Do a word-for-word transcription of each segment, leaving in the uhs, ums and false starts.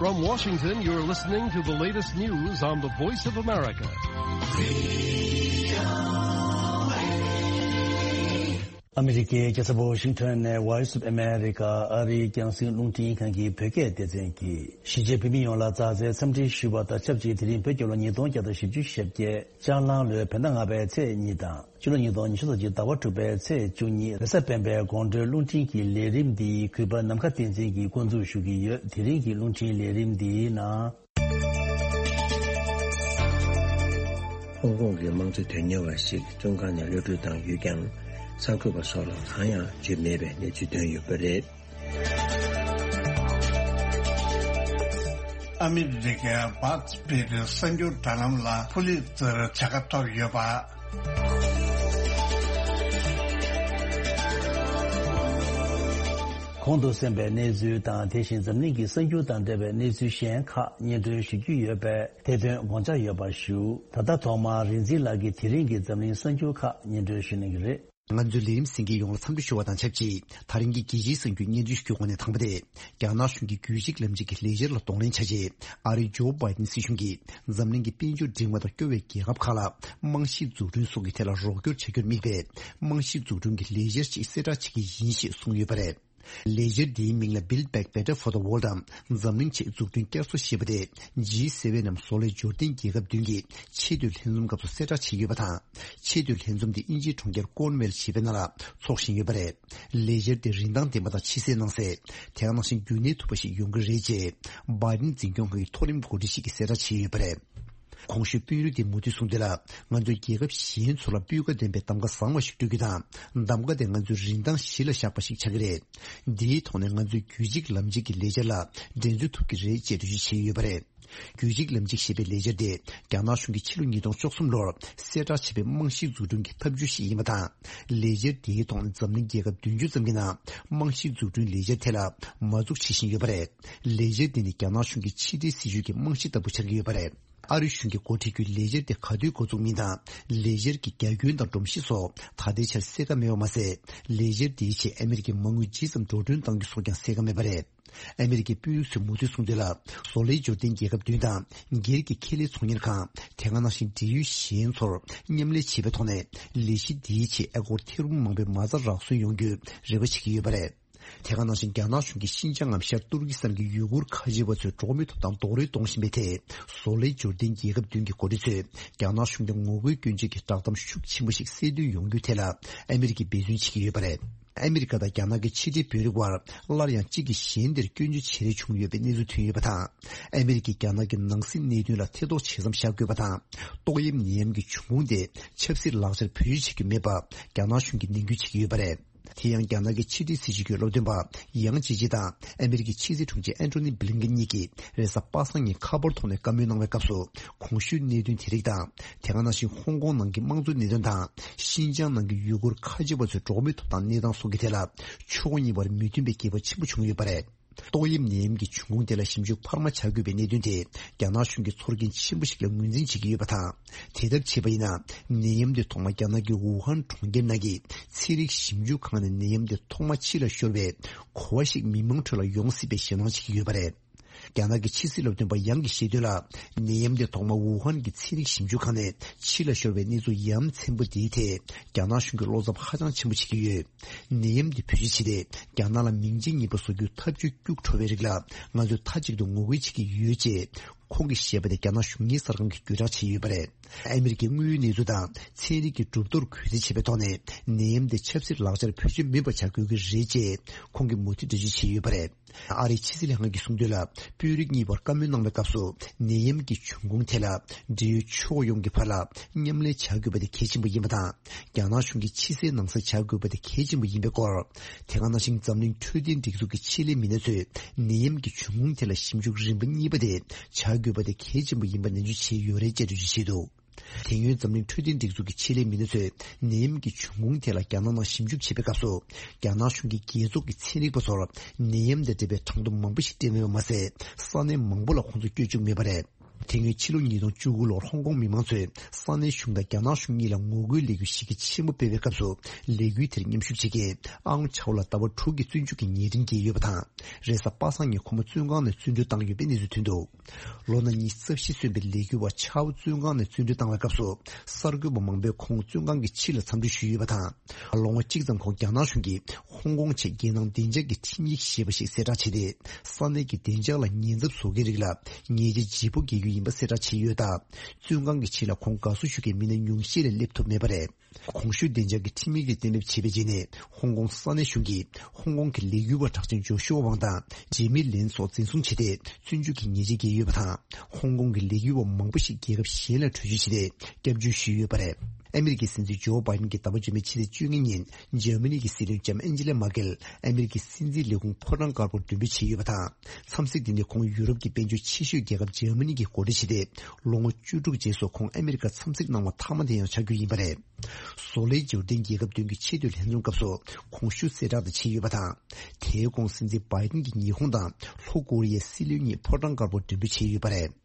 From Washington, you're listening to the latest news on the Voice of America. ཨ་མི་རི་ཀའི་རྒྱལ་ས་ཝ་ཤིང་ཊོན་ནས་Voice of America ཨ་རིའི་རྒྱང་སྲིང་རླུང་འཕྲིན་ཁང་གི་བོད་སྐད་སྡེ་ཚན་གྱིས་གཞིས་བྱེས་བོད་མི་ཡོངས་ལ་མཛའ་བརྩེའི་འཚམས་འདྲི་ཞུས་པ་དང་ཆབས་ཅིག་དེ་རིང་བོད་རྒྱལ་ལོ་ཉིས་སྟོང་བརྒྱ་དང་བཞི་བཅུ་ཞེ་བརྒྱད་ལྕགས་གླང་ལོའི་བོད་ཟླ་ལྔ་པའི་ཚེས་གཉིས་དང་། ཕྱི་ལོ་ཉིས་སྟོང་ཉི་ཤུ་རྩ་གཅིག་ཟླ་བ་དྲུག་པའི་ཚེས་བཅུ་གཉིས་རེས་གཟའ་སྤེན་པའི་དགོང་དྲོའི་རླུང་འཕྲིན་གྱི་ལས་རིམ་འདི་གུས་པ་ནམ་མཁའ་བསྟན་འཛིན་གྱིས་འགོ་འཛུགས་ཞུ་གི་ཡོད། དེ་རིང་གི་རླུང་འཕྲིན་ལས་རིམ་འདིའི་ནང་། ཧོང་ཀོང་གི་དམངས་གཙོ་དོན་གཉེར་བ་ཞིག་བཙོན་ཁང་ནས་གློད་གྲོལ་བཏང་ཡོད་ཀྱང་། གསར་འགོད་པ་སོགས་ལ་གང་ཡང་བརྗོད་མེད་པའི་གནས་ཚུལ་ཐོན་ཡོད་པ་རེད། ཨ་མི་རི་ཀའི་བྷ་ཐི་པིར་གསར་འགྱུར་དྲ་ལམ་ལ་ཕུ་ལི་ཙེར་བྱ་དགའ་ཐོབ་ཡོད་པ། གོང་དུ་གསན་པའི་གནས་ཚུལ་དང་། དེ་བཞིན་འཛམ་གླིང་གི་གསར་འགྱུར་དང་འབྲེལ་བའི་གནས་ཚུལ་གཞན་ཁག་སྙན་སྒྲོན་ཞུ་རྒྱུ་ཡོད་པས། དེ་དོན་དགོངས་འཇགས་ཡོད་པ་ཞུ། ད་ལྟ་ཐོག་མར་རིག་འཛིན་ལགས་ཀྱིས་དེ་རིང་གི་འཛམ་གླིང་གསར་འགྱུར་ཁག་སྙན་སྒྲོན་ཞུ་གནང་གི་རེད། ང་ཚོའི་ལས་རིམ་གསན་མཁན་ཡོངས་ལ་འཚམས་འདྲི་ཞུ་བ་དང་ཆབས་ཅིག་ད་རིང་གི་རྒྱལ་སྤྱིའི་གསར་འགྱུར་སྙན་སྒྲོན་ཞུ་རྒྱུའི་སྒོ་ནས་དང་པོ་དེ། རྒྱ་ནག་གཞུང་གིས་རྒྱུད་གཅིག་ལམ་གཅིག་གི་ལས་འཆར་ལ་གདོང་ལེན་བྱ་ཆེད། ཨ་རིའི་ཇོ་བྷའི་ཏིན་སྲིད་གཞུང་གིས་འཛམ་གླིང་གི་དཔལ་འབྱོར་འབྲིང་བ་དང་སྐྱོ་བའི་རྒྱལ་ཁབ་ཁག་ལ་རྨང་གཞིའི་འཛུགས་སྐྲུན་སོགས་ཀྱི་ཐད་ལ་རོགས་སྐྱོར་བྱ་རྒྱུར་དམིགས་པའི་རྨང་གཞིའི་འཛུགས་སྐྲུན་གྱི་ལས་འཆར་ཅིག་གསལ་བསྒྲགས་བྱེད་ཀྱི་ཡིན་ཞེས་གསུངས་ཡོད་པ་རེད། ལས་འཆར་འདིའི་མིང་ལ་Build Back Better for the World་འམ། འཛམ་གླིང་ཆེད་འཛུགས་སྐྲུན་བསྐྱར་གསོ་ཞེས་པ་དེ་ཇི་སེ་ཝེན་ནམ་བཟོ་ལས་འབྱོར་ལྡན་རྒྱལ་ཁབ་བདུན་གྱི་ཆེས་མཐོའི་ལྷན་འཛོམས་སྐབས་སུ་གསལ་བསྒྲགས་བྱས་ཡོད་པ་དང་། ཆེས་མཐོའི་ལྷན་འཛོམས་དེ་དབྱིན་ཇིའི་གྲོང་ཁྱེར་ཀོརན་ཝེལ་ཞེས་པའི་ནང་ལ་འཚོགས་བཞིན་ཡོད་པ་རེད། ལས་འཆར་དེ་རིན་ཐང་ལྡན་པ་དང་ཕྱི་གསལ་ནང་གསལ། དེ་ག་ནང་བཞིན་རྒྱུན་གནས་ཐུབ་པ་ཞིག་ཡོང་གི་རེད་ཅེས་བྷའི་ཏིན་འཛིན་སྐྱོང་ཁང་གི་མཐོ་རིམ་འགོ་ཁྲིད་ཞིག་གིས་གསལ་བསྒྲགས་བྱས་ཡོད་པ་རེད། གོང་ཞུས་དཔོན་རིགས་དེས་མུ་མཐུད་གསུངས་དོན་ལ། ང་ཚོས་རྒྱལ་ཁབ་གཞན་ཚོ་ལ་སྤུས་ཀ་ལྡན་པའི་གདམ་ག་བཟང་བ་ཞིག་སྤྲོད་རྒྱུ་དང་། གདམ་ག་དེ་ང་ཚོའི་རིན་ཐང་གཞི་ལ་བཞག་པ་ཞིག་ཆགས་ཀྱི་རེད། འདིའི་ཐོག་ནས་ང་ཚོས་རྒྱུད་གཅིག་ལམ་གཅིག་གི་ལས་འཆར་ལ་འགྲན་རྩོད་ཐུབ་ཀྱི་རེད་ཅེས་འགྲེལ་བརྗོད་བྱས་ཡོད་པ་རེད། རྒྱུད་གཅིག་ལམ་གཅིག་ཞེས་པའི་ལས་འཆར་དེ་རྒྱ་ནག་གཞུང་གིས་ཕྱི་ལོ་ཉིས་སྟོང་བཅུ་གསུམ་ལོར་གསལ་བསྒྲགས་བྱས་པའི་རྨང་གཞིའི་འཛུགས་སྐྲུན་གྱི་ཐབས་ཇུས་ཤིག་ཡིན་པ་དང་། ལས་འཆར་དེའི་ཐོག་ནས་འཛམ་གླིང་རྒྱལ་ཁབ་བདུན་ཅུ་ཙམ་གྱི་ནང་རྨང་གཞིའི་འཛུགས་སྐྲུན་ལས་འཆར་དེ་ལ་མ་འཛུགས་བྱེད་བཞིན་ཡོད་པ་རེད། ལས་འཆར་འདི་ནི་རྒྱ་ནག་གཞུང་གི་ཕྱི་འབྲེལ་སྲིད་ཇུས་ཀྱི་རྨང་གཞི་ལྟ་བུ་ཆགས་ཀྱི་ཡོད་པ་རེད། ཨ་རི་གཞུང་གིས་འགོ་ཁྲིད་རྒྱུའི་ལས་འཆར་དེ་ག་དུས་འགོ་འཛུགས་མིན་དང་། ལས་འཆར་གྱི་རྒྱ་ཁྱོན་དང་སྒྲོམ་གཞི་སོགས་ད་ལྟའི་ཆར་གསལ་ཁ་མེད་པ་མ་ཟད། ལས་འཆར་དེའི་ཆེད་ཨ་མི་རི་ཀའི་མ་དངུལ་ཇི་ཙམ་འགྲོ་གྲོན་གཏང་རྒྱུ་སོགས་ཀྱང་གསལ་ཁ་མེད་པ་རེད། ཨ་མི་རི་ཀའི་དཔོན་རིགས་ཚོས་མུ་མཐུད་གསུངས་དོན་ལ། བཟོ་ལས་འབྱོར་ལྡན་རྒྱལ་ཁབ་བདུན་དང་། སྒེར་གྱི་ཁེ་ལས་ཚོང་གཉེར་ཁང་། དེ་ག་ནང་བཞིན་འབྲེལ་ཡོད་གཞན་ཚོར་མཉམ་ལས་བྱེད་པའི་ཐོག་ནས། ལས་གཞི་འདིའི་ཆེད་ཨ་སྒོར་ཐེར་འབུམ་མང་པོའི་མ་རྩ་རག་སོན་ཡོང་རྒྱུའི་རེ་བ་བྱེད་ཀྱི་ཡོད་པ་རེད། དེ་ག་ནང་བཞིན་རྒྱ་ནག་གཞུང་གིས་ཤིན་ཅང་ངམ་ཤར་ཏུར་ཀི་སི་ཐན་གྱི་ཡུ་གུར་ཁ་ཆེ་བ་ཚོའི་འགྲོ་བ་མིའི་ཐོབ་ཐང་རྡོག་རོལ་གཏོང་བཞིན་པའི་ཐད། བཟོ་ལས་འབྱོར་ལྡན་རྒྱལ་ཁབ་བདུན་གྱི་འགོ་ཁྲིད་ཚོས་རྒྱ་ནག་གཞུང་གིས་ངོ་རྒོལ་སྐྱོན་བརྗོད་ཀྱི་བསྒྲགས་གཏམ་ཤུགས་ཆེན་པོ་ཞིག་གསལ་སྟོན་ཡོང་རྒྱུའི་ཐད་ལ་ཨ་མི་རི་ཀས་འབད་བརྩོན་བྱེད་ཀྱི་ཡོད་པ་རེད། ཨ་མི་རི་ཀ་དང་རྒྱ་ནག་གི་ཕྱི་འབྲེལ་དཔོན་རིགས་དབར་སླར་ཡང་གཅིག་གིས་གཞན་དེར་སྐྱོན་བརྗོད་བྱེད་རེས་བྱུང་ཡོད་པའི་གནས་ཚུལ་ཐོན་ཡོད་པ་དང་། ཨ་མི་རི་ཀས་རྒྱ་ནག་གི་ནང་སྲིད་གནད་དོན་ལ་ཐེ་གཏོགས་བྱེད་མཚམས་བཞག་དགོས་པ་དང་། ཏོག་དབྱིབས་ནད་ཡམས་ཀྱི་འབྱུང་ཁུངས་དེ་ཆབ་སྲིད་ལག་ཆར་བེད་སྤྱོད་བྱེད་རྒྱུ་མེད་པ་རྒྱ་ནག་གཞུང་གིས་ནན་སྐུལ་བྱེད་ཀྱི་ཡོད་པ་རེད། དེ་ཡང་རྒྱ་ནག་གི་ཕྱི་འབྲེལ་སྲིད་བྱུས་ཀྱི་སློབ་སྟོན་པ་ཡང་ཅེ་ཅི་དང་ཨ་མི་རི་ཀའི་ཕྱི་སྲིད་དྲུང་ཆེ་ཨན་ཐོ་ནི་བྷི་ལིན་ཀེན་གཉིས་ཀྱིས་རེས་གཟའ་པ་སངས་ཉིན་ཁ་པར་ཐོག་ནས་བཀའ་མོལ་གནང་བའི་སྐབས་སུ། གོང་ཞུས་གནད་དོན་དེ་རིགས་དང་། དེ་ག་ནང་བཞིན་ཧོང་ཀོང་ནང་གི་དམངས་གཙོའི་གནད་དོན་དང་། ཤིན་ཅང་ནང་གི་ཡུ་གུར་ཁ་ཆེ་བ་ཚོའི་འགྲོ་བ་མིའི་ཐོབ་ཐང་གནས་སྟངས་སོགས་ཀྱི་ཐད་ལ། ཕྱོགས་གཉིས་བར་མི་མཐུན་པའི་འགྱེད་པ་ཆེན་པོ་བྱུང་ཡོད་པ་རེད། ཏོག་དབྱིབས་ནད་ཡམས་ཀྱི་འབྱུང་ཁུངས་དེ་ལ་ཞིབ་འཇུག་འཕར་མ་བྱ་དགོས་པའི་གནད་དོན་དེ་རྒྱ་ནག་གཞུང་གིས་ཚོར་སྐྱེན་ཆེན་པོ་ཞིག་ལ་ངོས་འཛིན་བྱེད་ཀྱི་ཡོད་པ་དང་། དེ་ལྟར་བྱས་པ་ཡིན་ན། ནད་ཡམས་དེ་ཐོག་མ་རྒྱ་ནག་གི་ཝུ་ཧན་གྲོང་ཁྱེར་ནང་གི་ཚན་རིག་ཞིབ་འཇུག་ཁང་ནས་ནད་ཡམས་དེ་ཐོག་མ་ཕྱི་ལ་ཤོར་བའི་གོ་བ་ཞིག་མི་མང་ཁྲོད་ལ་ཡོང་སྲིད་པའི་ཞེད་སྣང་བྱེད་ཀྱི་ཡོད་པ་རེད། རྒྱ་ནག་གི་ཕྱི་སྲིད་སློབ་སྟོན་པ་ཡང་གིས་བཤད་དོན་ལ། ནད་ཡམས་དེ་ཐོག་མ་ཝུ་ཧན་གྱི་ཚན་རིག་ཞིབ་འཇུག་ཁང་ནས་ཕྱི་ལ་ཤོར་བའི་གནས་ཚུལ་ཡ་མཚན་པོ་འདིའི་ཐད་རྒྱ་ནག་གཞུང་གིས་བློ་འཚབ་ཧ་ཅང་ཆེན་པོ་བྱེད་ཀྱི་ཡོད། ནད་ཡམས་འདི་བེད་སྤྱོད་བྱས་ཏེ་རྒྱ་ནག་ལ་མིང་རྗེས་ཉེས་པ་བཟོ་རྒྱུའི་ཐབས་ཇུས་སྐྱུག་བྲོ་བའི་རིགས་ལ་ང་ཚོས་མཐའ་གཅིག་ཏུ་ངོ་རྒོལ་བྱེད་ཀྱི་ཡོད་ཅེས་ཁོང་གིས་བཤད་པ་དེ་རྒྱ་ནག་གཞུང་གཉེར་གསར་ཁང་གིས་བརྒྱུད་བསྒྲགས་བྱས་ཡོད་པ་རེད། ཨ་མི་རི་ཀའི་དངོས་ཡོད་གནས་ཚུལ་དང་ཚན་རིག་གི་གྲུབ་དོར་གུས་བརྩི་བྱེད་པའི་ཐོག་ནས་ནད་ཡམས་དེ་ཆབ་སྲིད་ལག་ཆར་བེད་སྤྱོད་མེད་པ་བྱ་དགོས་ཀྱི་རེད་ཅེས་ཁོང་གིས་མུ་མཐུད་འགྲེལ་བརྗོད་བྱས་ཡོད་པ་རེད། ཨ་རིའི་ཕྱི་སྲིད་ལྷན་ཁང་གིས་གསུངས་དོན་ལ། དཔོན་རིགས་གཉིས་བར་བཀའ་མོལ་གནང་བའི་སྐབས་སུ། ནད་ཡམས་ཀྱི་འབྱུང་ཁུངས་ཐད་ལ་འབྲེལ་ཡོད་ཕྱོགས་ཡོངས་ཀྱི་བར་ལ་མཉམ་ལས་བྱ་དགོས་པ་དེ་གལ་ཆེན་པོ་ཡིན་པ་དང་། རྒྱ་ནག་གཞུང་གིས་ཕྱི་གསལ་ནང་གསལ་བྱ་དགོས་པ་དེ་གལ་ཆེན་པོ་ཡིན་པའི་སྐོར། དེ་ག་ནང་བཞིན་འཛམ་གླིང་འཕྲོད་བསྟེན་སྒྲིག་འཛུགས་ཀྱི་ཆེད་ལས་མི་སྣ་ཚོས་ནད་ཡམས་ཀྱི་འབྱུང་ཁུངས་ཐད་ལ་ཞིབ་འཇུག་རིམ་པ་གཉིས་པ་དེ་བྱ་དགོས་པ་དེ་གལ་ཆེན་པོ་ཡིན་པ་ནན་བརྗོད་བྱས་ཡོད་རེད་ཅེས་འགྲེལ་བརྗོད་བྱས་འདུག་དེ་སྔོན་འཛམ་གླིང་འཕྲོད་བསྟེན་སྒྲིག་འཛུགས་ཀྱི་ཆེད་ལས་མི་སྣ་ཚོས་ནད་ཡམས་ཀྱི་འབྱུང་ཁུངས་ཐད་ལ་རྒྱ་ནག་ནང་ཞིབ་འཇུག་བྱེད་པའི་སྐབས་སུ། རྒྱ་ནག་གཞུང་གིས་རྒྱལ་ཚོགས་ཀྱི་ཚན་རིག་པ་ཚོར་ནད་ཡམས་དང་འབྲེལ་བའི་གྲངས་ཐོ་མང་པོ་ཞིག་སྤྲད་མེད་པ་མ་ཟད། ས་གནས་མང་པོ་ལ་ཁོང་ཚོ་བསྐྱོད་བཅུག་མེད་པ་རེད། དེ་སྔོན་ཕྱི་ལོ་ཉིས་སྟོང་བཅུ་དགུ་ལོར་ཧོང་ཀོང་མི་མང་ཚོས་ས་གནས་གཞུང་དང་རྒྱ་ནག་གཞུང་གཉིས་ལ་ངོ་རྒོལ་ལས་འགུལ་གཞི་རྒྱ་ཆེན་པོ་སྤེལ་བའི་སྐབས་སུ། ལས་འགུལ་དེར་མཉམ་ཞུགས་བྱེད་མཁན་ཨང་ཆའོ་ལ་ཟླ་བ་དྲུག་གི་བཙོན་འཇུག་གི་ཉེས་འཕྲིན་བཀལ་ཡོད་པ་དང་། རེས་གཟའ་པ་སངས་ཉིན་ཁོ་མོ་བཙོན་ཁང་ནས་བཙོན་གྲོལ་བཏང་ཡོད་པའི་གནས་ཚུལ་ཐོན་འདུག་ལོ་ན་ཉི་ཤུ་རྩ་བཞི་སོན་པའི་ལས་འགུལ་བ་ཆའོ་བཙོན་ཁང་ནས་བཙོན་གྲོལ་བཏང་བའི་སྐབས་སུ། གསར་འགོད་པ་མང་པོས་ཁོང་བཙོན་ཁང་གི་ཕྱི་ལ་འཚམས་འདྲི་ཞུས་ཡོད་པ་དང་། ལོ་ངོ་གཅིག་ཙམ་ཁོང་རྒྱ་ནག་གཞུང་གིས་ཧོང་ཀོང་ཆེད་རྒྱལ་ནང་བདེ་འཇགས་ཀྱི་ཁྲིམས་ཡིག་ཞེས་པ་ཞིག་གསལ་བསྒྲགས་བྱས་ཏེ། ས་གནས་ཀྱི་བདེ་འཇགས་ལ་ཉེན་ཚབས་བཟོ་མཁན་རིགས་ལ་ཉེས་ཆད་ལྗིད་པོ་འགེལ་རྒྱུ་ཡིན་པ་གསལ་བསྒྲགས་བྱས་ཡོད་སྟབས། བཙོན་ཁང་གི་ཕྱི་ལ་ཁོང་དགའ་བསུ་ཞུ་མཁན་མི་སྣ་ཉུང་ཤས་ལས་སླེབས་ཐུབ་མེད་པ་རེད། གོང་ཞུས་བདེ་འཇགས་ཀྱི་ཁྲིམས་ཡིག་དེ་གཏན་འབེབས་བྱས་པའི་རྗེས་ནས། ཧོང་ཀོང་ས་གནས་གཞུང་གིས་ཧོང་ཀོང་གི་ལས་འགུལ་བ་གྲགས་ཅན་ཇོ་ཤུ་ཝ་ཝང་དང་ཇེ་མི་ལིན་སོགས་འཛིན་བཟུང་བྱས་ཏེ། བཙོན་འཇུག་གི་ཉེས་ཆད་བཀལ་ཡོད་པ་དང་། ཧོང་ཀོང་གི་ལས་འགུལ་བ་མང་པོ་ཞིག་རྒྱལ་ཁབ་གཞན་ལ་བྲོས་བྱོལ་བྱས་ཏེ། སྐྱབས་བཅོལ་ཞུས་ཡོད་པ་རེད། ཨ་མི་རི་ཀའི་སྲིད་འཛིན་ཇོ་བྷའི་ཏིན་གྱིས་ཟླ་བ་རྗེས་མའི་ཕྱི་ཚེས་བཅོ་ལྔ་ཉིན། འཇར་མ་ནི་གི་སྲིད་བློན་ལྕམ་ཨན་ཇི་ལ་མར་ཀེལ་ཨ་མི་རི་ཀའི་སྲིད་འཛིན་ལས་ཁུངས་ཕོ་བྲང་དཀར་པོར་མགྲོན་འབོད་བྱས་ཡོད་པ་དང་། འཚམས་གཟིགས་དེ་ནི་ཁོང་ཡུ་རོབ་ཀྱི་དཔལ་འབྱོར་ཆེ་ཤོས་རྒྱལ་ཁབ་འཇར་མ་ནི་གྱི་འགོ་ཁྲིད་བྱས་ཏེ། ལོ་ངོ་བཅུ་དྲུག་རྗེས་སུ་ཁོང་ཨ་མི་རི་ཀར་འཚམས་གཟིགས་གནང་བ་མཐའ་མ་དེ་ཡང་ཆགས་རྒྱུ་ཡིན་པ་རེད། བཟོ་ལས་འབྱོར་ལྡན་རྒྱལ་ཁབ་བདུན་གྱི་ཆེས་མཐོའི་ལྷན་འཛོམས་སྐབས་སུ་གོང་ཞུས་གསལ་བསྒྲགས་དེ་བྱས་ཡོད་པ་དང་། དེའི་གོང་སྲིད་འཛིན་བྷའི་ཏིན་གྱིས་ཉི་ཧོང་དང་ལྷོ་ཀོ་རི་ཡའི་སྲིད་བློན་གཉིས་ཕོ་བྲང་དཀར་པོར་མགྲོན་འབོད་བྱས་ཡོད་པ་རེད།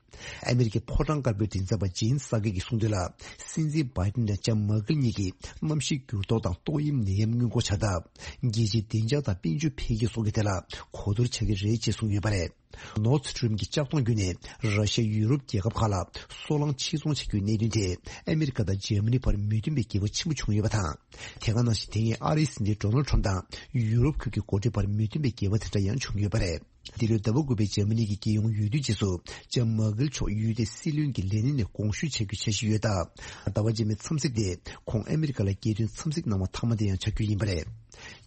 ཨ་མི་རི་ཀའི་ཕོ་བྲང་དཀར་པོའི་མགྲིན་ཚབ་པ་ཇིན་སཱ་ཀེ་གིས་གསུངས་དོན་ལ། སྲིད་འཛིན་བྷའི་ཏིན་དང་ལྕམ་མར་ཀེལ་གཉིས་ཀྱིས་གནམ་གཤིས་འགྱུར་ལྡོག་དང་ཏོག་དབྱིབས་ནད་ཡམས་སྔོན་འགོག་བྱ་ཐབས། རྒྱལ་སྤྱིའི་བདེ་འཇགས་དང་དཔལ་འབྱོར་འཕེལ་རྒྱས་སོགས་ཀྱི་ཐད་ལ་གོ་བསྡུར་བྱ་གི་རེད་ཅེས་གསུངས་ཡོད་པ་རེད། ནོར་སི་ཊི་རིམ་གྱི་ལྕགས་མདོང་བརྒྱུད་ནས་ར་ཤི་ཡ་ཡུ་རོབ་རྒྱལ་ཁབ་ཁག་ལ་སོལ་རླངས་ཕྱིར་ཚོང་བྱ་རྒྱུའི་གནད་དོན་དེ་ཨ་མི་རི་ཀ་དང་འཇར་མ་ནི་བར་མོས་མཐུན་པའི་འགལ་བ་ཆེན་པོ་བྱུང་ཡོད་པ་དང་། དེ་ག་ནང་བཞིན་དེ་སྔའི་ཨ་རིའི་སྲིད་འཛིན་ཌོ་ནལ་ཁྲམ་དང་ཡུ་རོབ་ཁུལ་གྱི་འགོ་ཁྲིད་བར་མོས་མཐུན་པའི་འགལ་བ་དེ་འདྲ་ཡང་བྱུང་ཡོད་པ་རེད། འདི་ལོའི་ཟླ་བ་དགུ་པའི་འཇར་མ་ནི་གི་རྒྱལ་ཡོངས་འོས་བསྡུའི་རྗེས་སུ་ལྕམ་མར་ཀེལ་མཆོག་ཡུལ་དེའི་སྲིད་བློན་གྱི་ལས་གནས་ནས་དགོངས་ཞུ་བྱ་རྒྱུའི་འཆར་གཞི་ཡོད་སྟབས། ཟླ་བ་རྗེས་མའི་འཚམས་གཟིགས་དེ་ཁོང་ཨ་མི་རི་ཀ་ལ་རྒྱལ་དོན་འཚམས་གཟིགས་གནང་བ་མཐའ་མ་དེ་ཡང་ཆགས་རྒྱུ་ཡིན་པ་རེད།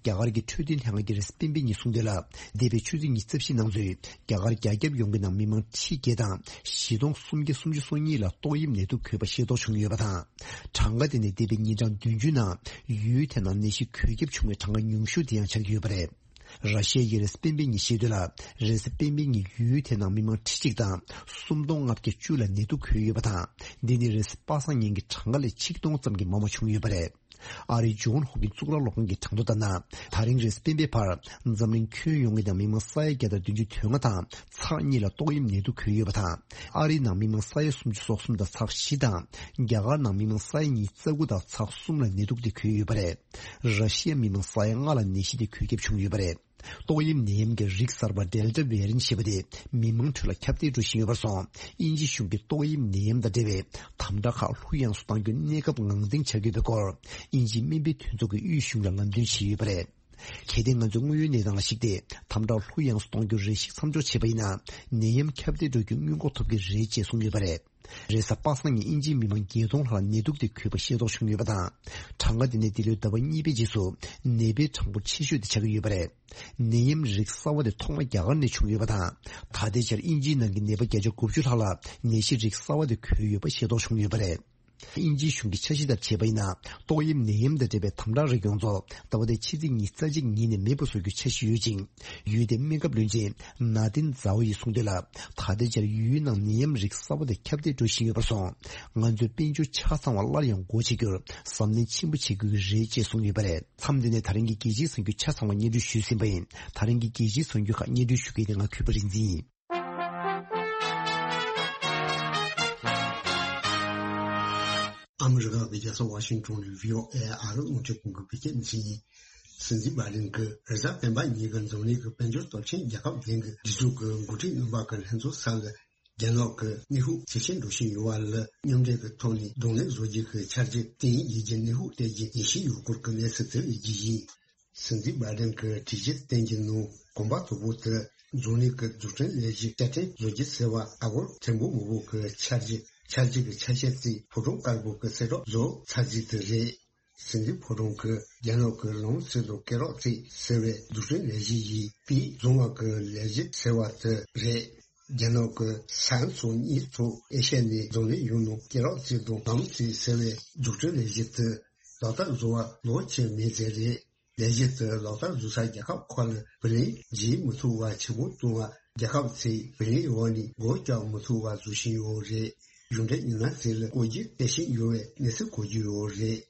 རྒྱ་གར་གྱི་འཕྲོད་བསྟེན་ལྷན་ཁང་གི་རེས་སྤེན་པའི་ཉིན་གསུངས་དོན་ལ། འདས་པའི་ཆུ་ཚོད་ཉི་ཤུ་རྩ་བཞི་ནང་ཚུད་རྒྱ་གར་རྒྱ་ཁྱབ་ཡོངས་ཀྱི་ནང་མི་མང་ཁྲི་བརྒྱད་དང་བཞི་སྟོང་སུམ་བརྒྱ་སུམ་ཅུ་སོ་གཉིས་ལ་ཏོག་དབྱིབས་ནད་དུག་འགོས་པ་ཤེས་རྟོགས་བྱུང་ཡོད་པ་དང་། གྲངས་ཀ་དེ་ནི་འདས་པའི་ཉིན་གྲངས་བདུན་ཅུའི་ནང་ཡུལ་དེ་ནང་ནད་གཞི་འགོས་ཁྱབ་བྱུང་བའི་གྲངས་ཀ་ཉུང་ཤོས་དེ་ཡང་ཆགས་ཀྱི་ཡོད་པ་རེད། ར་ཤི་ཡ་ཡི་རེས་སྤེན་པའི་ཉིན་བཤད་དོན་ལ། རེས་སྤེན་པའི་ཉིན་ཡུལ་དེ་ནང་མི་མང་ཁྲི་གཅིག་དང་སུམ་སྟོང་ལྔ་བརྒྱ་བཅུ་ལ་ནད་དུག་འགོས་ཡོད་པ་དང་། འདི་ནི་རེས་པ་སངས་ཉིན་གྱི་གྲངས་ཀ་ལས་ཆིག་སྟོང་ཙམ་གྱིས་མང་བ་བྱུང་ཡོད་པ་རེད། ཨ་རིའི་ཇོན་ཧོབ་ཀིན་གཙུག་ལག་སློབ་ཁང་གི་གྲངས་ཐོ་ལྟར་ན། ད་རིང་རེས་སྤེན་པའི་བར་འཛམ་གླིང་ཁྱོན་ཡོངས་ཀྱི་ནང་མི་མང་ས་ཡ་བརྒྱ་དང་བདུན་ཅུ་དོན་ལྔ་དང་ཚེག་གཉིས་ལ་ཏོག་དབྱིབས་ནད་དུག་འགོས་ཡོད་པ་དང་། ཨ་རིའི་ནང་མི་མང་ས་ཡ་སུམ་ཅུ་སོ་གསུམ་དང་ཚེག་བཞི་དང་། རྒྱ་གར་ནང་མི་མང་ས་ཡ་ཉིས་རྩ་དགུ་དང་ཚེག་གསུམ་ལ་ནད་དུག་དེ་འགོས་ཡོད་པ་རེད། ར་ཤི་ཡ་མི་མང་ས་ཡ་ལྔ་ལ་ནད་གཞི་དེ་འགོས་ཁྱབ་བྱུང་ཡོད་པ་རེད། ཏོག་དབྱིབས་ནད་ཡམས་ཀྱི་རིགས་གསར་པ་ཌེལ་ཊ་བྷེ་རི་ཡན་ཊི་ཞེས་པ་དེ་མི་མང་ཁྲོད་ལ་ཁྱབ་གདལ་འགྲོ་བཞིན་ཡོད་པར་སོང་། དབྱིན་ཇི་གཞུང་གིས་ཏོག་དབྱིབས་ནད་ཡམས་དང་འབྲེལ་བའི་དམ་དྲག་ཁག་ལྷུག་ཡངས་སུ་གཏང་རྒྱུའི་གནས་སྐབས་ངང་འདིང་བྱ་དགོས་པའི་སྐོར། དབྱིན་ཇིའི་སྨན་པའི་མཐུན་ཚོགས་ཀྱི་དབུས་གཞུང་ལ་ལམ་སྟོན་བྱས་ཡོད་པ་རེད། གལ་ཏེ་ང་ཚོས་དངོས་ཡོད་གནས་སྟངས་ལ་གཞིགས་ཏེ་དམ་དྲག་ལྷུག་ཡངས་སུ་གཏོང་རྒྱུར་རེ་ཞིག་མཚམས་འཇོག་བྱས་པ་ཡིན་ན། ནད་ཡམས་ཁྱབ་གདལ་འགྲོ་རྒྱུ་སྔོན་འགོག་ཐུབ་ཀྱི་རེད་ཅེས་གསུངས་ཡོད་པ་རེད། རེས་གཟའ་པ་སངས་ཉིན་དབྱིན་ཇིའི་མི་མང་བརྒྱད་སྟོང་ལྷག་ནད་དུག་དེ་འགོས་པ་ཤེས་རྟོགས་བྱུང་ཡོད་པ་དང་། གྲངས་ཀ་དེ་ནི་འདི་ལོའི་ཟླ་བ་གཉིས་པའི་རྗེས་སུ་ནད་པའི་གྲངས་འབོར་ཆེ་ཤོས་དེ་ཆགས་ཀྱི་ཡོད་པ་རེད། ནད་ཡམས་རིགས་གསར་བ་དེ་ཐོག་མ་རྒྱ་གར་ནས་བྱུང་ཡོད་པ་དང་། ད་ལྟའི་ཆར་དབྱིན་ཇིའི་ནང་གི་ནད་པ་བརྒྱ་ཆ་དགུ་བཅུ་ལྷག་ལ་ནད་གཞི་རིགས་གསར་བ་དེ་འགོས་ཡོད་པ་ཤེས་རྟོགས་བྱུང་ཡོད་པ་རེད། དབྱིན་ཇིའི་གཞུང་གི་འཆར་གཞི་ལྟར་བྱས་པ་ཡིན་ན། ཏོག་དབྱིབས་ནད་ཡམས་དང་འབྲེལ་བའི་དམ་དྲག་རིགས་ཡོངས་རྫོགས་ཟླ་བ་འདིའི་ཕྱི་ཚེས་ཉི་ཤུ་རྩ་གཅིག་ཉིན་ནས་མེད་པར་བཟོ་རྒྱུའི་འཆར་གཞི་ཡོད་ཅིང་། ཡུལ་དེའི་སྨན་ཁབ་བློན་ཆེན་ནཱ་ཏིན་ཛའོ་ཡིས་གསུངས་དོན་ལ། ད་ལྟའི་ཆར་ཡུལ་ནང་ནད་ཡམས་རིགས་གསར་བ་དེ་ཁྱབ་གདལ་འགྲོ་བཞིན་ཡོད་པར་སོང་། ང་ཚོས་དཔལ་འབྱོར་ཆ་ཚང་བ་སླར་ཡང་སྒོ་ཕྱེ་རྒྱུར་གཟབ་ནན་ཆེན་པོ་བྱེད་དགོས་ཀྱི་རེད་ཅེས་གསུངས་ཡོད་པ་རེད། མཚམས་འདི་ནས་ད་རིང་གི་རྒྱལ་སྤྱིའི་གསར་འགྱུར་ཆ་ཚང་བ་སྙན་སྒྲོན་ཞུས་ཟིན་པ་ཡིན། ད་རིང་གི་རྒྱལ་སྤྱིའི་གསར་འགྱུར་ཁག་སྙན་སྒྲོན་ཞུ་མཁན་དེ་ང་གུས་པ་རིག་འཛིན་ཡིན། ཨ་མི་རི་ཀ་གི་རྒྱལ་ས་ཝ་ཤིང་ཊོན་ནས་བྷི་ཨོ་ཨེ་ཨ་རི་རླུང་འཕྲིན་ཁང་གི་བོད་སྐད་སྡེ་ཚན་ཡིན། སྲིད་འཛིན་བྷའི་ཌེན་གྱིས་རེས་གཟའ་སྤེན་པ་ཉིན་གྱི་འཛམ་གླིང་གི་དཔལ་འབྱོར་སྟོབས་ཆེན་རྒྱལ་ཁབ་བརྒྱད་ཀྱི་སྒྲིག་འཛུགས་ཀྱི་འགོ་ཁྲིད་རྣམ་པ་གི་ལྷན་ཚོགས་སར། རྒྱ་ནག་གི་ནུས་ཤུགས་ཇེ་ཆེར་འགྲོ་བཞིན་ཡོད་པ་ལ་མཉམ་འབྲེལ་གྱི་ཐོག་ནས་གདོང་ལེན་བཟོ་རྒྱུ་གི་འཆར་གཞི་བཏིང་ཡིན་གྱི་ནུས་ཤུགས་སྟེར་རྒྱུ་ངེས་ཤེས་ཡོད་སྐོར་གྱི་གནས་ཚུལ་དེ་ལ་རྒྱུས་ཡིན། སྲིད་འཛིན་བྷའི་ཌེན་གྱི་གྲོས་ཆོད་བཏོན་གྱི་ནང་གོམ་པ་དང་པོ་དེ་འཛམ་གླིང་གི་འཛུགས་སྐྲུན་ལས་གཞི་རྩ་ཁྲིམས་བཟོ་རྒྱུ་ཟེར་བ་ཨ་སྒོར་ཐེར་འབུམ་མང་པོ་གི་འཆར་གཞི་འཆར་གཞི་གི་ཆ་ཤས་གཙོས་ཕོ་བྲང་དཀར་པོ་གི་གསལ་བསྒྲགས་བཟོ་ཚར་རྩིས་དེ་རེད། སྲིད་འཛིན་ཕོ་བྲང་གིས་རྒྱ་ནག་གི་ལམ་སྲོལ་དང་སྐེད་རགས་རྩིས་ཟེར་བའི་འཛུགས་སྐྲུན་ལས་གཞི་ཡིས་པིས་བཟུང་བ་གི་ལས་གཞི་ཟེར་བ་དེ་རེད། རྒྱ་ནག་གི་ས་མཚོ་གཉིས་ཐོག་ཨེ་ཤ་ཡ་ནས་འཛམ་གླིང་ཡོངས་ནང་སྐེད་རགས་རྩིས་དང་ལམ་རྩིས་ཟེར་བའི་འཛུགས་སྐྲུན་ལས་གཞི་དེ་ལག་བསྟར་བཟོ་བར་ལོ་ཕྱེད་མེད་ཙམ་རེད། ལས་གཞི་དེ་ལག་བསྟར་བཟོ་ས་རྒྱལ་ཁབ་ཁག་ལ་བུ་ལོན་བརྗེ་མི་ཐུབ་པ་ཆེན་པོ་བཏང་བ། རྒྱལ་ཁབ་ཚོས་བུ་ལོན་འོག་ནས་སྒོ་བརྒྱབ་མི་ཐུབ་པ་བཟོ་བཞིན་ཡོད་རེད། གཞུང་འབྲེལ་མི་སྣ་ཚོ་ལ་བཀོད་རྒྱུ་སྟེར་བཞིན་ཡོད་པའི་གནས་ཚུལ་གོ་རྒྱུ་ཡོད་རེད།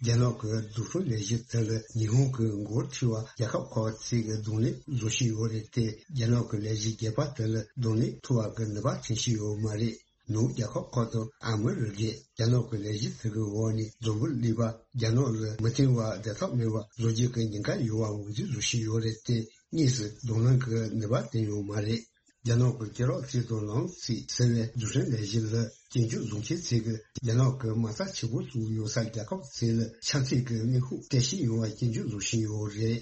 རྒྱ་ནག་གི་འཛུགས་སྐྲུན་ལས་གཞི་དེ་ལ་ཉི་ཧོང་གི་འགོ་ཁྲིད་པ་རྒྱལ་ཁབ་ཁག་ཚོས་གདོང་ལེན་བཟོ་བཞིན་ཡོད་རེད་དེ། རྒྱ་ནག་གི་ལས་གཞི་རྒྱས་པ་དེ་ལ་གདོང་ལེན་ཐུབ་པ་གི་ནུས་པ་ཐོན་བཞིན་ཡོད་མ་རེད། ནུབ་རྒྱལ་ཁབ་ཁག་དང་ཨ་མི་རི་ཀས་རྒྱ་ནག་གི་ལས་གཞི་དེ་གི་འོག་ནས་འཛམ་བུ་གླིང་པ་རྒྱ་ནག་ལ་མི་བརྟེན་པ་བདེ་ཐབས་མེད་པ་བཟོ་རྒྱུ་གི་ཉེན་ཁ་ཡོད་པ་ངོས་འཛིན་བཟོ་བཞིན་ཡོད་རེད་དེ། དངོས་སུ་གདོང་ལེན་གྱི་ནུས་པ་བསྟན་ཡོད་མ་རེད། རྒྱ་ནག་གི་སྐེད་རགས་རྩེ་དང་ལམ་རྩེ་ཟེར་བའི་འཛུགས་སྐྲུན་ལས་གཞི་ལ་སྐྱིན་འགྲུལ་བཟོ་མཁན་ཚོས་ཀྱིས་རྒྱ་ནག་གི་མ་རྩ་ཆེ་པོ་བཙུགས་ཡོད་ས་རྒྱལ་ཁབ་ཚོ་ལ་ཆབ་སྲིད་ཀྱི་དམིགས་ཁུལ་སྤྲད་བཞིན་ཡོད་པ་སྐྱིན་འགྲུལ་བཟོ་བཞིན་ཡོད་རེད།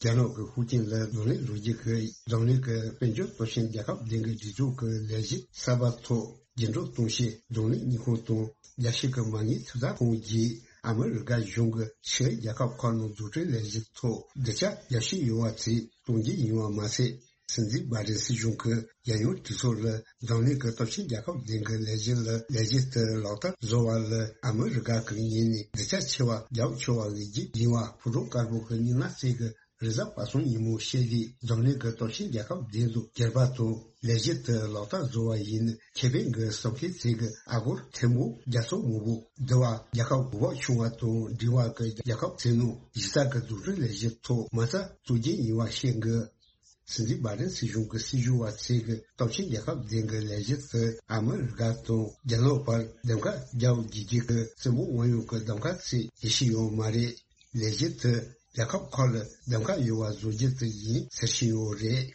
རྒྱ་ནག་གི་ཤུགས་རྐྱེན་ལ་གདོང་ལེན་བཟོ་རྒྱུ་གི་འཛམ་གླིང་གི་དཔལ་འབྱོར་སྟོབས་ཆེན་རྒྱལ་ཁབ་ལྡན་གྱི་སྒྲིག་འཛུགས་ཀྱི་ལས་གཞི་གསར་པ་ཐོག་འགྱུར་ལྡོག་གཏོང་ཆེད་འཛམ་གླིང་དངུལ་ཁང་དང་རྒྱལ་སྤྱི་གི་མ་དངུལ་ཐེབས་རྩ་ཁང་བརྒྱུད་ཨ་མི་རི་ཀ་གཞུང་གི་ཕྱིའི་རྒྱལ་ཁབ་ཁག་ནང་འཛུགས་སྐྲུན་ལས་གཞི་ཐོག་སྡིངས་ཆ་རྒྱ་ཤོས་ཡོད་པ་ཚོས་གཏོང་རྒྱུ་ཡིན་པ་མ་ཟད། སྲིད་འཛིན་བྷའི་ཌེན་སྲིད་གཞུང་གི་རྒྱལ་ཡོངས་གྲོས་ཚོགས་ལ་འཛམ་གླིང་གི་སྟོབས་ཆེན་རྒྱལ་ཁབ་ལྡན་གྱི་ལས་གཞི་ལ་ལས་གཞི་དེ་ལག་བསྟར་བཟོ་བ་ལ་ཨ་མི་རི་ཀ་གི་ངོས་ནས་སྡིངས་ཆ་ཆེ་བ་རྒྱབ་ཆོག་པ་ལས་རྒྱུ་ཡིན་པ་ཕོ་བྲང་དཀར་པོ་གི་མི་སྣ་ཚོས་ཀྱིས་རེས་གཟའ་པ་སངས་ཉིན་མོ་བཤད་དུས། འཛམ་གླིང་གི་སྟོབས་ཆེན་རྒྱལ་ཁབ་བདུན་དང་སྒེར་པ་དང་ལས་གཞི་དེ་ལག་བསྟར་བཟོ་བ་ཡིན་ན་ཁེ་ཕན་གྱི་བསམ་མཁན་ཚོས་ཀྱིས་ཨ་སྒོར་ཐེར་འབུམ་བརྒྱ་ཚོ་མང་པོ་འདི་བ་རྒྱལ་ཁབ་འོས་འབབ་ཆུང་བ་དང་འབྲིང་བ་གི་རྒྱལ་ཁབ་ཚོའི་ནང་གཞི་རྩ་གི་འཛུགས་སྐྲུན་ལས་གཞི་ཐོག་མ་རྩ་བཙུགས་རྒྱུ་ཡིན་པ་བཤད་འདུག། སྲིད་འཛིན་བྷའི་ཌེན་སྲིད་གཞུང་གི་སྲིད་ཇུས་པ་ཚོས་ཀྱིས་སྟོབས་ཆེན་རྒྱལ་ཁབ་བདུན་གྱི་ལས་གཞི་དེ་ཨ་མི་རི་ཀ་དང་རྒྱ་ནག་བར་གདམ་ཁ་རྒྱག་དགོས་རྒྱུ་གི་བཙན་པོ་དབང་ཡོད་ཀྱི་གདམ་ཁ་ཚོ་ཡེ་ཤེས་ཡོད་མ་རེད། ལས་གཞི་དེ་རྒྱལ་ཁབ་ཁག་ལ་གདམ་ཁ་ཡོད་པ་བཟོ་རྒྱུ་དེ་ཡིན་ཟེར་བཞིན་ཡོད་རེད།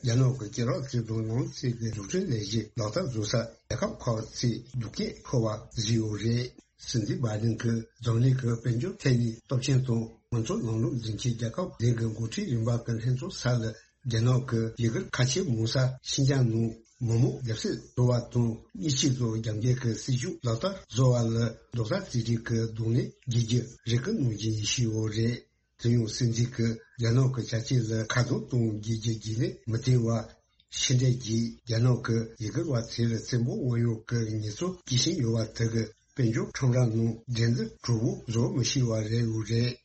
རྒྱ་ནག་གི་སྐེད་རགས་རྩེ་དང་ལམ་རྩེ་གི་འཛུགས་སྐྲུན་ལས་གཞི་ལག་བསྟར་བཟོ་ས་རྒྱལ་ཁབ་ཁག་ཚོས་སྡུག་སྐད་ཤོར་བ་བཟོས་ཡོད་རེད། སྲིད་འཛིན་བྷའི་ཌེན་གྱིས་འཛམ་གླིང་གི་དཔལ་འབྱོར་ཐད་ནས་སྟོབས་ཆེན་དང་མང་གཙོ་ལམ་ལུགས་འཛིན་མཁན་རྒྱལ་ཁབ་བདུན་གྱི་འགོ་ཁྲིད་རིམ་པ་གི་ལྷན་ཚོགས་ས་ལ་རྒྱ་ནག་གི་ཡུ་གུར་ཁ་ཆེ་མང་ས་ཤིན་ཅང་ནང་མི་མང་རྒྱབ་གསེབ་བཟོ་བ་དང་མི་གཅིག་ཏུ་རྒྱབ་འགལ་གྱི་སྲིད་ཇུས་ལག་བསྟར་བཟོ་བ་ལ་རྡོག་རྩ་གཅིག་སྒྲིལ་གྱི་གདོང་ལེན་བགྱིད་རྒྱུ་རེ་སྐུལ་གནང་རྒྱུ་ཡིན་བཞིན་ཡོད་རེད། དེ་ཡང་སྲིད་འཛིན་གྱིས་རྒྱ་ནག་གི་བྱ་སྤྱོད་ལ་ཁ་རྡུང་གཏོང་བགྱིད་རྒྱུ་རྒྱུན་ལས་མི་བཏོན་པ། ཕྱི་འབྲེལ་གྱིས་རྒྱ་ནག་གི་ཡུ་གུར་བ་ཚོ་ལ་བཙན་པོ་དབང་ཡོད་ཀྱི་ཉེས་གསོག་བགྱིད་བཞིན་ཡོད་པ་དེ་གིས་དཔལ་འབྱོར་ཁྲོམ་ར་ནང་འགྲན་བསྡུར་གྲུ་བོ་བཟོ་མི་ཤེས་པ་རེད་འོས་རེད།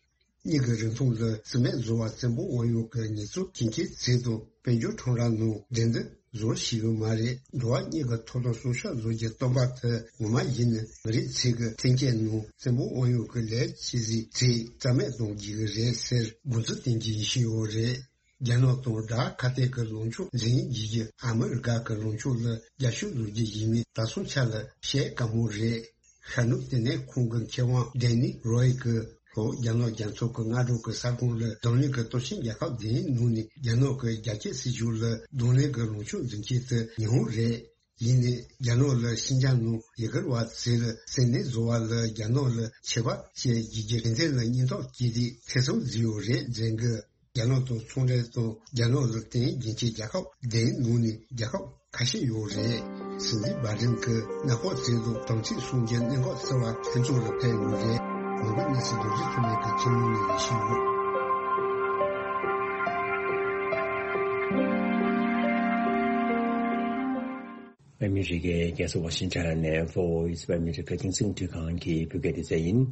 གཉིས་ཀྱི་རིང་ཐུང་ལ་རྩིས་མེད་བཟོ་བར་བཙན་པོ་དབང་ཡོད་ཀྱི་ཉེས་གསོག་བགྱིད་མཁན་ཚོ་དང་དཔལ་འབྱོར་ཁྲོམ་ར་ནང་འགྲན་བསྡུར་བཟོ་ཤེས་ཀྱི་མ་རེད། འགྲོ་བ་གཉིས་ཀྱི་ཐོབ་ཐང་སྲུང་སྐྱོབ་བཟོ་རྒྱུ་བཏོན་པ་དེ་ངོ་མ་ཡིན་ན་མི་རིགས་ཚོ་གི་འཐེན་འཁྱེར་ནང་བཙན་པོ་དབང་ཡོད་ཀྱི་ལས་བྱེད་ཚོས་རྩིས་མེད་གཏོང་རྒྱུ་རེད་ཟེར་འགོ་འཛུགས་བསྟན་རྒྱུ་ཡིན་བཞིན་ཡོད་རེད། རྒྱ་ནག་དང་དགྲ་ཁ་གཏད་ཀྱི་ལངས་ཕྱོགས་འཛིན་བགྱིད་རྒྱུ་ཨ་མི་རི་ཀ་གི་ལངས་ཕྱོགས་ལ་རྒྱབ་སྐྱོར་བཟོ་རྒྱུ་ཡིན་མིན་ད་སོང་ཆ་ལ་བཤད་དཀའ་མོ་རེད། ཤར་ནུབ་ལྟེ་གནས་ཁང་གི་མཁས་དབང་ཌེ་ནི་རོའི་གིས་ལྷོ་རྒྱ་ནག་རྒྱ་མཚོ་གི་སྔ་དྲོ་གི་ས་ཁོངས་ལ་འཛམ་གླིང་གི་སྟོབས་ཆེན་རྒྱལ་ཁབ་བདུན་ནང་ནས་རྒྱ་ནག་གི་རྒྱ་སྐྱེད་སྲིད་ཇུས་ལ་གདོང་ལེན་གྱི་ལངས་ཕྱོགས་འཛིན་མཁན་དེ་ཉི་ཧོང་རེད། ཡིན་ནའི་རྒྱ་ནག་ལ་ཤིན་ཅང་ནང་ཡུ་གུར་བ་ཚོ་ལ་བཙན་གནོན་བཟོ་བ་ལ་རྒྱ་ནག་ལ་ཆད་པ་གཅོད་རྒྱུ་གི་རེ་འདུན་ལ་སྙིང་སྟོབས་སྐྱེས་ཏེ་ཐེ་ཚོམ་ཟིན་ཡོད་རེད་ཟེར་གི། རྒྱ་ནག་དང་ཚོང་འབྲེལ་དང་རྒྱ་ནག་ལ་བརྟེན་རྒྱུན་གྱི་རྒྱལ་ཁབ་བདུན་ནང་ནས་རྒྱལ་ཁབ་ཁ་ཤས་ཡོད་རེད། སྲིད་འཛིན་བྷའི་ཌེན་གྱིས་གནས་སྐོར་བྱས་འདུག། དམ་ཚིག་སྲུང་རྒྱུའི་གནད་འགག་གསལ་བ་ལྷན་ཚོགས་ལ་ཕེབས་ཡོད་རེད། ནོར་བུ་གནས་སུ་རྡོ་རྗེ་ཐོན་ལས་ཀྱི་ཁྱིམ་ལུང་ནས་ཡིན་ཞིང་ཡོད། ཨ་མི་རི་ཀའི་རྒྱལ་ས་ཝ་ཤིང་ཊོན་ནས་Voice of America་རྒྱང་སྲིང་འཕྲིན་ཁང་གི་བོད་སྐད་སྡེ་ཚན་ཡིན།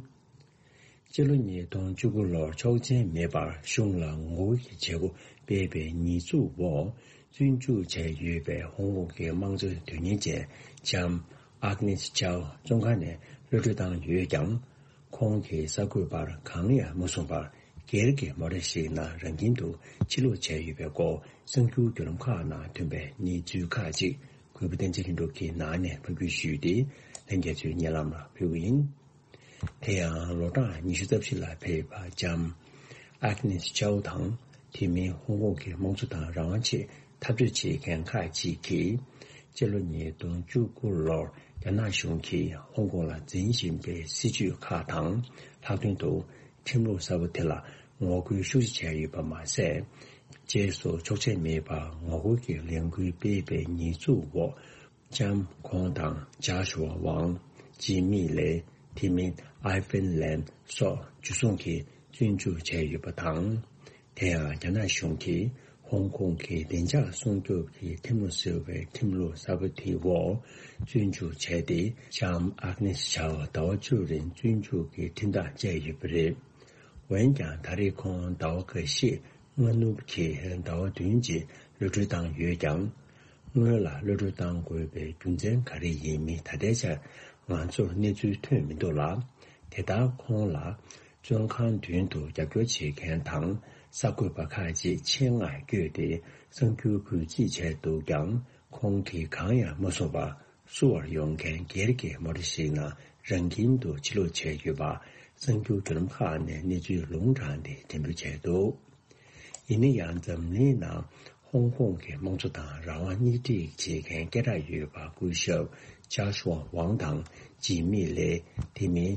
སྤྱི་ལོ་ཉིས་སྟོང་བཅུ་དགུ་ལོར་ཆོག་མཆན་མེད་པར་གཞུང་ལ་ངོ་རྒོལ་གྱི་བྱེད་སྒོ་སྤེལ་བའི་ཉེས་འཛུགས་འོག་བཙོན་འཇུག་བྱས་ཡོད་པའི་ཧོང་ཀོང་གི་དམངས་གཙོའི་དོན་གཉེར་ཅན་ལྕམ་ཨག་ནེས་ཅའོ་བཙོན་ཁང་ནས་གློད་གྲོལ་བཏང་ཡོད་ཀྱང་། ཁོང་གིས་གསར་འགོད་པར་གང་ཡང་མ་གསུངས་པར། སྒེར་གྱི་མོ་ཊ་ཞིག་ནང་རང་ཁྱིམ་དུ་ཕྱིར་ལོག་བྱས་ཡོད་པའི་སྐོར་གསར་འགྱུར་བརྒྱུད་ལམ་ཁག་ནང་ཐོན་པའི་གནས་ཚུལ་ཁག་ཅིག་གུས་པ་བསྟན་འཛིན་ལྷུན་གྲུབ་ཀྱིས་ནང་ནས་ཕབ་སྒྱུར་ཞུས་ཏེ། ལྷན་རྒྱས་ཚོའི་སྙན་ལམ་ལ་ཕུལ་གྱི་ཡིན། དེ་ཡང་ལོ་གྲངས་ཉི་ཤུ་རྩ་བཞི་ལ་ཕེབས་པ་ལྕམ་ཨག་ནེས་ཅའོ་དང་། དེ་མིན་ཧོང་ཀོང་གི་དམངས་གཙོ་དང་རང་དབང་ཆེད་འཐབ་རྩོད་བྱེད་མཁན་ཁག་ཅིག་གིས། སྤྱི་ལོ་ཉིས་སྟོང་བཅུ་དགུ་ལོར་རྒྱ་ནག་གཞུང་གིས་ཧོང་ཀོང་ལ་འཛིན་བཞིན་པའི་སྲིད་བྱུས་ཁག་དང་། ལྷག་དོན་དུ་ཁྲིམས་ལུགས་གསར་པ་དེ་ལ་ངོ་རྒོལ་ཤུགས་ཆེ་བྱས་ཡོད་པ་མ་ཟད། རྗེས་སུ་ཆོག་མཆན་མེད་པར་ངོ་རྒོལ་གྱི་ལས་འགུལ་སྤེལ་བའི་ཉེས་འཛུགས་འོག་ལྕམ་ཁོང་དང་ཇཱ་ཤུ་ཝ་ཝང་། ཇི་མི་ལེ། དེ་མིན་ཨའི་ཧྥིན་ལན་སོགས་འཇུ་བཟུང་གིས་བཙོན་འཇུག་བྱས་ཡོད་པ་དང་། དེ་ཡང་རྒྱ་ནག་གཞུང་གིས་ཧོང་ཀོང་གི་བདེ་འཇགས་སྲུང་སྐྱོབ་ཀྱི་ཁྲིམས་ལུགས་ཟེར་བའི་ཁྲིམས་ལུགས་གསར་པ་དེའི་འོག་བཙོན་འཇུག་བྱས་ཏེ། ལྕམ་ཨག་ནེས་ཇའོ་ཟླ་བ་བཅུ་རིང་བཙོན་འཇུག་གི་ཁྲིམས་ཐག་བཅད་ཡོད་པ་རེད། འོན་ཀྱང་ད་རེས་ཁོང་ཟླ་བ་འགའ་ཤས་སྔ་ནུབ་ཀྱི་ཟླ་བ་བདུན་རྗེས་གློད་གྲོལ་བཏང་ཡོད་ཀྱང་། སྔོན་ལ་གློད་གྲོལ་བཏང་དགོས་པའི་རྒྱུ་མཚན་ག་རེ་ཡིན་མིན་ད་ལྟའི་ཆར་ང་ཚོར་གནས་ཚུལ་ཐོན་མི་འདུག་ལ། དེ་ལྟར་ཁོང་ལ་བཙོན་ཁང་མདུན་དུ་རྒྱབ་སྐྱོར་བྱེད་མཁན་དང་གསར་འགོད་པ་ཁག་ཅིག་ཆེད་མངགས་བསྐྱོད་དེ་གསར་འགྱུར་འགོད་རྩིས་བྱས་འདུག་ཀྱང་། ཁོང་གིས་གང་ཡང་མ་གསུངས་པར། བསུ་བར་ཡོང་མཁན་སྒེར་གྱི་མོ་ཊ་ཞིག་ནང་རང་ཁྱིམ་དུ་ཕྱིར་ལོག་བྱས་ཡོད་པ་གསར་འགྱུར་བརྒྱུད་ལམ་ཁག་ནས་གནས་ཚུལ་ལུང་དྲངས་ཏེ་འགྲེམས་སྤེལ་བྱས་འདུག། ཡིན་ན་ཡང་འཛམ་གླིང་ནང་ཧོང་ཀོང་གི་དམངས་གཙོ་དང་རང་དབང་སྣེ་ཁྲིད་བྱེད་མཁན་སྐད་གྲགས་ཡོད་པ་སྐུ་ཞབས་ཇཱ་ཤུ་ཝང་དང་འཇིགས་མེད་ལས་དེ་མིན་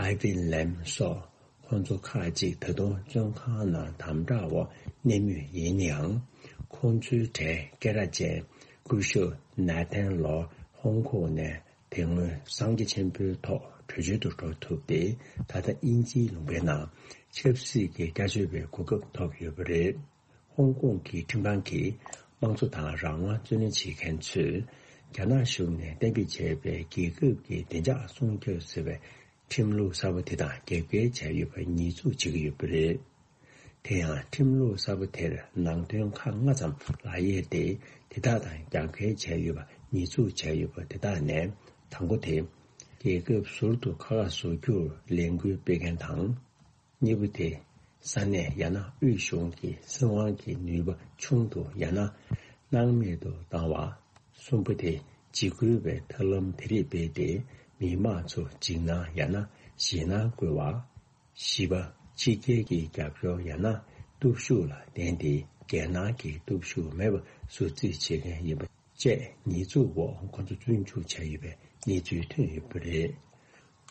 ཨའི་ཝིན་ལེམ་སོགས་ཁོང་ཚོ་ཁག་ཅིག་ད་དུང་བཙོན་ཁང་ནང་དམ་དྲག་འོག་གནས་མུས་ཡིན་ཡང་། ཁོང་ཚོའི་གྲས་སྐད་གྲགས་ཅན་སྐུ་ཞབས་ནེ་ཐན་ལོ་ཧོང་ཀོང་ནས་དེ་སྔོན་སངས་རྒྱས་ཆེན་པོའི་ཐོག་བྲོས་བྱོལ་དུ་འགྲོ་ཐུབ་སྟེ། ད་ལྟ་དབྱིན་ཇིའི་ལུང་པའི་ནང་ཆབ་སྲིད་ཀྱི་སྐྱབས་བཅོལ་བའི་གོ་སྐབས་ཐོབ་ཡོད་པ་རེད། ཧོང་ཀོང་གི་ཁྲིམས་ཁང་གིས་དམངས་གཙོ་དང་རང་དབང་རྩོད་ལེན་བྱེད་མཁན་ཚོས་རྒྱ་ནག་གཞུང་ནས་གཏན་འབེབས་བྱས་པའི་རྒྱལ་ཁབ་ཀྱི་བདེ་འཇགས་སྲུང་སྐྱོབ་ཟེར་བའི་ཁྲིམས་ལུགས་གསར་པ་དེ་དང་རྒྱབ་འགལ་བྱས་ཡོད་པ་ཉེས་འཛུགས་བྱེད་ཀྱི་ཡོད་པ་རེད། དེ་ཡང་ཁྲིམས་ལུགས་གསར་པ་དེར་ནང་དོན་ཁག་ལྔ་ཙམ་ལག་གཡེར་ཏེ། དེ་དག་དང་རྒྱབ་འགལ་བྱས་ཡོད་པ་ཉེས་འཛུགས་བྱས་ཡོད་པ་དེ་དག་ནས་དང་པོ་དེ། རྒྱལ་ཁབ་ཟུར་དུ་ཁ་ཁ་བཟོ་རྒྱུར་ལས་འགུལ་སྤེལ་མཁན་དང་། གཉིས་པ་དེ། ས་གནས་ཡང་ན་དབུས་གཞུང་གི་སྲིད་དབང་གི་ནུས་པ་ཆུང་དུ་ཡང་ན་སྣང་མེད་དུ་བཏང་བ། གསུམ་པ་དེ། འཇིགས་སྐུལ་བའི་ཐབས་ལམ་དེ་རིགས་སྤེལ་ཏེ། མི་མང་ཚོ་འཇིགས་སྣང་ཡང་ན་ཞེད་སྣང་བསྐུལ་བ། བཞི་པ། ཕྱི་རྒྱལ་གྱི་རྒྱབ་སྐྱོར་ཡང་ན་སྟོབས་ཤུགས་ལ་བརྟེན་ཏེ། རྒྱལ་ནང་གི་སྟོབས་ཤུགས་མེད་པ་བཟོ་རྩིས་བྱེད་མཁན་ཡིན་པ་བཅས་ཉེས་འཛུགས་འོག་ཁོ་ཚོ་བཙོན་འཇུག་བྱས་ཡོད་པའི་གནས་ཚུལ་ཐོན་ཡོད་པ་རེད།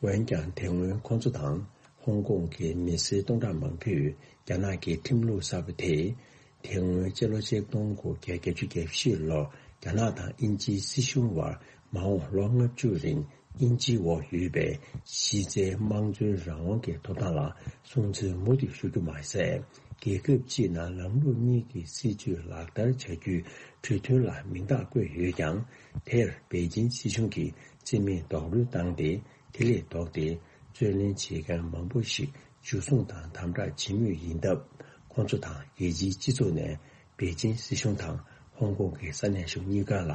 འོན་ཀྱང་། དེ་སྔོན་ཁོ་ཚོ་དང་ཧོང་ཀོང་གི་མི་སེར་སྟོང་ཕྲག་མང་པོས་རྒྱ་ནག་གི་ཁྲིམས་ལུགས་གསར་པ་དེས། དེ་སྔོན་སྤྱི་ལོ་ཆིག་སྟོང་དགུ་བརྒྱ་བརྒྱད་ཅུ་གྱ་བཞི་ལོར་རྒྱ་ནག་དང་དབྱིན་ཇིའི་སྲིད་གཞུང་དབར་མ་འོངས་ལོ་ལྔ་བཅུ་རིང་དབྱིན་ཇིའི་འོག་ཡོད་པའི་གཞི་རྩའི་དམངས་གཙོའི་རང་དབང་གི་ཐོབ་ཐང་ལ་སྲུང་བརྩི་མུ་མཐུད་ཞུ་རྒྱུ་མ་ཟད། རྒྱལ་ཁབ་སྤྱིའི་ནང་ལམ་ལུགས་གཉིས་ཀྱི་སྲིད་བྱུས་ལག་བསྟར་བྱ་རྒྱུའི་གྲོས་མཐུན་ལ་མིང་རྟགས་བཀོད་ཡོད་ཀྱང་། དེར་པེ་ཅིན་སྲིད་གཞུང་གིས་རྩིས་མེད་རྡོག་རོལ་བཏང་སྟེ། དེ་ལས་ལྡོག་སྟེ། རྩོད་ལེན་བྱེད་མཁན་མང་པོ་ཞིག་འཇུ་བཟུང་དང་དམ་དྲག་བྱེད་མུས་ཡིན་སྟབས། ཁོང་ཚོ་དང་རྒྱལ་སྤྱིའི་སྤྱི་ཚོགས་ནས་པེ་ཅིན་སྲིད་གཞུང་དང་ཧོང་ཀོང་གི་ས་གནས་གཞུང་གཉིས་ཀ་ལ་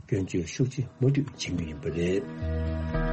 སྐྱོན་བརྗོད་ཤུགས་ཆེ་མུ་མཐུད་བྱེད་མུས་ཡིན་པ་རེད།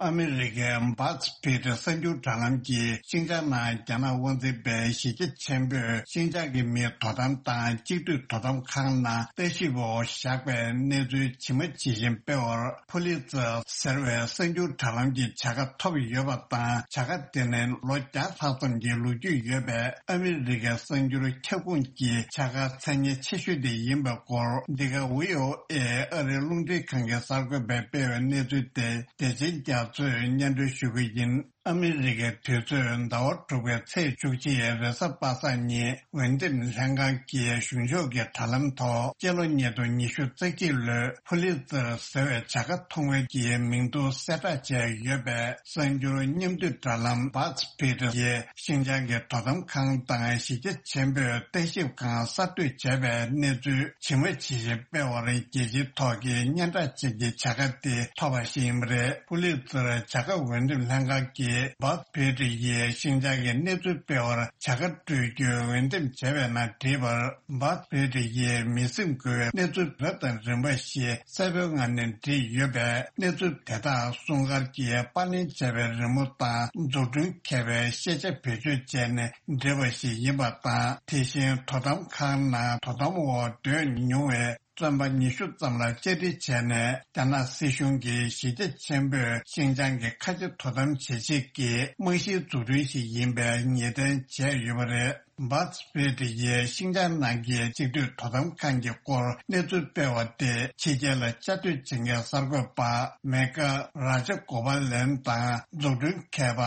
ཨ་མི་རི་ཀའི་བཱ་ཛི་ཕི་ཏི་གསར་འགྱུར་དྲ་ལམ་གྱིས་ཤིན་ཅང་ནང་རྒྱ་ནག་དབང་འཛིན་པའི་གཞིས་བྱེས་ཆེན་པོས་ཤིན་ཅང་གི་མིའི་དོ་དམ་དང་གཅིག་སྡུད་དོ་དམ་ཁང་ནང་ལྟ་ཞིབ་འོག་བཞག་པའི་གནས་ཚུལ་ཇི་མ་ཇི་བཞིན་སྤེལ་བར། ཕུ་ལི་ཙེར་ཟེར་བའི་གསར་འགྱུར་དྲ་ལམ་གྱི་བྱ་དགའ་ཐོབ་ཡོད་པ་དང་། བྱ་དགའ་དེ་ནི་ལོ་བརྒྱ་ལྷག་ཙམ་གྱི་ལོ་རྒྱུས་ཡོད་པའི་ཨ་མི་རི་ཀའི་གསར་འགྱུར་ཁྱབ་ཁོངས་ཀྱི་བྱ་དགའ་མཚན་སྙན་ཆེ་ཤོས་དེ་ཡིན་པའི་སྐོར། འདི་ག་བྷི་ཨོ་ཨེ་ཨ་རིའི་རླུང་འཕྲིན་ཁང་གི་གསར་འགོད་པས་སྤེལ་བའི་གནས་ཚུལ་དེ་བདེ་ཆེན་རྒྱ་མཚོས་སྙན་སྒྲོན་ཞུ་གི་ཡིན། ཨ་མི་རི་ཀའི་དུས་ཚོད་ཟླ་བ་དྲུག་པའི་ཚེས་བཅུ་གཅིག་རེས་གཟའ་པ་སངས་ཉིན་འོས་འདེམས་ལྷན་ཁང་གི་གཞུང་ཕྱོགས་ཀྱི་དྲ་ལམ་ཐོག་སྤྱི་ལོ་ཉིས་སྟོང་ཉི་ཤུ་རྩ་གཅིག་ལོའི་ཕུ་ལི་ཙེར་ཟེར་བའི་བྱ་དགའ་ཐོབ་མཁན་གྱི་མིང་ཐོ་གསལ་བསྒྲགས་བྱས་ཡོད་པའི་གསར་འགྱུར་མཉམ་བསྡུས་དྲ་ལམ་བཱ་ཛི་ཕི་ཏི་ཡིས་ཤིན་ཅང་གི་དོ་དམ་ཁང་དང་གཞིས་བྱེས་ཆེན་པོས་ལྟ་ཞིབ་ཁང་གསར་གཏོད་བྱས་པའི་གནས་ཚུལ་ཇི་མ་ཇི་བཞིན་སྤེལ་བར། རྒྱལ་སྤྱིའི་ཐོག་གི་སྙན་གྲགས་ཅན་གྱི་བྱ་དགའ་དེ་ཐོབ་པ་ཞིག་ཡིན་པ་རེད། ཕུ་ལི་ཙེར་བྱ་དགའ་འོས་འདེམས་ལྷན་ཁང་གིས་བཱ་ཛི་ཕི་ཏི་ཡིས་ཤིན་ཅང་གི་གནས་ཚུལ་སྤེལ་བར་བྱ་དགའ་སྤྲོད་རྒྱུའི་འོས་འདེམས་བྱས་པའི་ནང་བྲིས་པར། བཱ་ཛི་ཕི་ཏི་ཡིས་མི་སེམས་འགུལ་བའི་གནས་ཚུལ་རབ་དང་རིམ་པ་ཞིག་གསལ་པོའི་ངང་ནས་བྲིས་ཡོད་པས། གནས་ཚུལ་དེ་དག་སྲུང་སྐར་གྱིས་པར་ལེན་བྱས་པའི་རི་མོ་དང་འཛུགས་སྐྲུན་མཁས་པའི་ཤེས་བྱ་བེད་སྤྱོད་བྱས་ནས་བྲིས་པ་ཞིག་ཡིན་པ་དང་། དེ་བཞིན་དོ་དམ་ཁང་ནང་དོ་དམ་འོག་སྡོད་མྱོང་བའི་བཙོན་པ་ཉི་ཤུ་ཙམ་ལ་བཅར་འདྲི་བྱས་ནས། རྒྱ་ནག་སྲིད་གཞུང་གིས་གཞིས་བྱེས་ཆེན་པོས་ཤིན་ཅང་གི་ཁ་ཆེ་དོ་དམ་བྱེད་ཆེད་ཀྱི་རྨང་གཞིའི་འཛུགས་སྐྲུན་ཞིག་ཡིན་པའི་ངེས་གཏན་བྱས་ཡོད་པ་རེད། བཱ་ཛི་ཕི་ཏི་ཡིས་ཤིན་ཅང་ནང་གི་གཅིག་སྡུད་དོ་དམ་ཁང་གི་སྐོར་གནས་ཚུལ་སྤེལ་བ་དེ། ཕྱི་རྒྱལ་ལ་བཅའ་སྡོད་བྱེད་མཁན་གསར་འགོད་པ་མེ་ཀ་རཱ་ཇ་གོ་པ་ལན་དང་འཛུགས་སྐྲུན་མཁས་པ་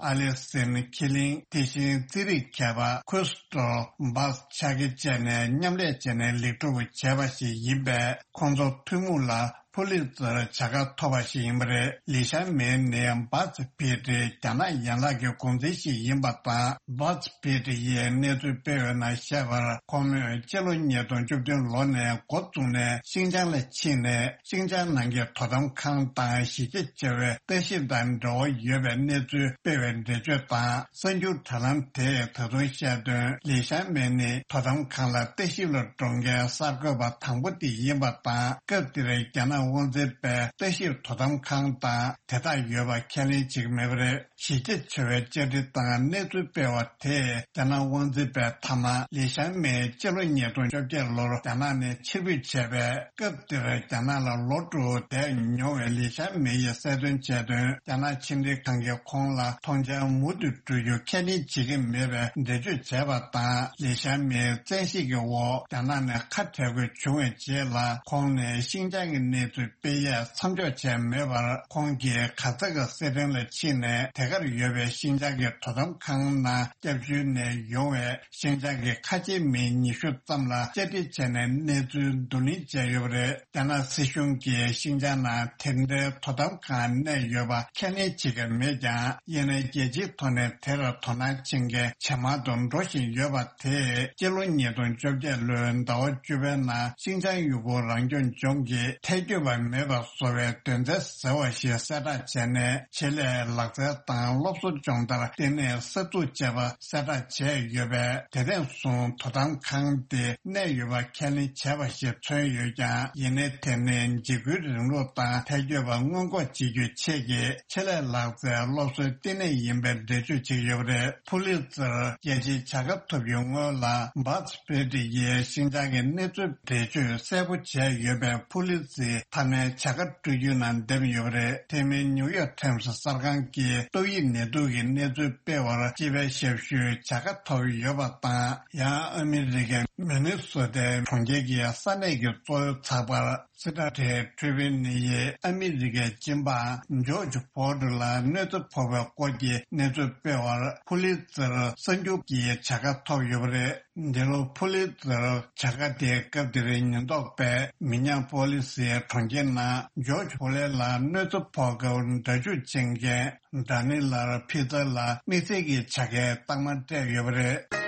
ཨ་ལི་སིན་ཁི་ལིང་། དེ་བཞིན་རྩིས་རིག་མཁས་པ་ཁུ་སི་ཏོ་བཱ་ཆ་གི་བཅས་ནས་མཉམ་ལས་བྱས་ནས་ལེགས་གྲུབ་བྱས་པ་ཞིག་ཡིན་པས། ཁོང་ཚོ་ཐུན་མོང་ལ་ཕུ་ལི་ཙེར་བྱ་དགའ་ཐོབ་པ་ཞིག་ཡིན་པ་རེད། ལི་ཞང་མེ་ནི་བཱ་ཛི་ཕི་ཏི་རྒྱ་ནག་ཡན་ལག་གི་འགོ་འཛིན་ཞིག་ཡིན་པ་དང་། བཱ་ཛི་ཕི་ཏི་ཡིས་གནས་ཚུལ་སྤེལ་བའི་ནང་བཤད་པར། ཁོ་མོས་སྤྱི་ལོ་ཉིས་སྟོང་བཅུ་བདུན་ལོ་ནས་འགོ་བཙུགས་ནས་ཤིན་ཅང་ལ་ཕྱིན་ནས། ཤིན་ཅང་ནང་གི་དོ་དམ་ཁང་དང་གཞིས་བྱེས་བྱ་བའི་ལྟ་ཞིབ་དང་འབྲེལ་བ་ཡོད་པའི་གནས་ཚུལ་སྤེལ་བའི་འགྲེལ་བརྗོད་དང་། གསར་འགྱུར་དྲ་ལམ་དེས་ད་དུང་བཤད་དོན། ལི་ཞང་མེ་ནི་དོ་དམ་ཁང་ལ་ལྟ་ཞིབ་ལ་འགྲོ་མཁན་གསར་འགོད་པ་དང་པོ་དེ་ཡིན་པ་དང་། སྐབས་དེར་རྒྱ་ནག་ དབང་འཛིན་པས་ལྟ་ཞིབ་དོ་དམ་ཁང་དང་དེ་དག་ཡོད་པ་ཁས་ལེན་བྱེད་ཀྱི་མེད་པ་རེད། གཞི་རྒྱ་ཆེ་བའི་བཅའ་ཁྲིམས་དང་གནས་ཚུལ་སྤེལ་བ་དེས་རྒྱ་ནག་དབང་འཛིན་པའི་མཐའ་མ་ལི་ཞང་མེ་སྤྱི་ལོ་ཉིས་སྟོང་བཅོ་བརྒྱད་ལོར་རྒྱ་ནག་ནས་ཕྱིར་འབུད་བྱས་པའི་སྐབས་དེར་རྒྱ་ནག་ལ་ལོ་དྲུག་བསྡད་མྱོང་བའི་ལི་ཞང་མེ་ཡིས་གསལ་སྟོན་བྱས་དོན། རྒྱ་ནག་ཕྱི་འབྲེལ་ཁང་གིས་ཁོང་ལ་མཐོང་མཆན་མུ་མཐུད་སྤྲོད་རྒྱུ་ཁས་ལེན་བྱེད་ཀྱི་མེད་པའི་འགྲེལ་བརྗོད་བྱས་པ་དང་། ལི་ཞང་མེའི་བཙན་ཤེད་ཀྱི་འོག་རྒྱ་ནག་ནས་ཁ་བྲལ་དགོས་བྱུང་བའི་རྗེས་ལ་ཁོང་ནས་ཤིན་ཅང་གི་གནས་ཚུལ་སྤེལ་ཡས་མཚམས་འཇོག་བྱས་མེད་པར། ཁོང་གིས་གྷ་ཛ་ཀི་སི་ཐན་ལ་ཕྱིན་ནས་དེ་གར་ཡོད་པའི་ཤིན་ཅང་གི་དོ་དམ་ཁང་ནང་སྐྱབས་བཅོལ་ནས་ཡོང་བའི་ཤིན་ཅང་གི་ཁ་ཆེ་མི་ཉི་ཤུ་ཙམ་ལ་བཅར་འདྲི་བྱས་ནས་གནས་ཚུལ་བསྡུ་ལེན་བྱས་ཡོད་པ་རེད། རྒྱ་ནག་སྲིད་གཞུང་གིས་ཤིན་ཅང་ནང་དེ་འདྲའི་དོ་དམ་ཁང་གནས་ཡོད་པ་ཁས་ལེན་བྱེད་ཀྱི་མེད་ཀྱང་། ཡིན་ནའི་རྒྱལ་སྤྱིའི་ཐོག་ནས་དེར་དོ་སྣང་ཆེན་མཁན་ཇེ་མང་དུ་འགྲོ་བཞིན་ཡོད་པ་དེས་སྤྱི་ལོ་ཉིས་སྟོང་བཅོ་བརྒྱད་ལོའི་ཟླ་བ་བཅུ་པའི་ནང་ཤིན་ཅང་ཡུ་གུར་རང་སྐྱོང་ལྗོངས་ཀྱི་ཐལ་འགྱུར་བ་མེད་པ་བཟོ་བའི་དོན་ཚན་ཟེར་བ་ཞིག་གསལ་བསྒྲགས་བྱས་ནས། ཆེད་ལས་ལག་རྩལ་དང་སློབ་གསོ་སྦྱོང་བརྡར་ལྟེ་གནས་གསར་འཛུགས་བྱས་པ་གསལ་བསྒྲགས་བྱས་ཡོད་པས། དེ་ཐེངས་བཟུང་དོ་དམ་ཁང་དེ་གནས་ཡོད་པ་ཁས་ལེན་བྱས་པ་ཞིག་མཚོན་ཡོད་ཀྱང་། ཡིན་ནའི་དེ་ནི་འཇིགས་སྐུལ་རིང་ལུགས་དང་ཐལ་འགྱུར་བ་སྔོན་འགོག་བྱེད་རྒྱུའི་ཆེད་ཀྱི་ཆེད་ལས་ལག་རྩལ་སློབ་གསོའི་ལྟེ་གནས་ཡིན་པའི་འགྲེལ་བརྗོད་བྱེད་ཀྱི་ཡོད་པ་རེད། ཕུ་ལི་ཙེར་རྒྱལ་སྤྱིའི་བྱ་དགའ་ཐོབ་རྒྱུའི་སྔོན་ལ། བཱ་ཛི་པེ་ཏི་ཡིས་ཤིན་ཅང་གི་གནས་ཚུལ་འགྲེལ་བརྗོད་གསལ་པོ་བྱས་ཡོད་པས། ཕུ་ལི་ཙེ་མཐའ་མའི་བྱ་དགའ་སྤྲོད་རྒྱུའི་ནང་འདེམས་ཡོད་པ་རེད། དེ་མིན་ནིའུ་ཡོག་ཊའིམ་སི་གསར་ཁང་གིས་ཏོག་དབྱིབས་ནད་དུག་གི་གནས་ཚུལ་སྤེལ་བར་སྤྱི་པའི་ཞབས་ཞུའི་བྱ་དགའ་ཐོབ་ཡོད་པ་དང་། ཡང་ཨ་མི་རི་ཀའི་མི་ནི་སོ་ཏའི་གྲོང་ཁྱེར་གྱི་ས་གནས་ཀྱི་གཙོ་བོའི་ཚགས་པར་སི་ཊར་ཊེ་ཊི་རི་བྷིའུ་ནི་ཡིས་ཨ་མི་རི་ཀའི་སྤྱི་འབངས་ཇོརྗ་ཕོ་ཌི་ལ་གནོད་འཚེ་ཕོག་པའི་སྐོར་གྱི་གནས་ཚུལ་སྤེལ་བར་ཕུ་ལི་ཙེར་གསར་འགྱུར་གྱི་བྱ་དགའ་ཐོབ་ཡོད་པ་རེད། འདི་ལོ་ཕུ་ལི་ཙེར་བྱ་དགའ་དེ་སྐབས་དེར་ཉེན་རྟོག་པས་མི་ཉག་པོ་ལི་སིའི་གྲོང་ཁྱེར་ནང་ཇོརྗ་ཕོ་ལེ་ལ་གནོད་འཚེ་ཕོག་སྐབས་སྒྲ་འཇུག་བྱེད་མཁན་ཌ་ནི་ལར་ཕི་ཙར་ལ་དམིགས་བསལ་གྱི་བྱ་དགའི་རྟགས་མ་སྤྲད་ཡོད་པ་རེད།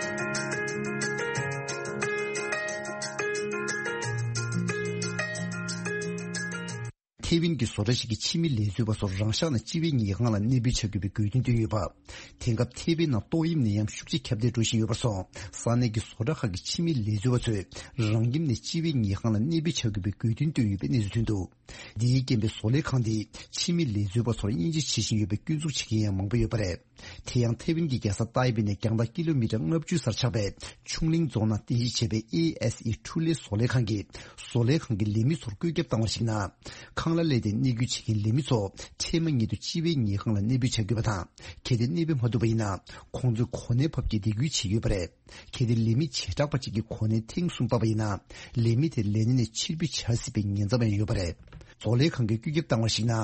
ཐེ་ཝན་གྱི་བཟོ་གྲྭ་ཞིག་གིས་ཕྱི་མི་ལས་བཟོ་བ་ཚོར་རང་ཤག་ནང་སྤྱི་པའི་ཉལ་ཁང་ལ་གནས་སྤོས་བྱ་དགོས་པའི་དགོས་འདུན་བཏོན་ཡོད་པ། དེང་སྐབས་ཐེ་ཝན་ནང་ཏོག་དབྱིབས་ནད་ཡམས་ཤུགས་ཆེ་ཁྱབ་གདལ་འགྲོ་བཞིན་ཡོད་པར་སོང་། ས་གནས་ཀྱི་བཟོ་གྲྭ་ཁག་གི་ཕྱི་མི་ལས་བཟོ་བ་ཚོས་རང་ཁྱིམ་ནས་སྤྱི་པའི་ཉལ་ཁང་ལ་གནས་སྤོས་བྱ་དགོས་པའི་དགོས་འདུན་བཏོན་ཡོད་པའི་གནས་ཚུལ་ཐོན་འདུག། འདིའི་རྐྱེན་པས་བཟོ་ལས་ཁང་དེས་ཕྱི་མི་ལས་བཟོ་བ་ཚོར་དབྱེ་འབྱེད་བྱེད་བཞིན་ཡོད་པའི་སྐྱོན་འཛུགས་བྱེད་མཁན་ཡང་མང་པོ་ཡོད་པ་རེད། དེ་ཡང་ཐེ་ཝན་གྱི་རྒྱལ་ས་ཏཱའེ་པེ་ནས་རྒྱང་ཐག་ཀི་ལོ་མི་ཊར་ལྔ་བཅུ་སར་ཆགས་པའི་ཆུང་གླིང་རྫོང་ནང་རྟེན་གཞི་བྱས་པའི་ཨེ་ཨེས་ཨི་ཁྲུ་ལེ་བཟོ་ལས་ཁང་གིས་བཟོ་ལས་ཁང་གི་ལས་མི་ཚོར་བཀོད་ཁྱབ་བཏང་བར་གཞིགས་ན། ཁང་གླ་ལས་ཏེ་གནས་སྐོར་བྱེད་མཁན་ལས་མི་ཚོ་འཕྲལ་མ་ཉིད་དུ་སྤྱི་པའི་ཉལ་ཁང་ལ་གནས་སྤོས་བྱ་དགོས་པ་དང་། གལ་ཏེ་གནས་སྤོས་མ་ཐུབ་པ་ཡིན་ན། ཁོང་ཚོས་གོ་གནས་ཕབ་སྐྱེལ་སྡིགས་སྐུལ་བྱས་ཡོད་པ་རེད། གལ་ཏེ་ལས་མི་བྱེ་བྲག་པ་གཅིག་གིས་གོ་གནས་ཐེངས་གསུམ་བབས་པ་ཡིན་ན། ལས་མི་དེ་ལས་གནས་ནས་ཕྱིར་འབུད་བྱ་སྲིད་པའི་ཉེན་ཚབས་ཡང་ཡོད་པ་རེད། བཟོ་ལས་ཁང་གིས་བཀོད་ཁྱབ་བཏང་བར་གཞིགས་ན།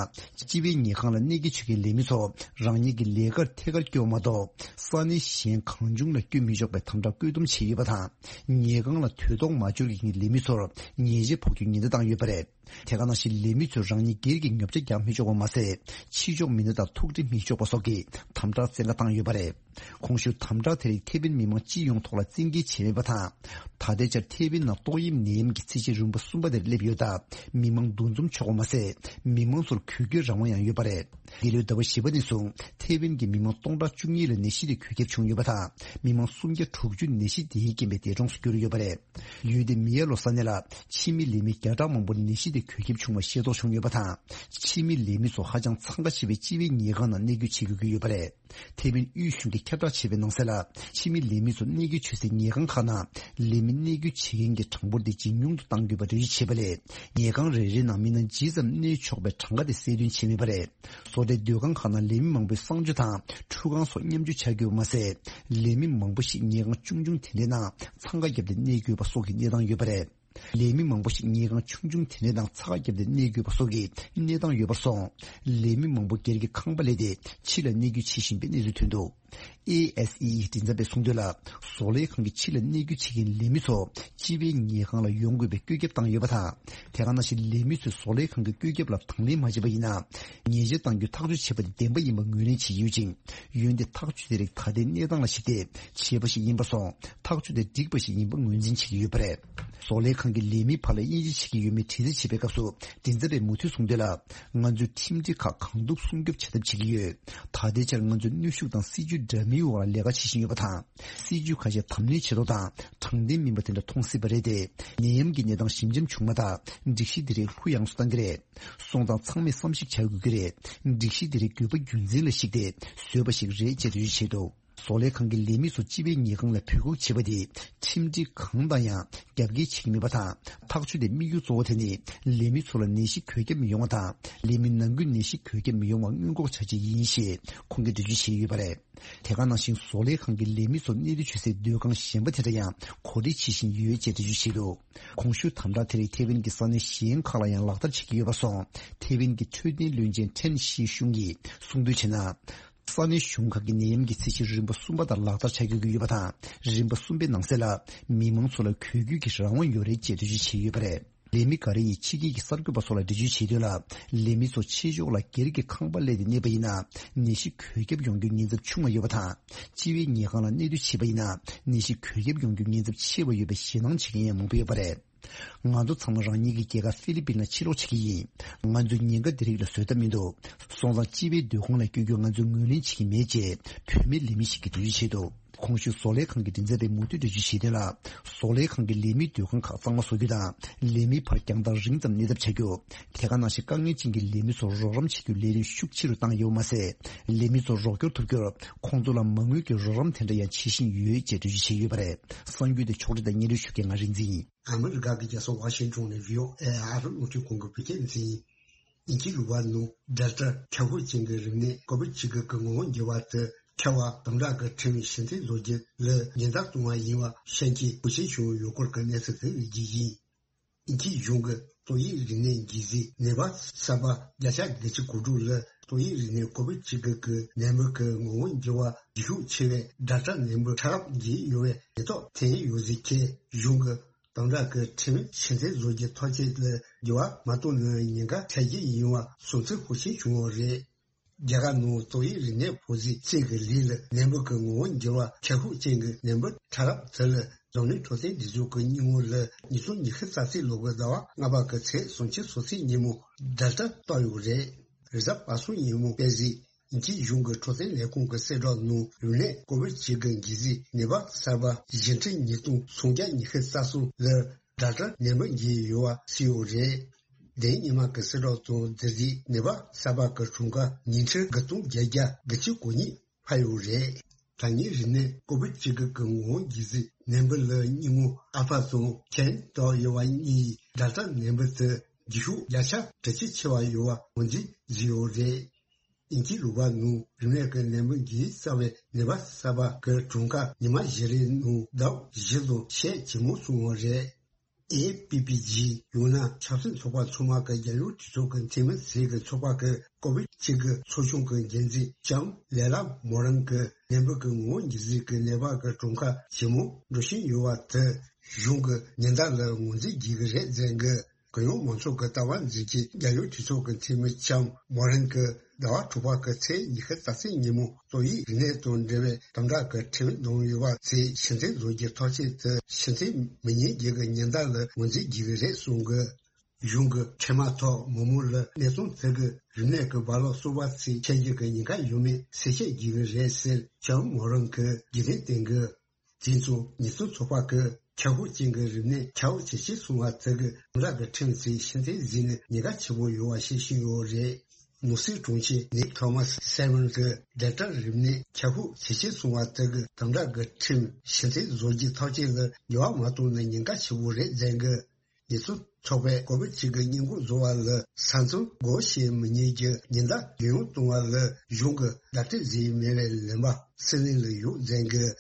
སྤྱི་པའི་ཉལ་ཁང་ལ་གནས་སྐྱེལ་བྱེད་མཁན་ལས་མི་ཚོ་རང་ཉིད་ཀྱི་ལས་ཀར་ཐད་ཀར་སྐྱོད་པ་མ་གཏོགས། ས་གནས་གཞན་གང་བྱུང་ལ་སྐྱོད་མི་ཆོག་པའི་དམ་དྲག་བཀོད་འདོམས་བྱས་ཡོད་པ་དང་། ཉལ་ཁང་ལ་དུས་ཐོག་མ་འབྱོར་མཁན་ལས་མི་ཚོར་ཉེས་ཆད་ཕོག་རྒྱུའི་ཉེན་བརྡ་བཏང་ཡོད་པ་རེད། དེ་ག་ནང་བཞིན་ལས་མི་ཚོས་རང་ཉིད་སྒེར་གྱི་ཉོ་ཆ་རྒྱག་མི་ཆོག་པ་མ་ཟད། ཕྱི་ཕྱོགས་མི་སྣ་དང་ཐུག་འཕྲད་མི་ཆོག་པ་སོགས་ཀྱི་དམ་དྲག་བཙན་བཀའ་བཏང་ཡོད་པ་རེད། གོང་ཞུས་དམ་དྲག་དེ་རིགས་ཐེ་ཝན་མི་མང་སྤྱི་ཡོངས་ཐོག་ལ་བཙན་འགེལ་བྱས་མེད་པ་དང་། ད་ལྟའི་ཆར་ཐེ་ཝན་ནང་ཏོག་དབྱིབས་ནད་ཡམས་ཀྱི་ཚད་གཞི་རིམ་པ་གསུམ་པ་དེར་སླེབས་ཡོད་སྟབས། མི་མང་འདུ་འཛོམས་ཆོག་པ་མ་ཟད། མི་མང་ཚོར་གུས་སྐྱོད་རང་དབང་ཡང་ཡོད་པ་རེད། འདི་ལོའི་ཟླ་བ་བཞི་པ་ནས་བཟུང་ཐེ་ཝན་གྱི་མི་མང་སྟོང་ཕྲག་བཅུ་གཉིས་ལ་ནད་གཞི་དེ་འགོས་ཁྱབ་བྱུང་ཡོད་པ་དང་། མི་མང་སུམ་བརྒྱ་དྲུག་ཅུ་ནད་གཞི་དེའི་རྐྱེན་པས་འདས་གྲོངས་སུ་གྱུར་ཡོད་པ་རེད། ཡུལ་དེའི་མི་ཡ་ལོ་ས་གནས་ལ་ཕྱི་མི་ལས་མི་བརྒྱ་ཕྲག་མང་པོར་ནད་གཞི་དེ་འགོས་ཁྱབ་བྱུང་བ་ཤེས་རྟོགས་བྱུང་ཡོད་པ་དང་། ཕྱི་མི་ལས་མི་ཚོ་ཧ་ཅང་འཚང་ཁ་ཆེ་བའི་སྤྱི་པའི་ཉལ་ཁང་ནང་གནས་སྐོར་བྱེད་དགོས་ཀྱི་ཡོད་པ་རེད། ཐེ་ཝན་དབུས་གཞུང་གིས་ཁྱབ་བསྒྲགས་བྱས་པའི་ནང་གསལ་ལ། ཕྱི་མི་ལས་མི་ཚོ་གནས་སྐོར་བྱེད་སའི་ཉལ་ཁང་ཁག་ནང་ལས་མི་གནས་སྐོར་བྱེད་མཁན་གྱི་གྲངས་འབོར་དེ་ཇེ་ཉུང་དུ་གཏང་དགོས་པ་འགྲེལ་བརྗོད་བྱས་པ་ལས། ཉལ་ཁང་རེ་རེའི་ནང་མི་སྣ་ཇི་ཙམ་གནས་ཆོག་པའི་གྲངས་ཀ་དེ་གསལ་སྟོན་བྱས་མེད་པ་རེད། བཟོ་གྲྭའི་སྡོད་ཁང་ཁག་ནང་ལས་མི་མང་པོས་གསང་སྤྱོད་དང་ཁྲུས་ཁང་སོགས་མཉམ་སྤྱོད་བྱ་དགོས་པ་མ་ཟད། ལས་མི་མང་པོ་ཞིག་ཉལ་ཁང་ཆུང་ཆུང་དེ་འདྲའི་ནང་འཚང་ཁ་བརྒྱབ་སྟེ་གནས་དགོས་པ་སོགས་ཀྱི་གནས་སྟངས་ཡོད་པ་རེད། ལས་མི་མང་པོ་ཞིག་ཉལ་ཁང་ཆུང་ཆུང་དེ་འདྲའི་ནང་འཚང་ཁ་བརྒྱབ་སྟེ་གནས་དགོས་པ་སོགས་ཀྱི་གནས་སྟངས་ཡོད་པར་སོང་། ལས་མི་མང་པོ་སྒེར་གྱི་ཁང་པ་ལས་ཏེ་ཕྱི་ལ་གནས་སྐོར་བྱེད་བཞིན་པའི་གནས་ཚུལ་ཐོན་འདུག། ཨེ་ཨེས་ཨི་ཨི་མགྲིན་ཚབ་པས་གསུངས་དོན་ལ། བཟོ་ལས་ཁང་གི་ཕྱི་ལ་གནས་སྐོར་བྱེད་མཁན་ལས་མི་ཚོ་སྤྱི་པའི་ཉལ་ཁང་ལ་ཡོང་དགོས་པའི་བཀོད་ཁྱབ་བཏང་ཡོད་པ་དང་། དེ་ག་ནང་བཞིན་ལས་མི་ཚོས་བཟོ་ལས་ཁང་གི་བཀོད་ཁྱབ་ལ་དང་ལེན་མ་བྱས་པ་ཡིན་ན། ཉེས་ཆད་གཏང་རྒྱུའི་ཐག་གཅོད་བྱས་པ་དེ་བདེན་པ་ཡིན་པ་ངོས་ལེན་བྱེད་ཀྱི་ཡོད་ཅིང་། འོན་ཏེ་ཐག་གཅོད་དེ་རིགས་ད་ལྟའི་གནས་སྟངས་ལ་གཞིགས་ཏེ་བྱས་པ་ཞིག་ཡིན་པར་སོང་། ཐག་གཅོད་དེ་འགྲིག་པ་ཞིག་ཡིན་པ་ངོས་འཛིན་བྱེད་ཀྱི་ཡོད་པ་རེད། བཟོ་ལས་ཁང་གི་ལས་མིའི་བར་ལ་དབྱེ་འབྱེད་བྱེད་ཀྱི་ཡོད་མེད་དྲི་རྩད་བྱེད་པའི་སྐབས་སུ། མགྲིན་ཚབ་པས་མུ་མཐུད་གསུངས་དོན་ལ། ང་ཚོས་ཁྲིམས་སྒྲིག་ཁག་གང་ཐུབ་སྲུང་སྐྱོབ་བྱ་ཐབས་བྱེད་ཀྱི་ཡོད། ད་ལྟའི་ཆར་ང་ཚོས་གནོན་ཤུགས་དང་སྲིད་ཇུས་འདྲ་མིན་འོག་ལ་ལས་ཀ་བྱེད་བཞིན་ཡོད་པ་དང་། སྲིད་ཇུས་ཁ་ཤས་དམ་ལེན་བྱེད་ཐོག་དང་དྲང་བདེན་མིན་པ་དེ་འདྲ་མཐོང་སྲིད་པ་རེད་དེ། ནད་ཡམས་ཀྱི་གནས་སྟངས་ཞིབ་འཇམ་བྱུང་མ་ཐག་སྒྲིག་གཞི་འདི་རིགས་ལྷུག་ཡངས་སུ་གཏང་གི་རེད། སོང་ཙང་ཚང་མས་བསམ་གཞིག་བྱ་དགོས་ཀྱི་རེད། སྒྲིག་གཞི་འདི་རིགས་དགོས་པ་རྒྱུ་མཚན་ལ་གཞིགས་ཏེ་བཟོས་པ་ཞིག་རེད་ཅེས་འགྲེལ་བརྗོད་བྱས་འདུག་བཟོ་ལས་ཁང་གི་ལས་མི་ཚོ་སྤྱི་པའི་ཉེས་ཁང་ལ་འབོད་འགུག་བྱེད་པ་དེ་ཁྲིམས་སྒྲིག་གང་དང་ཡང་རྒྱབ་འགལ་བྱེད་ཀྱི་མེད་པ་དང་། ཐག་གཅོད་དེ་དམིགས་ཡུལ་གཙོ་བོ་དེ་ནི་ལས་མི་ཚོ་ལ་ནད་གཞི་འགོས་ཁྱབ་མི་ཡོང་བ་དང་། ལས་མི་ནང་ཁུལ་ནད་གཞི་འགོས་ཁྱབ་མི་ཡོང་བ་སྔོན་འགོག་བྱ་ཆེད་ཡིན་ཞེས་ཁོང་གིས་འགྲེལ་བརྗོད་བྱས་ཡོད་པ་རེད། དེ་ག་ནང་བཞིན་བཟོ་ལས་ཁང་གི་ལས་མི་ཚོ་གནས་སྡོད་བྱེད་སའི་སྡོད་ཁང་གཞན་པ་དེ་འདྲ་ཡང་གོ་སྒྲིག་བྱེད་བཞིན་ཡོད་ཅེས་འགྲེལ་བརྗོད་བྱས་འདུག་གོང་ཞུས་དམ་དྲག་དེ་རིགས་ཐེ་ཝན་གྱི་ས་གནས་གཞན་ཁག་ལ་ཡང་ལག་བསྟར་བྱེད་ཀྱི་ཡོད་པ་སོགས། ཐེ་ཝན་གྱི་འཕྲོད་བསྟེན་བློན་ཆེན་ཁྲེན་ཤི་ཤུང་གིས་གསུངས་དོན་བྱས་ན། ས་གནས་གཞུང་ཁག་གིས་ནད་ཡམས་ཀྱི་ཚད་གཞི་རིམ་པ་གསུམ་པ་ལྟར་ལག་བསྟར་བྱ་དགོས་ཀྱི་ཡོད་པ་དང་། རིམ་པ་གསུམ་པའི་ནང་གསེས་ལ་མི་མང་ཚོ་ལ་གོ་རྒྱུ་གི་རང་དབང་ཡོད་རེད་ཅེས་འགྲེལ་བརྗོད་བྱས་ཡོད་པ་རེད། ལས་མི་འགའ་རེ་ཡིས་ཕྱི་རྒྱལ་གྱི་གསར་འགོད་པ་ཚོ་ལ་འགྲེལ་བརྗོད་བྱས་དོན་ལ། ལས་མི་ཚོ་ཆེ་ཕྱོགས་ལ་སྒེར་གྱི་ཁང་པར་སླེབས་ཏེ་གནས་པ་ཡིན་ན། ནད་གཞི་འགོས་ཁྱབ་ཡོང་རྒྱུའི་ཉེན་ཚབས་ཆུང་བ་ཡོད་པ་དང་། སྤྱི་པའི་ཉལ་ཁང་ལ་གནས་སྡོད་བྱས་པ་ཡིན་ན། ནད་གཞི་འགོས་ཁྱབ་ཡོང་རྒྱུའི་ཉེན་ཚབས་ཆེ་བ་ཡོད་པའི་ཞེད་སྣང་བྱེད་མཁན་ཡང་མང་པོ་ཡོད་པ་རེད། ང་ཚོ་ཚང་མ་རང་ཉིད་ཀྱི་རྒྱལ་ཁབ་ཧྥི་ལི་པིན་ལ་ཕྱིར་ལོག་བྱེད་ཀྱི་ཡིན། ང་ཚོས་ཉེན་ཁ་འདི་རིགས་ལ་བཟོད་ཐབས་མི་འདུག་སོང་ཙང་སྤྱི་པའི་སྡོད་ཁང་ལ་བསྐྱོད་རྒྱུ་ང་ཚོས་ངོས་ལེན་བྱེད་ཀྱི་མེད་ཅེས་བུད་མེད་ལས་མི་ཞིག་གིས་འགྲེལ་བརྗོད་བྱས་འདུག་གོང་ཞུས་བཟོ་ལས་ཁང་གི་མགྲིན་ཚབ་པས་མུ་མཐུད་འགྲེལ་བརྗོད་བྱས་དོན་ལ། བཟོ་ལས་ཁང་གི་ལས་མིའི་སྡོད་ཁང་ཁག་གཙང་མ་བཟོ་རྒྱུ་དང་། ལས་མིའི་བར་རྒྱང་ཐག་རིང་ཙམ་གནས་ཐབས་བྱ་རྒྱུ། དེ་ག་ནང་བཞིན་དཀའ་ངལ་ཅན་གྱི་ལས་མི་ཚོར་རོགས་རམ་བྱེད་རྒྱུའི་ལས་རིམ་ཤུགས་ཆེ་རུ་བཏང་ཡོད་པ་མ་ཟད། ལས་མི་ཚོར་རོགས་སྐྱོར་ཐུབ་རྒྱུར་ཁོང་ཚོ་ལ་མ་དངུལ་གྱི་རོགས་རམ་དེ་འདྲ་ཡང་བྱེད་བཞིན་ཡོད་ཅེས་འགྲེལ་བརྗོད་བྱས་ཡོད་པ་རེད། གསར་འགྱུར་དེ་ཕྱོགས་སྒྲིག་དང་སྙན་སྒྲོན་ཞུ་མཁན་ང་རིག་འཛིན་ཡིན། ཨ་མི་རི་ཀ་གི་རྒྱལ་ས་ཝ་ཤིང་ཊོན་ནས་བྷི་ཨོ་ཨེ་ཨ་རི་རླུང་འཕྲིན་ཁང་གི་བོད་སྐད་འཛིན་ཡིན། དབྱིན་ཇིའི་ལུང་པ་ནང་ཌེལ་ཊ་ཁྱབ་ཤུགས་ཅན་གྱི་རིམས་ནད་ཀོ་བིད་བཅུ་དགུ་གི་ངོ་བོ་འགྱུར་བ་དེ་ཁྱབ་པ་དམ་དྲག་གི་ཁྲིམས་ཕྱིར་འཐེན་བཟོ་རྒྱུ་ལ་ཉེན་བརྡ་གཏོང་བ་ཡིན་པ་ཤན་ཅིན་ཧུའུ་ཅིན་ཞུང་ཡུལ་སྐོར་གྱི་གནས་ཚུལ་དེ་རིགས་ཀྱི་ཡིན། དབྱིན་ཇིའི་གཞུང་གི་ཏོག་དབྱིབས་རིམས་ནད་འགོག་གཟན་ནད་པ་གསར་པ་བརྒྱ་ཆ་བརྒྱད་ཅུ་གོ་དྲུག་ལ་ཏོག་དབྱིབས་རིམས་ནད་ཀོ་བིད་བཅུ་དགུ་གི་ནད་འབུ་གི་ངོ་བོ་འགྱུར་བ་ཤུགས་ཆེ་བའི་ཌེལ་ཊ་ནད་འབུ་ཕྲ་རབ་འགོས་ཡོད་པའི་ནད་ཐོག་ཐོན་ཡོད་ཟེར་གྱི་གཞུང་གི་དམ་དྲག་གི་ཁྲིམས་ཕྱིར་འཐེན་བཟོ་རྒྱུ་ཐག་བཅད་ལ་འགྱུར་བ་མ་གཏོང་ན་ཉེན་ཁ་འཕྲད་རྒྱུ་ཡིན་པ་སོང་ཚེ་ཧུའུ་ཅིན་ཞུང་རེད། རྒྱ་གར་ནང་ཏོག་དབྱིབས་རིམས་ནད་ཕོག་ཟིན་ཚེས་ཀྱི་ལུགས་ལ་ནད་འབུ་གི་ངོ་བོ་འགྱུར་བ་ཁྱབ་ཤུགས་ཅན་གྱི་ནད་འབུ་ཕྲ་རབ་དེ་ལ་འཛམ་གླིང་འཕྲོད་བསྟེན་སྒྲིག་འཛུགས་ཀྱི་སྙིང་བོ་ལ་ཉིས་སྟོང་ཉི་ཤུ་རྩ་གཅིག་ལོ་གི་ཟླ་བ་ལྔ་པ་གི་ཚེས་སུམ་ཅུ་སོ་གཅིག་ཉིན་མོ་ཌེལ་ཊ་བཏགས་ཡོད་རེད། རེས་གཟའ་པ་སངས་ཉིན་མོ་པེ་ཅིན་དབྱིན་ཇིའི་གཞུང་གི་འཕྲོད་བསྟེན་ལས་ཁུངས་ཀྱི་གསལ་བསྒྲགས་ནང་རིམས་ནད་ཀོ་བིད་བཅུ་དགུ་འགོག་གཟན་ནད་པ་གསར་པ་བཞི་ཁྲི་ཉིས་སྟོང་སུམ་བརྒྱ་ཉི་ཤུ་རྩ་གསུམ་ལ་ཌེལ་ཊ་ནད་འབུ་འགོས་ཡོད་པ་གསལ་ཡོད་རེད། དེ་ཉི་མ་གི་གསལ་བསྒྲགས་དང་དེ་རྗེས་ནད་པ་གསར་པ་གི་གྲངས་ཀ་ཉིས་ཁྲི་དགུ་སྟོང་བརྒྱད་བརྒྱ་དགུ་བཅུ་གོ་གཉིས་འཕར་ཡོད་རེད། ད་ཉིན་རིམས་ནད་ཀོ་བིད་བཅུ་དགུ་གི་ངོ་བོ་འགོག་གཟན་ནད་འབུ་ལ་སྙིང་བོ་ཨལ་ཕ་དང་ཁེན་བཏགས་ཡོད་པ་གཉིས་ཌེལ་ཊ་ནད་འབུ་དེ་འགོག་ཤུགས་བརྒྱ་ཆ་དྲུག་ཅུ་ཆེ་བ་ཡོད་པ་ངོས་འཛིན་བཟོས་ཡོད་རེད། དབྱིན་ཇིའི་ལུང་པ་ནང་རིམས་ནད་ཀྱི་ནད་འབུ་འགོས་གཟན་བའི་ནད་པ་གསར་པ་གི་གྲངས་ཀ་ཉི་མ་བཞི་རེའི་ནང་ཟླ་བ་བཞི་ཙམ་ཞེ་ཇེ་མང་སོང་བ་རེད། ཨེ་ཕི་པི་ཇི་ཡང་ན་ཆབ་སྲིད་ཚོགས་པ་ཚང་མ་གི་རྒྱལ་ཡོངས་གྲོས་ཚོགས་ཀྱི་འཐུས་མི་ཟུར་གྱི་ཚོགས་པ་གི་ཀོ་བིད་བཅུ་དགུ་ཚོགས་ཆུང་གི་འགན་འཛིན་ལྕམ་ལེ་ལ་མོ་རན་གྱིས་ནད་འབུ་གི་ངོ་བོ་འགོག་གཟན་གྱི་ནད་པ་གི་གྲངས་ཀ་ཇེ་མང་འགྲོ་བཞིན་ཡོད་པ་དེ་གཞུང་གི་ཉེན་བརྡ་ལ་ངོས་འཛིན་བགྱིད་ཀྱི་རེད་ཟེར་གི། གུ་ཡངས་མང་ཚོགས་ཀྱི་ལྟ་བ་འཛིན་གྱི་རྒྱལ་ཡོངས་གྲོས་ཚོགས་ཀྱི་འཐུས་མི་ལྕམ་མོ་རན་གྱིས་ཟླ་བ་དྲུག་པ་གི་ཚེས་ཉི་ཤུ་རྩ་གཅིག་ཉིན་མོ་ཏོག་དབྱིབས་རིམས་ནད་དང་འབྲེལ་བའི་དམ་དྲག་གི་ཁྲིམས་བསྡམས་ཡོད་པ་ཚོས་ཕྱིར་འཐེན་བཟོ་རྒྱུའི་ཐག་གཅོད་དེ་ཕྱིར་འཐེན་མི་ཉན་རྒྱུ་གི་ཉེན་བརྡ་ལ་ངོས་འཛིན་བགྱིད་ཀྱི་རེད་གསུངས་གི། གཞུང་གི་འཕྲལ་མ་ཐོག་མི་མང་ལ་གནས་སྟངས་དེ་གི་རིམས་ནད་ཀྱི་རྦ་རླབས་གསར་པ་ཚོས་འཕྱད་རྒྱུ་གི་ཉེན་ཁ་ཡོད་མེད་གསལ་བཤད་བགྱིད་ཀྱི་རེད་ཟེར་ལྕམ་མོ་རན་གྱིས་རྒྱུན་ལྡན་བསྟན་གི། དེ་ཚོ་ཉེན་སྲུང་ཚོགས་པ་གིས་ཁྱབ་ཤུགས་ཅན་གྱི་རིམས་ནད་ཁྱབ་ཇེ་ཆེར་སོང་བ་དེ་གི་དམ་དྲག་གི་ཁྲིམས་ཚོས་ཕྱིར་འཐེན་བཟོས་ནས་ཉེན་ཁ་ཆེ་པོ་ཡོད་པ་ཤེས་བཞིན་ཡོད་རེད། ནོར་སྲིད་དྲུང་ཆེ་ནིག་ཐོ་མཱས་སེ་མོན་གྱིས་ཌེལ་ཊ་རིམས་ནད་ཁྱབ་ཤུགས་ཇེ་ཆེར་སོང་བ་དེ་གི་དམ་དྲག་གི་ཁྲིམས་ཕྱིར་འཐེན་བཟོ་རྒྱུའི་ཐག་གཅོད་ལ་འགྱུར་བ་མ་གཏོང་ན་ཉེན་ཁ་ཆེ་པོ་རེད་ཟེར་གི། ཉེན་སྲུང་ཚོགས་པས་ཀོ་བིད་བཅུ་དགུ་སྔོན་འགོག་བཟོ་བ་ལ་ས་མཚམས་སྒོ་ཕྱེ་མི་ཉན་རྒྱུ་ཉེན་བརྡ་རྒྱུན་འཁྱོངས་གཏོང་བ་ལ་གཞུང་གིས་ལག་དེབ་བཟོས་མེད་པའི་ལན་པ་སྲིད་བློན་ལ་ཡོད་ཟེར་གི།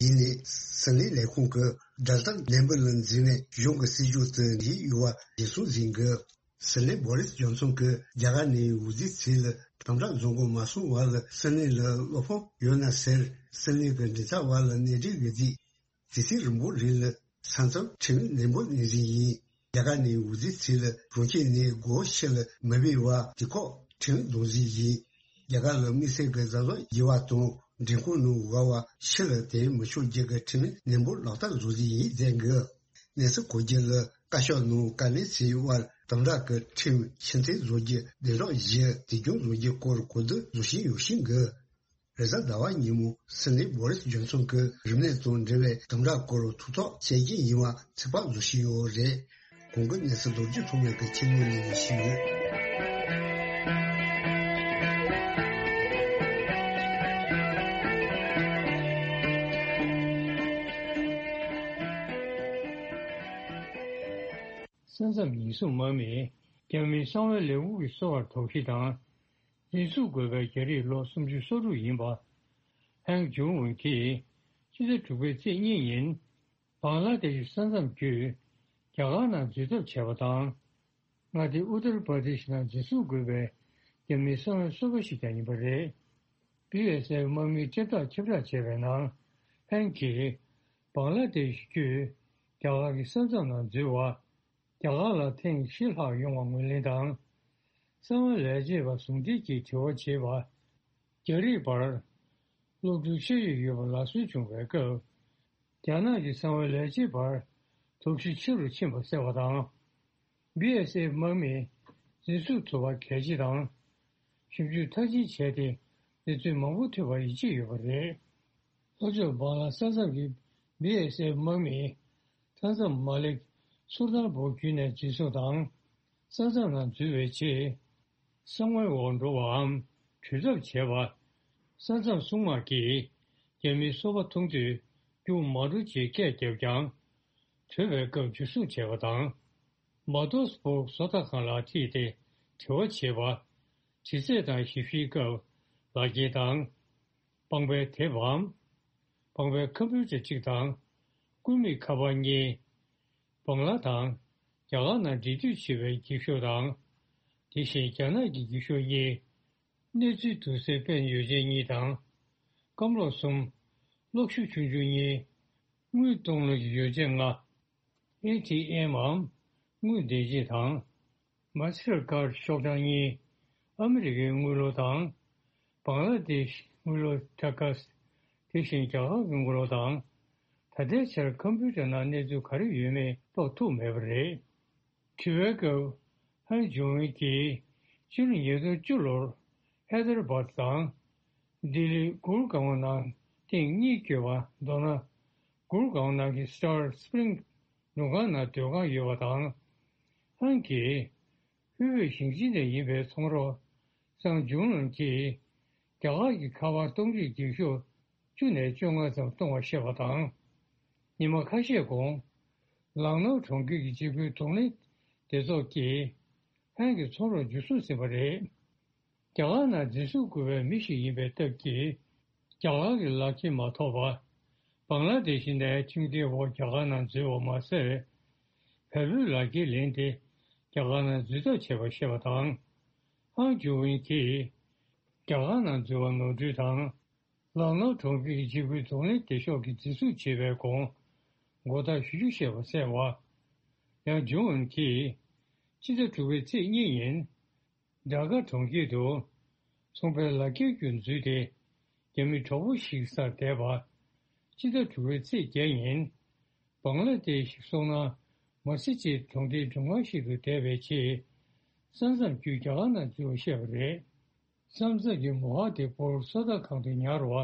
ཡིན་ནའི་སྲིད་བློན་ལས་ཁུངས་ཀྱིས་ཌེལ་ཊ་ནད་འབུ་ལ་འཛེམ་བའི་གཞུང་གི་སྲིད་ཇུས་དེ་འགྲིག་ཡོད་པ་རྒྱུན་སྲུང་བཟོས་གི། སྲིད་བློན་བོ་རིས་ཇོན་སོན་གྱིས་རྒྱ་གར་ནས་འོས་བསྡུ་བྱས་ལ་དམ་དྲག་བཟོ་འགོ་མ་སོང་བར་ལ་སྲིད་བློན་ལ་བློ་ཕམ་ཡོད་ན་ཟེར་སྲིད་བློན་གྱི་མགྲིན་ཚབ་པ་ལ་གནས་འབྲེལ་ཡོད་དུས། དུས་ཚོད་རིང་པོ་རིང་ལ་ས་མཚམས་ཁྲིམས་ནན་པོ་ནན་ཟིན་ཡིན། རྒྱ་གར་ནས་འོས་བསྡུ་བྱས་ལ་གྲོང་ཁྱེར་ནས་སྒོ་ཕྱེ་ལ་མི་འབུད་བར་དུས་བཀག་ཁྲིམས་འདོན་ཟིན་ཡིན། རྒྱ་གར་ལ་དམིགས་བསལ་གྱི་གཟབ་གཟབ་བྱེད་པ་དང་མགྲོན་ཁང་ནང་བསྡད་པ་ཕྱི་ལ་ཐོན་མི་ཆོག་རྒྱུ་གི་ཁྲིམས་ནན་པོ་ལག་བསྟར་བཟོ་ཟིན་ཡིན་ཟེར་གི། གནས་ཚུལ་གོ་རྒྱུ་ལ། བཀའ་ཤག་ནང་བཀའ་ལན་སྩལ་བར། དམ་དྲག་གི་ཁྲིམས་ཕྱིར་འཐེན་བཟོ་རྒྱུ། སྡིངས་རོགས་བཞི་དེ་སྦྱོང་བཟོ་རྒྱུ་སྐོར་གོ་བསྡུར་བཟོ་བཞིན་ཡོད་བཞིན་གི། རེས་གཟའ་ཟླ་བ་ཉིན་མོ་སིད་ནི་བོ་རིས་ཇོན་སོན་གྱི་རིམས་ནད་དང་འབྲེལ་བའི་དམ་དྲག་སྐོར་ཐུགས་ཐག་བཅད་རྒྱུ་ཡིན་པ་ཚིག་ཕབ་བཟོ་བཞིན་ཡོད་རེད། གོང་གི་གནས་ཚུལ་རྡོ་རྗེ་ཐོགས་མེད་ཀྱིས་ཁྱེད་ཉིད་ལ་ཞུས་ཡོད། ས་མཚམས་ཉེན་སྲུང་དམག་མིས་རྒྱ་མིའི་གསང་བའི་ལས་ཁུངས་ཀྱི་སོ་པར་དོགས་གཞི་དང་། འཛིན་བཟུང་དགོས་པའི་རྒྱ་རིགས་ལོ་སུམ་ཅུ་སོ་དྲུག་ཡིན་པ། ཧན་ཇུང་ཝུན་གྱིས་ཕྱི་ཟླ་དྲུག་པའི་ཚེས་གཉིས་ཉིན། བང་ལ་དེ་ཤི་ས་མཚམས་བརྒྱུད་རྒྱ་གར་ནང་འཛུལ་ཐབས་བྱས་པ་དང་། མངའ་སྡེ་ཨུ་ཏར་པར་དེ་ཤི་ནང་འཛིན་བཟུང་དགོས་པའི་རྒྱ་མིའི་གསང་བའི་སོ་པ་ཞིག་ཀྱང་ཡིན་པ་རེད། བྷི་ཨེས་ཨེཕ་དམག་མིའི་ཁྲིམས་ཐག་ཁྱབ་བསྒྲགས་བྱས་པའི་ནང་། ཧན་གྱིས་བང་ལ་དེ་ཤི་བརྒྱུད་རྒྱ་གར་གྱི་ས་མཚམས་ནང་འཛུལ་བ། རྒྱ་གར་ལ་ཐེངས་བཞི་ལྷག་ཡོང་བ་ངོས་ལེན་དང་། གསང་བའི་ལས་བྱེད་པ་ཟུང་འབྲེལ་གྱིས་དྲི་བ་བྱེད་པ། རྒྱ་རིགས་བར་གློག་འཕྲུལ་ཤེས་ཡོན་ཡོད་པ་ལག་སོན་བྱུང་བའི་སྐབས། རྒྱ་ནག་གི་གསང་བའི་ལས་བྱེད་པར་དོགས་གཞི་ཆེ་རུ་ཕྱིན་པ་གསལ་བ་དང་། བྷི་ཨེས་ཨེཕ་དམག་མིས་འཛིན་བཟུང་ཐུབ་པ་གལ་ཆེ་དང་། ཞིབ་འཇུག་མཐར་ཕྱིན་བྱས་ཏེ་གནས་ཚུལ་མང་པོ་ཐོན་པར་ཡིད་ཆེས་ཡོད་པ་རེད། ལྷོ་ཕྱོགས་བང་ལ་ས་མཚམས་ཀྱི་བྷི་ཨེས་ཨེཕ་དམག་མིས་མཐའ་མཚམས་མ་ལེགས་སུར་ཐང་བོ་བརྒྱུད་ནས་འཛིན་བཟུང་དང་། ས་མཚམས་ནང་འཛུལ་བའི་རྗེས། གསང་བའི་འོག་འགྲོ་བའམ་གྲོས་ཐབས་བྱས་པ། ས་མཚམས་སྲུང་དམག་གིས་རྒྱ་མིའི་སོ་པ་མཐོང་དུས་རྒྱུགས་མ་འགྲོ་ཅེས་སྐད་བརྒྱབ་ཀྱང་། གྲོས་པའི་སྐབས་འཇུ་བཟུང་བྱས་པ་དང་། མ་ཏོ་སི་བྷོག་བཟོ་ལྟ་ཁང་ལ་ཁྲིད་དེ་དྲི་བ་བྱས་པ། དྲི་རྩད་དང་ཞིབ་བཤེར་སྐབས་ལག་འཁྱེར་དང་། པང་པའི་དེབ་བམ། པང་པའི་ཁམ་བུ་ཊར་གཅིག་དང་། སྐུད་མེད་ཁ་པར་གཉིས། བང་ལ་དང་རྒྱ་གར་ནང་འབྲེལ་མཐུད་བྱེད་པའི་འགྱིག་ཤོག་དང་། དེ་བཞིན་རྒྱ་ནག་གི་འགྱིག་ཤོག་གཉིས། གནས་ཚུལ་བསྡུ་སའི་པན་ཡོ་བྱད་གཉིས་དང་། སྐམ་གློག་གསུམ། གློག་ཞུ་ཆུང་ཆུང་གཉིས། དངུལ་གཏོང་ལེན་གྱི་ཡོ་བྱད་ལྔ། ཨེ་ཊི་ཨེམ་འམ་དངུལ་འདེད་བྱེད་དང་། མཱ་སི་ཊར་ཀར་ཤོག་གྲངས་གཉིས། ཨ་མི་རི་ཀའི་དངུལ་ལོར་དང་། བང་ལ་དེཤ་དངུལ་ལོར་ཊ་ཀཱས། དེ་བཞིན་རྒྱ་གར་གྱི་དངུལ་ལོར་དང་། ད་ལྟའི་ཆར་ཁམ་བུ་ཊར་ནང་གནས་ཚུལ་ག་རེ་ཡོད་མེད་རྟོགས་ཐུབ་མེད་པ་རེད། དྲི་བའི་སྐབས། ཧན་ཇུང་ཝུན་གྱིས་ཕྱི་ལོ་ཉིས་སྟོང་བཅུ་ལོར་ཧེ་ད་ར་བཱད་དང་། ལྡི་ལི་གུར་གང་བ་ནང་ཐེངས་གཉིས་བསྐྱོད་པ། མདོར་ན། གུར་གང་བ་ནང་གི་སི་ཊར་སི་པི་རིང་མགྲོན་ཁང་ནང་སྡོད་ཁང་ཡོད་པ་དང་། ཧན་གྱིས་ཧུའེ་ཝེ་ཞིང་ཆེན་ནས་ཡིན་པའི་ཚོང་རོགས་སང་ཇུང་ལུན་གྱིས་རྒྱ་གར་གྱི་ཁ་པར་གཏོང་རྒྱུའི་འགྱིག་ཤོག་བཅུ་ནས་བཅོ་ལྔ་ཙམ་གཏོང་བ་བཤད་པ་དང་། ཉི་མ་ཁ་ཤས་གོང་། ལག་ནའོ་གྲོང་ཁྱེར་གྱི་འཇིགས་སྐུལ་གདོང་ལེན་སྡེ་ཚོགས་ཀྱིས་ཧན་གྱི་ཚོང་རོགས་འཇུ་བཟུང་ཟིན་པ་རེད། རྒྱ་གར་ནང་འཛིན་བཟུང་དགོས་པའི་མི་ཞིག་ཡིན་པའི་སྟབས་ཀྱིས། རྒྱ་གར་གྱི་ལག་འཁྱེར་མ་ཐོབ་པར། བང་ལ་དེ་ཤི་ནས་ཁྲིམས་འགལ་འོག་རྒྱ་གར་ནང་འཛུལ་བ་མ་ཟད། བལ་པོའི་ལག་འཁྱེར་ལེན་ཏེ། རྒྱ་གར་ནང་འཛུལ་ཐབས་བྱས་པ་བཤད་པ་དང་། ཧང་ཇུ་ཝིན་གྱིས། རྒྱ་གར་ནང་འཛུལ་བ་ནོར་འཁྲུལ་དང་། ལག་ནའོ་གྲོང་ཁྱེར་གྱི་འཇིགས་སྐུལ་གདོང་ལེན་སྡེ་ཤོག་གིས་འཛིན་བཟུང་བྱས་པའི་གོང་། མགོ་བཏགས་ཞུ་རྒྱུ་བཤད་པ་གསལ་བ། ཡང་ཇུང་ཝིན་གྱིས། ཕྱི་ཟླ་དྲུག་པའི་ཚེས་གཉིས་ཉིན། ཌ་ཀ་གྲོང་ཁྱེར་དུ། ཚོང་པའི་ལག་འཁྱེར་བརྒྱུད་འཛུལ་ཏེ། རྒྱ་མི་གྲོགས་པོ་ཞིག་སར་བསྡད་པ། ཕྱི་ཟླ་དྲུག་པའི་ཚེས་བརྒྱད་ཉིན། བང་ལ་དེ་ཤི་སོང་ན། མ་སི་ཅི་གྲོང་སྡེའི་མགྲོན་ཁང་ཞིག་ཏུ་བསྡད་པའི་ཆེད། ས་མཚམས་བརྒྱུད་རྒྱ་གར་ནང་འཛུལ་བ་བཤད་པ་རེད། ས་མཚམས་ཀྱི་མོ་ཧ་དེ་པོར་སོ་ལྟ་ཁང་དུ་ཉར་བ།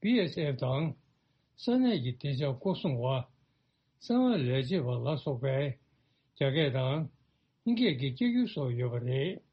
བྷི་ཨེས་ཨེཕ་དང་། ས་གནས་ཀྱི་བདེ་འཇགས་སྐོར་སྲུང་བ། གསང་བའི་ལས་བྱེད་པ་ལ་སོགས་པས། རྒྱ་སྐད་དང་། ཧིན་སྐད་ཀྱི་སྐད་སྒྱུར་སོགས་ཡོད་པ་རེད།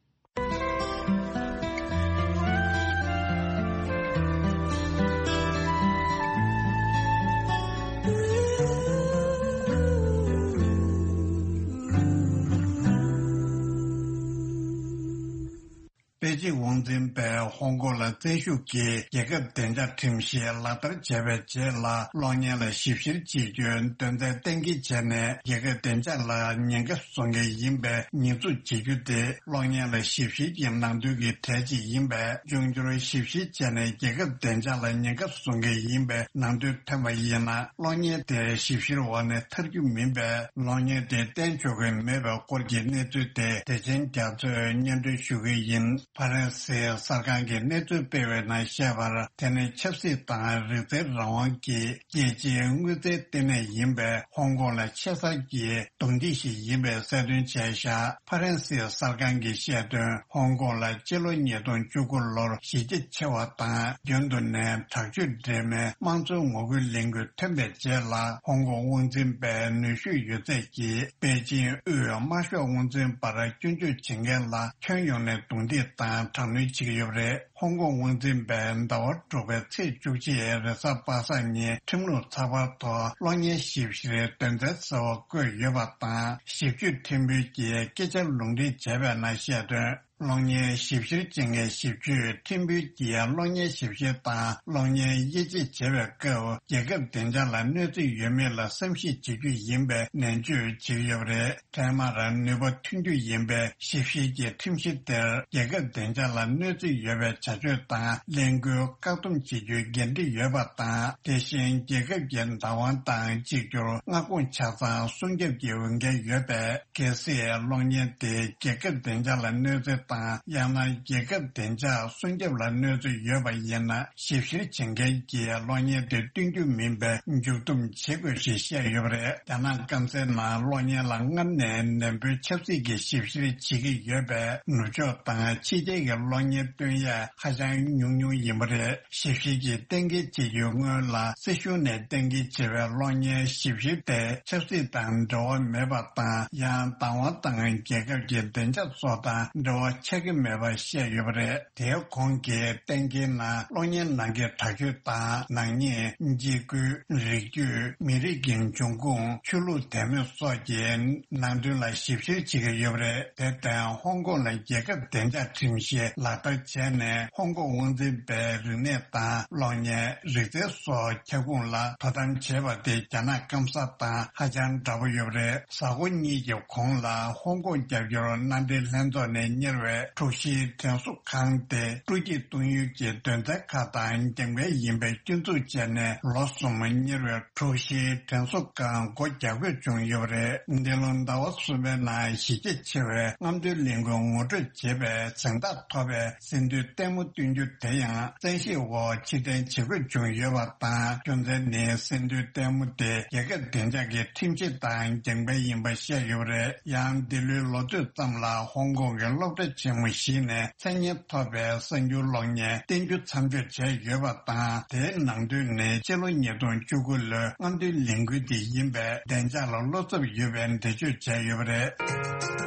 པེ་ཅིང་དབང་འཛིན་པས་ཧོང་ཀོང་ལ་བཙན་ཤུགས་ཀྱིས་རྒྱལ་ཁབ་བདེ་འཇགས་ཁྲིམས་གཞི་ལག་བསྟར་བྱས་པའི་རྗེས་ལ། གློག་བརྙན་ལ་ཞིབ་བཤེར་བྱེད་རྒྱུའི་འདོན་ཐོན་གཏན་འཁེལ་བྱས་ནས། རྒྱལ་ཁབ་བདེ་འཇགས་ལ་ཉེན་ཁ་བཟོ་མཁན་ཡིན་པའི་ཉེས་འཛུགས་བྱེད་རྒྱུ་དེ། གློག་བརྙན་ལ་ཞིབ་བཤེར་གྱི་ནང་དོན་གྱི་གྲས་གཅིག་ཡིན་པས། འབྱུང་འགྱུར་ཞིབ་བཤེར་བྱས་ནས། རྒྱལ་ཁབ་བདེ་འཇགས་ལ་ཉེན་ཁ་བཟོ་མཁན་ཡིན་པའི་ནང་དོན་ཐོན་པ་ཡིན་ན། གློག་བརྙན་དེ་ཞིབ་བཤེར་འོག་ནས་ཐར་རྒྱུ་མིན་པས། གློག་བརྙན་དེ་བསྟན་ཆོག་གི་མེད་པའི་སྐོར་གྱི་གནས་ཚུལ་དེ། བདེ་ཆེན་རྒྱ་མཚོས་སྙན་སྒྲོན་ཞུ་གི་ཡིན། ཕ་རན་སིའི་གསར་ཁང་གིས་གནས་ཚུལ་སྤེལ་བའི་ནང་བཤད་པར། དེ་ནི་ཆབ་སྲིད་དང་རིག་རྩལ་རང་དབང་གི་རྒྱལ་སྤྱིའི་དངུལ་རྩའི་ལྟེ་གནས་ཡིན་པའི་ཧོང་ཀོང་ལ་ཆེ་ས་ཀྱི་རྡུང་རྡེག་ཞིག་ཡིན་པའི་གསལ་སྟོན་བྱས་བཞག་ཕ་རན་སིའི་གསར་ཁང་གིས་བཤད་དོན། ཧོང་ཀོང་ལ་སྤྱི་ལོ་ཉིས་སྟོང་བཅུ་དགུ་ལོར་གཞི་རྒྱ་ཆེ་བ་དང་། རྒྱུན་དུ་ནས་དྲག་སྤྱོད་འདྲེས་མའི་དམངས་གཙོའི་ངོ་རྒོལ་ལས་འགུལ་ཐོན་པའི་རྗེས་ལ། ཧོང་ཀོང་དབང་འཛིན་པའི་ནུས་ཤུགས་ཡོད་ཚད་ཀྱིས་པེ་ཅིང་དབུས་དམར་ཤོག་དབང་འཛིན་པར་སྐྱོན་བརྗོད་བྱེད་མཁན་ལ་ཁྱོན་ཡོངས་ནས་རྡུང་རྡེག་དང་དྲག་གནོན་བྱེད་ཀྱི་ཡོད་པ་རེད། ཧོང་ཀོང་དབང་འཛིན་པས་ཟླ་བ་དྲུག་པའི་ཚེས་བཅུ་གཅིག་རེས་གཟའ་པ་སངས་ཉིན་ཁྲིམས་ལུགས་ཚགས་པར་ཐོག་གློག་བརྙན་ཞིབ་བཤེར་དོན་ཚན་གསར་པ་བཀོད་ཡོད་པ་དང་། ཞིབ་དཔྱོད་ཁྲིམས་དཔོན་གྱིས་སྐད་ཆ་ལུང་འདྲེན་བྱས་པའི་ནང་བཤད་དོན། གློག་བརྙན་ཞིབ་བཤེར་བྱེད་མཁན་ཞིབ་དཔྱོད་ཁྲིམས་དཔོན་གྱིས་གློག་བརྙན་ཞིབ་བཤེར་དང་གློག་བརྙན་དབྱེ་འབྱེད་བྱེད་པའི་སྐབས། རྒྱལ་ཁབ་བདེ་འཇགས་ལ་གནོད་འཚེ་ཡོད་མེད་ལ་བསམ་གཞིག་བྱེད་རྒྱུ་ཡིན་པའི་ནན་བརྗོད་བྱེད་ཀྱི་ཡོད་པ་རེད། འཕྲལ་མར་ནུས་པ་ཐོན་རྒྱུ་ཡིན་པའི་ཞིབ་བཤེར་གྱི་ཁྲིམས་གཞི་དེར། རྒྱལ་ཁབ་བདེ་འཇགས་ལ་གནོད་འཚེ་ཡོད་པའི་བྱ་སྤྱོད་དང་ལས་འགུལ་བཀག་སྡོམ་བྱེད་རྒྱུའི་འགན་འཁྲི་ཡོད་པ་དང་། དེ་བཞིན་རྒྱལ་ཁབ་ཀྱི་བདག་དབང་དང་གཅིག་གྱུར་མངའ་ཁོངས་ཆ་ཚང་སྲུང་སྐྱོབ་ཀྱི་འོས་འགན་ཡོད་པས། གལ་སྲིད་གློག་བརྙན་དེ་རྒྱལ་ཁབ་བདེ་འཇགས་ལ་གནོད་འཚེ་དང་། ཡང་ན་རྒྱལ་ཁབ་བདེ་འཇགས་སྲུང་སྐྱོབ་ལ་གནོད་འཚེ་ཡོད་པ་ཡིན་ན། ཞིབ་བཤེར་བྱེད་མཁན་གྱིས་གློག་བརྙན་དེ་སྟོན་རྒྱུ་མིན་པའི་མཇུག་བསྡོམས་བྱེད་དགོས་ཞེས་བཤད་ཡོད་པ་རེད། རྒྱ་ནག་སྐམ་སའི་ནང་གློག་བརྙན་ལ་སྔར་ནས་ནན་པོའི་ཆབ་སྲིད་ཀྱི་ཞིབ་བཤེར་བྱེད་ཀྱི་ཡོད་པས། ནུབ་ཕྱོགས་དང་ཕྱི་རྒྱལ་གྱི་གློག་བརྙན་སྟོན་ཡས་ཧ་ཅང་ཉུང་ཉུང་ཡིན་པ་རེད། ཞིབ་བཤེར་གྱིས་གཏན་འཁེལ་བྱེད་རྒྱུའི་སྔོན་ལ། སྲིད་གཞུང་ནས་གཏན་འཁེལ་བྱས་པའི་གློག་བརྙན་ཞིབ་བཤེར་དེ་ཆབ་སྲིད་དང་འབྲེལ་བ་མེད་པ་དང་། ཡང་བདག་དབང་དང་རྒྱལ་ཁབ་ཀྱི་བདེ་འཇགས་སོགས་དང་འབྲེལ་བ་ཆགས་ཀྱི་མེད་པ་བཤད་ཡོད་པ་རེད། དེའི་གོང་གི་གཏན་འཁེལ་ནང་གློག་བརྙན་ནང་གི་དྲག་སྤྱོད་དང་། ནག་ཉེས། འཇིགས་སྐུལ། རིགས་རྒྱུད། མི་རིགས་ཀྱི་འབྱུང་ཁུངས། ཆོས་ལུགས་དད་མོས་སོགས་ཀྱི་ནང་དོན་ལ་ཞིབ་བཤེར་བྱེད་ཀྱི་ཡོད་པ་རེད། དེར་བརྟེན། ཧོང་ཀོང་ལ་རྒྱལ་ཁབ་བདེ་འཇགས་ཁྲིམས་གཞི་ལག་བསྟར་བྱས་ནས། ཧོང་ཀོང་དབང་འཛིན་པའི་རིག་གནས་དང་གློག་བརྙན། རིག་རྩལ་སོགས་ཁྱབ་ཁོངས་ལ་དོ་དམ་བྱས་པ་དེ་རྒྱ་ནག་སྐམ་ས་དང་ཧ་ཅང་འདྲ་པོ་ཡོད་པ་རེད། གཟའ་འཁོར་གཉིས་ཀྱི་གོང་ལ་ཧོང་ཀོང་རྒྱབ་སྐྱོར་མནའ་འབྲེལ་ལྷན་ཚོགས་ནས་གཉེར་བའི་འཁྲུག་གཞིའི་དྲན་གསོ་ཁང་དེ་སྤྲོ་སྐྱིད་གཏོང་ཡུལ་གྱི་དོན་ཚན་ཁག་དང་རྒྱང་འཕེན་ཡིན་པའི་སྐྱོན་འཛུགས་བྱས་ནས། ལོ་གསུམ་གཉེར་བའི་འཁྲུག་གཞིའི་དྲན་གསོ་ཁང་སྒོ་རྒྱག་དགོས་བྱུང་ཡོད་པ་རེད། འདི་ལོ་ཟླ་བ་གསུམ་པའི་ནང་གཞི་རྒྱ་ཆེ་བའི་རྔམ་སྟོན་ལས་འགུལ་ངོ་སྤྲོད་བྱེད་པའི་གཟེངས་རྟགས་ཐོབ་པའི་སེམས་འདུན་ལྟད་མོ་སྟོན་རྒྱུ་དེ་ཡང་བཙན་ཤེད་འོག་ཕྱིར་འཐེན་བྱེད་དགོས་བྱུང་ཡོད་པ་དང་། རྒྱུ་མཚན་ནི་སེམས་འདུན་ལྟད་མོ་དེ་རྒྱལ་ཁབ་བདེ་འཇགས་ཀྱི་ཁྲིམས་གཞི་དང་རྒྱང་འཕེན་ཡིན་པ་བཤད་ཡོད་པ་རེད། ཡང་འདི་ལོའི་ལོ་ཚོད་ཙམ་ལ་ཧོང་ཀོང་གི་སློབ་གྲྭ་ཆེན་མོ་བཞི་ནས་མཚན་སྙན་ཐོབ་པའི་གསར་འགྱུར་གློག་བརྙན་བསྟན་འགྱུར་མཚམས་འཇོག་བྱས་ཡོད་པ་དང་། དེའི་ནང་དོན་ནི་སྤྱི་ལོ་ཉིས་སྟོང་བཅུ་དགུ་ལོའི་རྔམ་སྟོན་ལས་འགུལ་དེ་ཡིན་པས། བདེ་འཇགས་ལ་བློ་འཚབ་ཡོད་པའི་འགྲེལ་བརྗོད་བྱས་ཡོད་པ་རེད།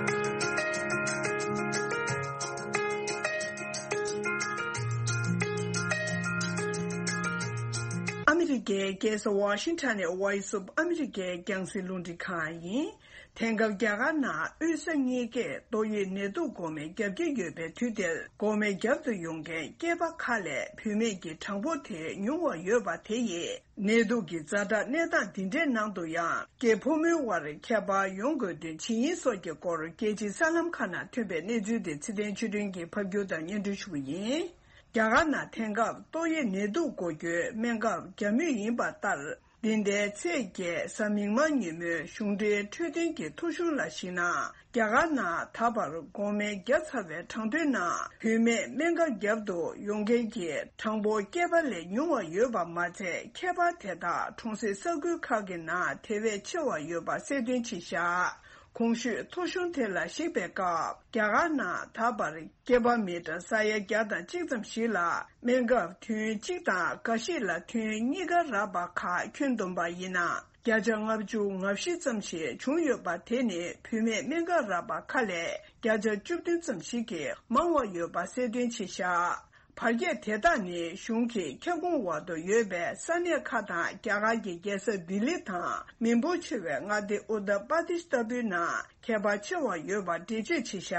ཨ་མི་རི་ཀའི་རྒྱལ་ས་ཝ་ཤིང་ཊོན་ནས་Voice of America་རྒྱང་སྲིང་རླུང་འཕྲིན་ཁང་ཡིན། དེང་སྐབས་རྒྱ་གར་ནང་དབུས་ས་གཉིས་ཀས་ཏོག་དབྱིབས་ནད་དུག་འགོག་སྨན་བརྒྱབ་ཀྱི་ཡོད་པའི་དུས་དེར། འགོག་སྨན་བརྒྱབ་ཏུ་ཡོང་མཁན་སྐྱེས་པ་ཁག་ལས་བུད་མེད་ཀྱི་གྲངས་འབོར་དེ་ཉུང་བ་ཡོད་པ་དེ་ཡིས། ནད་དུག་གི་ཛ་དྲག་གནས་སྟངས་འདི་འདྲའི་ནང་དུ་ཡང་། སྐྱེས་ཕོ་མོའི་དབར་ཁྱད་པར་ཡོང་དགོས་དོན་ཇི་ཡིན་སོགས་ཀྱི་སྐོར། རྒྱལ་སྤྱིའི་གསར་ལམ་ཁག་ནང་ཐོན་པའི་གནས་ཚུལ་དེ་ཚེ་བརྟན་ཆོས་སྒྲོན་གྱིས་ཕབ་སྒྱུར་དང་སྙན་སྒྲོན་ཞུ་གི་ཡིན། རྒྱ་གར་ནང་དེང་སྐབས་ཏོག་དབྱིབས་ནད་དུག་འགོག་རྒྱུའི་སྨན་ཁབ་བརྒྱབ་མུས་ཡིན་པ་ལྟར། འདི་ཟླའི་ཚེས་བརྒྱད་གཟའ་མིག་དམར་ཉིན་མོའི་གཞུང་འབྲེལ་འཕྲོད་བསྟེན་གྱི་ཐོ་གཞུང་ལ་གཞིགས་ན། རྒྱ་གར་ནང་ད་བར་འགོག་སྨན་བརྒྱབ་ཚར་བའི་གྲངས་ཐོའི་ནང་། བུད་མེད་སྨན་ཁབ་བརྒྱབ་ཏུ་ཡོང་མཁན་གྱི་གྲངས་འབོར་སྐྱེས་པ་ལས་ཉུང་བ་ཡོད་པ་མ་ཚད། ཁྱད་པར་དེ་དག་གྲོང་གསེབ་ས་ཁུལ་ཁག་གི་ནང་དེ་བས་ཆེ་བ་ཡོད་པ་གསལ་སྟོན་བྱས་བཞག་གོང་ཞུས་ཐོ་གཞུང་དེ་ལ་གཞིགས་པའི་སྐབས། རྒྱ་གར་ནང་ད་བར་སྐྱེས་པ་མི་གྲངས་ས་ཡ་བརྒྱ་དང་གཅིག་ཙམ་ཞིག་ལ་སྨན་ཁབ་ཐུན་གཅིག་དང་། འགའ་ཞིག་ལ་ཐུན་གཉིས་ཀ་རག་པ་ཁག་ཁྱོན་བསྡོམས་པ་ཡིན་ན། བརྒྱ་ཆ་ལྔ་བཅུ་ང་བཞི་ཙམ་ཞིག་བྱུང་ཡོད་པ། དེ་ནི་བུད་མེད་སྨན་ཁབ་རག་པ་ཁག་ལས་བརྒྱ་ཆ་བཅུ་བདུན་ཙམ་ཞིག་གིས་མང་བ་ཡོད་པ་གསལ་སྟོན་བྱས་བཞག་བར་ཁྱད་དེ་དག་ནི་གཞུང་གི་ཁྱབ་ཁོངས་འོག་ཏུ་ཡོད་པའི་ས་གནས་ཁག་དང་། རྒྱ་གར་གྱི་རྒྱལ་ས་ལྡི་ལི་དང་། མི་འབོར་ཆེ་བའི་མངའ་སྡེ་ཨུ་ཏར་པར་དིཤ་ལྟ་བུའི་ནང་ཁྱད་པར་ཆེ་བ་ཡོད་པ་འགྲེལ་བརྗོད་བྱས་བཞག་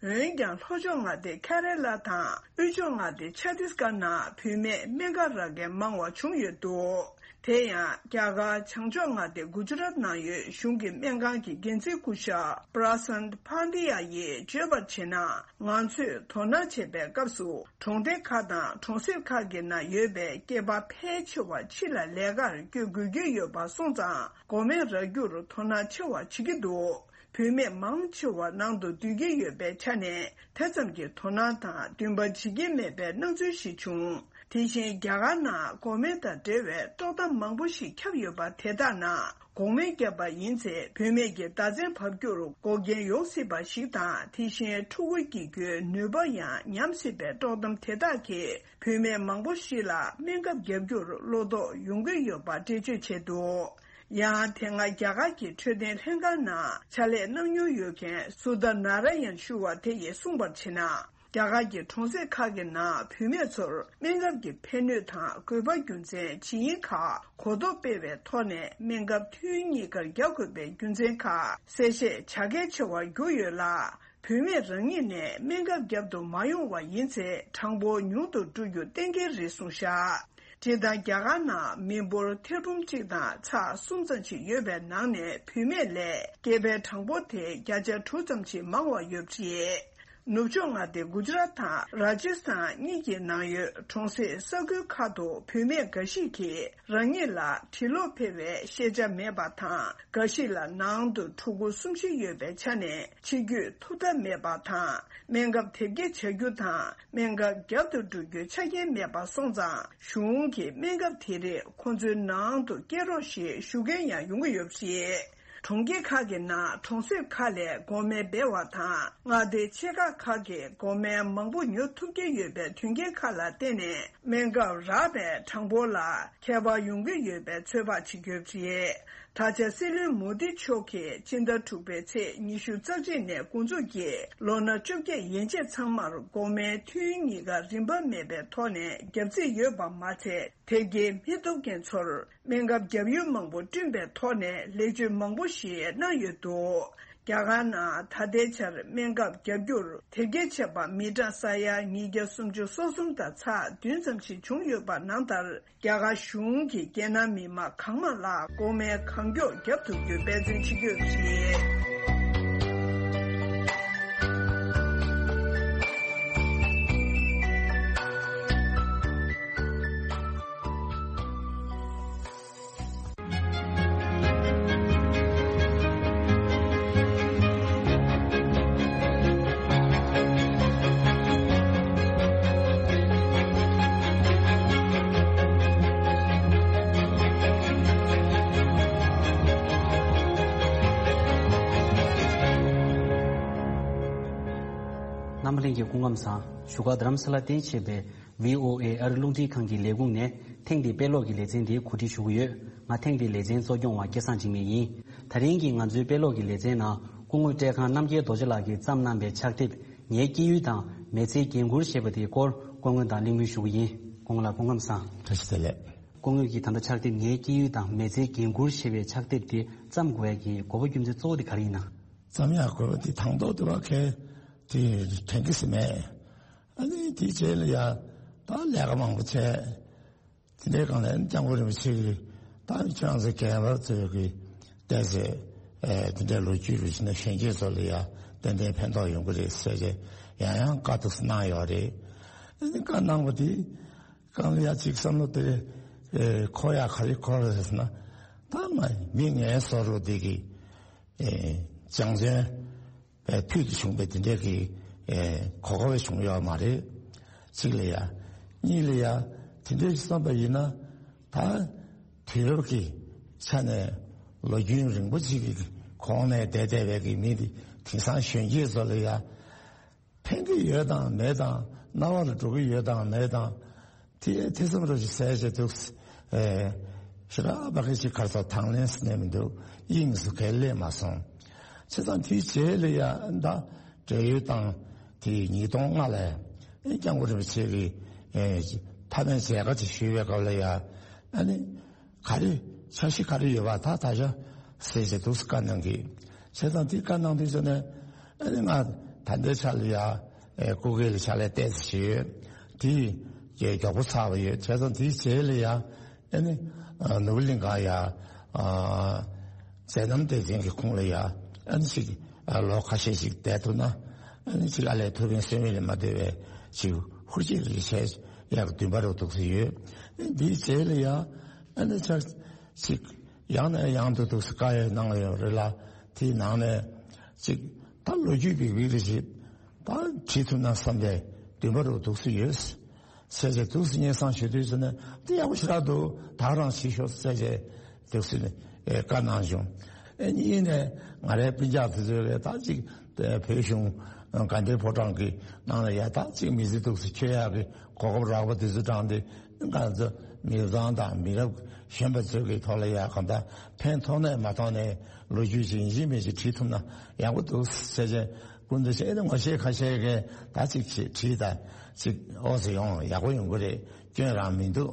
འོན་ཀྱང་། ལྷོ་ཕྱོགས་མངའ་སྡེ་ཁེ་རེ་ལ་དང་། དབུས་ཕྱོགས་མངའ་སྡེ་ཆ་ཏིས་གྷར་ནང་བུད་མེད་སྨན་ཁབ་རག་མཁན་མང་བ་བྱུང་ཡོད་འདུག་དེ་ཡང་། རྒྱ་གར་བྱང་ཕྱོགས་མངའ་སྡེ་གུ་ཇུ་རཱཏ་ནང་ཡོད་གཞུང་གི་སྨན་ཁང་གི་འགན་འཛིན་སྐུ་ཞབས་པྲ་སན་ཕཱན་ཏི་ཡ་ཡིས་བརྗོད་པར་བྱས་ན། ང་ཚོས་དོ་སྣང་བྱེད་པའི་སྐབས་སུ། གྲོང་སྡེ་ཁག་དང་གྲོང་གསེབ་ཁག་གི་ནང་ཡོད་པའི་སྐྱེས་པ་ཕལ་ཆེ་བ་ཕྱི་ལ་ལས་ཀར་བསྐྱོད་དགོས་ཀྱི་ཡོད་པ་སོང་ཙང་། འགོག་སྨན་རག་རྒྱུར་དོ་སྣང་ཆེ་བ་བྱེད་ཀྱི་འདུག་བུད་མེད་མང་ཆེ་བ་ནང་དུ་སྡོད་ཀྱི་ཡོད་པའི་ཆ་ནས། དེ་ཙམ་གྱི་དོ་སྣང་དང་འདུན་པ་བྱེད་ཀྱི་མེད་པའི་སྣང་ཚུལ་ཞིག་བྱུང་། དེ་བཞིན་རྒྱ་གར་ནང་འགོག་སྨན་དང་འབྲེལ་བའི་དཀྲོག་གཏམ་མང་པོ་ཞིག་ཁྱབ་ཡོད་པ་དེ་དག་ནང་། འགོག་སྨན་བརྒྱབ་པ་ཡིན་ཚེ། བུད་མེད་ཀྱི་ཟླ་མཚན་བབས་རྒྱུར་འགོག་རྐྱེན་ཡོང་སྲིད་པ་ཞིག་དང་། དེ་བཞིན་ཕྲུ་གུ་སྐྱེ་རྒྱུའི་ནུས་པ་ཡང་ཉམས་སྲིད་པའི་དཀྲོག་གཏམ་དེ་དག་གིས། བུད་མེད་མང་པོ་ཞིག་ལ་སྨན་ཁབ་བརྒྱབ་རྒྱུར་བློ་དོགས་ཡོང་གི་ཡོད་པ་འགྲེལ་བརྗོད་བྱས་འདུག། ཡང་། དེ་སྔ་རྒྱ་གར་གྱི་འཕྲོད་བསྟེན་ལྷན་ཁང་ནང་ཕྱག་ལས་གནང་མྱོང་ཡོད་མཁན་སུ་དྷ་ན་ར་ཡན་ཞུ་བ་དེ་ཡིས་གསུངས་པར་བྱས་ན། རྒྱ་གར་གྱི་གྲོང་གསེབ་ཁག་གི་ནང་བུད་མེད་ཚོར་སྨན་ཁབ་ཀྱི་ཕན་ནུས་དང་དགོས་པ་རྒྱུ་མཚན། བྱས་ཉེས་ཁག་གོ་རྟོགས་སྤེལ་བའི་ཐོག་ནས། སྨན་ཁབ་ཐུན་གཉིས་ཀར་རྒྱག་དགོས་པའི་རྒྱུ་མཚན་ཁག་གསལ་བཤད་བྱ་གལ་ཆེ་བར་གྱུར་ཡོད་ལ། བུད་མེད་རང་ཉིད་ནས་སྨན་ཁབ་བརྒྱབ་ཏུ་མ་ཡོང་བ་ཡིན་ཚེ། གྲངས་འབོར་ཉུང་དུ་འགྲོ་རྒྱུ་གཏན་འཁེལ་རེད་གསུངས་བཞག། སྤྱིར་བཏང་རྒྱ་གར་ནང་མི་འབོར་ཐེར་འབུམ་གཅིག་དང་ཚེག་གསུམ་ཙམ་ཞིག་ཡོད་པའི་ནང་ནས། བུད་མེད་ལས་སྐྱེས་པའི་གྲངས་འབོར་དེ་བརྒྱ་ཆ་དྲུག་ཙམ་ཞིག་མང་བ་ཡོད་པ་རེད། ནུབ་ཕྱོགས་མངའ་སྡེ་གུ་ཇི་རཱཏ་དང་ར་ཇི་སི་ཐན་གཉིས་ཀྱི་ནང་ཡོད་གྲོང་གསེབ་ས་ཁུལ་ཁག་ཏུ་བུད་མེད་འགའ་ཞིག་གིས་རང་ཉིད་ལ་འབྲི་ཀློག་ཕལ་བའི་ཤེས་བྱ་མེད་པ་དང་། འགའ་ཞིག་ལ་ནང་དུ་ཕྲུ་གུ་གསུམ་བཞི་ཡོད་པའི་ཆ་ནས་ཕྱི་སྐྱོད་ཐུབ་ཐབས་མེད་པ་དང་། སྨན་ཁབ་དེབ་སྐྱེལ་བྱ་རྒྱུ་དང་། སྨན་ཁབ་བརྒྱབ་ཏུ་འགྲོ་རྒྱུའི་ཆ་རྐྱེན་མེད་པ་སོང་ཙང་། གཞུང་གིས་སྨན་ཁབ་དེ་རིགས་ཁོང་ཚོའི་ནང་དུ་སྐྱེལ་རོགས་ཞེས་ཞུ་མཁན་ཡང་ཡོང་གི་ཡོད་པ་རེད། གྲོང་ཁྱེར་ཁག་གི་ནང་གྲོང་གསེབ་ཁག་ལས་འགོག་སྨན་སྤེལ་བ་དང་། མངའ་སྡེ་ཆེ་ཁག་ཁག་གིས་འགོག་སྨན་མང་པོ་ཉོ་ཐུབ་ཀྱི་ཡོད་པའི་དོན་རྐྱེན་ཁག་ལ་བརྟེན་ནས། སྨན་ཁབ་རག་པའི་གྲངས་འབོར་ལ་ཁྱད་པར་ཡོང་གི་ཡོད་པའི་ཚོད་དཔག་བྱེད་ཀྱི་ཡོད་པ་རེད། ད་ཆ་སྲིད་བློན་མོ་དི་མཆོག་གིས་སྤྱི་ཟླ་དྲུག་པའི་ཚེས་ཉི་ཤུ་རྩ་གཅིག་ནས་འགོ་འཛུགས་ཀྱིས། ལོ་ན་བཅོ་བརྒྱད་ཡན་ཆད་ཚང་མར་འགོག་སྨན་ཐུན་གཉིས་ཀ་རིན་པ་མེད་པའི་ཐོག་ནས་བརྒྱབ་རྩིས་ཡོད་པ་མ་ཚད། དེབ་སྐྱེལ་མི་ཐུབ་མཁན་ཚོར་སྨན་ཁབ་བརྒྱབ་ཡུལ་མང་པོ་བསྐྲུན་པའི་ཐོག་ནས་ལེགས་བཅོས་མང་པོ་ཞིག་གནང་ཡོད་འདུག། རྒྱ་གར་ནང་ད་ལྟའི་ཆར་སྨན་ཁབ་བརྒྱབ་རྒྱུར་དེབ་སྐྱེལ་བྱས་པ་མི་གྲངས་ས་ཡ་ཉིས་བརྒྱ་སུམ་ཅུ་སོ་གསུམ་དང་ཚེག་བདུན་ཙམ་ཞིག་བྱུང་ཡོད་པ་ནང་ལྟར། རྒྱ་གར་གཞུང་གིས་རྒྱལ་ནང་མི་མང་གང་མང་ལ་འགོག་སྨན་གང་མགྱོགས་བརྒྱབ་ཐུབ་རྒྱུའི་འབད་བརྩོན་བྱེད་ཀྱི་ཡོད་པ་རེད། རྣམ་པ་ལྷན་རྒྱས་སྐུ་ཁམས་བཟང་། བཞུགས་སྒར་རྡ་རམ་ས་ལར་རྟེན་བྱས་པའི་ཝི་ཨོ་ཨེ་ཨ་རི་རླུང་འཕྲིན་ཁང་གི་ལས་ཁུངས་ནས་ཐེངས་འདིའི་དཔེ་ཀློག་གི་ལེ་ཚན་འདི་གོ་སྒྲིག་ཞུ་གི་ཡོད། ང་ཐེངས་འདིའི་ལེ་ཚན་གཙོ་སྐྱོང་བ་སྐལ་བཟང་འཇིགས་མེད་ཡིན། ད་རིང་གི་ང་ཚོའི་དཔེ་ཀློག་གི་ལེ་ཚན་ནང་སྐུ་ངོ་བཀྲས་ཁང་རྣམ་རྒྱལ་རྡོ་རྗེ་ལགས་ཀྱིས་བརྩམས་གནང་པའི་ཕྱག་དེབ་ངའི་སྐྱེས་ཡུལ་དང་མི་ཚེའི་འགན་ཁུར་ཞེས་པ་དེའི་སྐོར་སྐུ་ངོ་དང་གླེང་མོལ་ཞུ་གི་ཡིན། སྐུ་ངོ་ལགས་སྐུ་ཁམས་བཟང་། བཀྲ་ཤིས་བདེ་ལེགས། སྐུ་ངོ་གིས་ད་ལྟ་ཕྱག་དེབ་ངའི་སྐྱེས་ཡུལ་དང་མི་ཚེའི་འགན་ཁུར་ཞེས་པའི་ཕྱག་དེབ་དེ་བརྩམས་དགོས་ཡ་གི་དགོས་པ་རྒྱུ་མཚན་གཙོ་བོ་དེ་ག་རེ་ཡིན་ན། བརྩམ་ཡག་དགོས་པ་དེ་དང་ཐོག་ཏུ་བ་གལ་དེ་དྲན་གི་སི་མེད། ཨ་ནི་དེའི་རྗེས་ལ་ཡ་ད་ལས་ཀ་མང་པོ་བྱས། དེ་འདྲའི་སྒང་ལ་སྐྱབས་མགོན་རིན་པོ་ཆེ་གིས་ད་ཁྱེད་རང་ཚོ་རྒན་པར་ཚོས་ཀྱི་བལྟས་ཚེ་ཨེ་དེ་འདྲའི་ལོ་རྒྱུས་རུ་ཕྱིན་ན་གཞོན་སྐྱེས་ཚོ་ལ་ཡ་ཏན་ཏན་ཕན་ཐོགས་ཡོང་གི་རེད་ཟེར་ཏེ་ཡང་ཡང་བཀའ་ཐུགས་སུ་གནང་ཡོད་རེད། ཨ་ནི་བཀའ་གནང་བ་དེ་སྒང་ལ་ཡ་གཅིག་བསམ་བློ་དེ་ཨེ་འཁོར་ཡག་ག་རེ་འཁོར་རེད་ཟེར་ན། ད་མ་མི་ངན་བཟོ་རུ་དེ་གི་ཨེ་སྦྱང་བརྩོན་པའི་ཕུལ་དུ་བྱུང་བའི་དེ་འདྲའི་གི་ཨེ་གོ་སྐབས་བྱུང་ཡོད་མ་རེད། གཅིག་ལ་ཡ། གཉིས་ལ་ཡ། དེ་འདྲའི་བསམ་པ་ཡིན་ན་ད་དུས་རབས་ཀྱི་ཆ་ནས་ལོ་རྒྱུས་རིང་པོ་ཅིག་གི་གོང་ནས་བསྡད་བསྡད་པའི་གི་མི་དེ་དེང་སང་གཞོན་སྐྱེས་ཚོ་ལ་ཡ། ཕན་གྱི་ཡོད་དང་མེད་དང་། རྣ་བ་ལ་འགྲོ་གི་ཡོད་དང་མེད་དང་། དེ་ཐེ་ཚོམ་རོ་ཞིག་ཟས་བྱས་འདུག། ཨེ། ཞེ་དྲག་པ་གི་ཅིག་གར་ས་དང་ལེན་སྣེ་མི་འདུག། དབྱིངས་སུ་གལ་སླེབས་མ་སོང་། བྱས་ཙང་དེའི་རྗེས་ལ་ཡ་ད་བགྲེས་ཡོལ་བཏང་། དེ་ཉིས་སྟོང་ལྔ་ལ་ཨེ་སྐྱབས་མགོན་རིན་པོ་ཆེ་གིས་ཨེ་མཐའ་མའི་མཇལ་ཁ་ཅིག་ཞུས་པའི་སྐབས་ལ་ཡ། ཨ་ནི། ག་རེ། འཆར་གཞི་ག་རེ་ཡོད་པ་ད་ད་ཆ་ཟེར་བྱས་འདུག་སེ་བཀའ་གནང་གི། བྱས་ཙང་དེ་བཀའ་གནང་དུས་ཙམ་ནས་ཨ་ནི་ང་ད་ལྟའི་ཆ་ལ་ཡ་ཨེ་སྐུ་སྒེར་ལ་ཕྱག་ལས་ཏོག་ཙམ་བྱས་ཡོད། དེ་ཡི་མགྱོགས་པོ་ཚར་བ་ཡོད། བྱས་ཙང་དེའི་རྗེས་ལ་ཡ་ཨ་ནི་ཨ་ནོར་བུ་གླིང་ག་ཡ་ཨ་མཛད་རྣམ་སྡེ་ཚན་གྱི་ཁོངས་ལ་ཡ་ཨ་ནི་ཅིག་ཨ་ལོ་ཁ་ཤས་ཤིག་བསྡད་ཐུབ་ན་ཨ་ནི་ཅིག་ཨ་ལས་ཐུབ་པའི་སེམས་ཡིད་ལ་མ་འདོད་པའི་ཅིག་ཧུར་བསྐྱེད་རེ་བྱས་ཡག་འདུན་པ་རུ་འདུག་སེ་ཡོད། ཨ་ནི་དེའི་རྗེས་ལ་ཡ་ཨ་ནི་ཆ། ཅིག་ཡང་ནས་ཡང་དུ་འདུག་སེ་བཀའ་ཡོད་གནང་ཡོད་རེད་ལ། དེའི་ནང་ནས་ ཅིག་ད་ལོ་རྒྱུས་འབིག་འབིག་རེ་ཞིག་ད་བྲིས་ཐུབ་ན་བསམ་པའི་འདུན་པ་རུ་འདུག་སེ་ཡོད། ཟེར་བྱས་འདུག་སེ་སྙན་སེང་ཞུ་དུས་ཟེར་ན་འདི་ཡག་པོ་ཞེ་དྲག་འདུག་ད་ག་རང་བྱེད་ཤོག་ཟེར་བྱས་འདུག་སེ་ཨེ་བཀའ་གནང་བྱུང་། ཨེ་གཉིས་ནས་ང་རའི་སྤུན་ཀྱག་དེ་ཚོས་ལས་ད་ཅིག་བོད་གཞུང་དགའ་ལྡན་ཕོ་བྲང་གི་ནང་ལ་ཡ་ད་ཅིག་མི་ཚེ་འདུག་སེ་འཁྱོལ་ཡག་གི་གོ་སྐབས་རག་པ་དེ་ཚོ་དྲངས་ཏེ་ང་ཚོ་མི་ཚང་དང་མི་རབས་གཞོན་པ་ཚོ་གི་ཐོག་ལ་ཡ་གང་ལྟར་ཕན་ཐོགས་ནས་མ་ཐོགས་ནས་ལོ་རྒྱུས་ཅིག་ཡིན་གཅིག་མིན་གཅིག་བྲིས་ཐུབ་ན་ཡག་པོ་འདུག་ཟེར་བྱས། སྐུ་མདུན་ཆེ་ཨེ་ནི་ངོ་ཤེས་ཁ་ཤས་ཀྱིས་ད་ཅིག་བྲིས་ད་ཅིག་ཨོ་ཟེར་ཡོང་ཡག་པོ་ཡོང་གི་རེད། སྐྱོན་རང་མི་འདུག་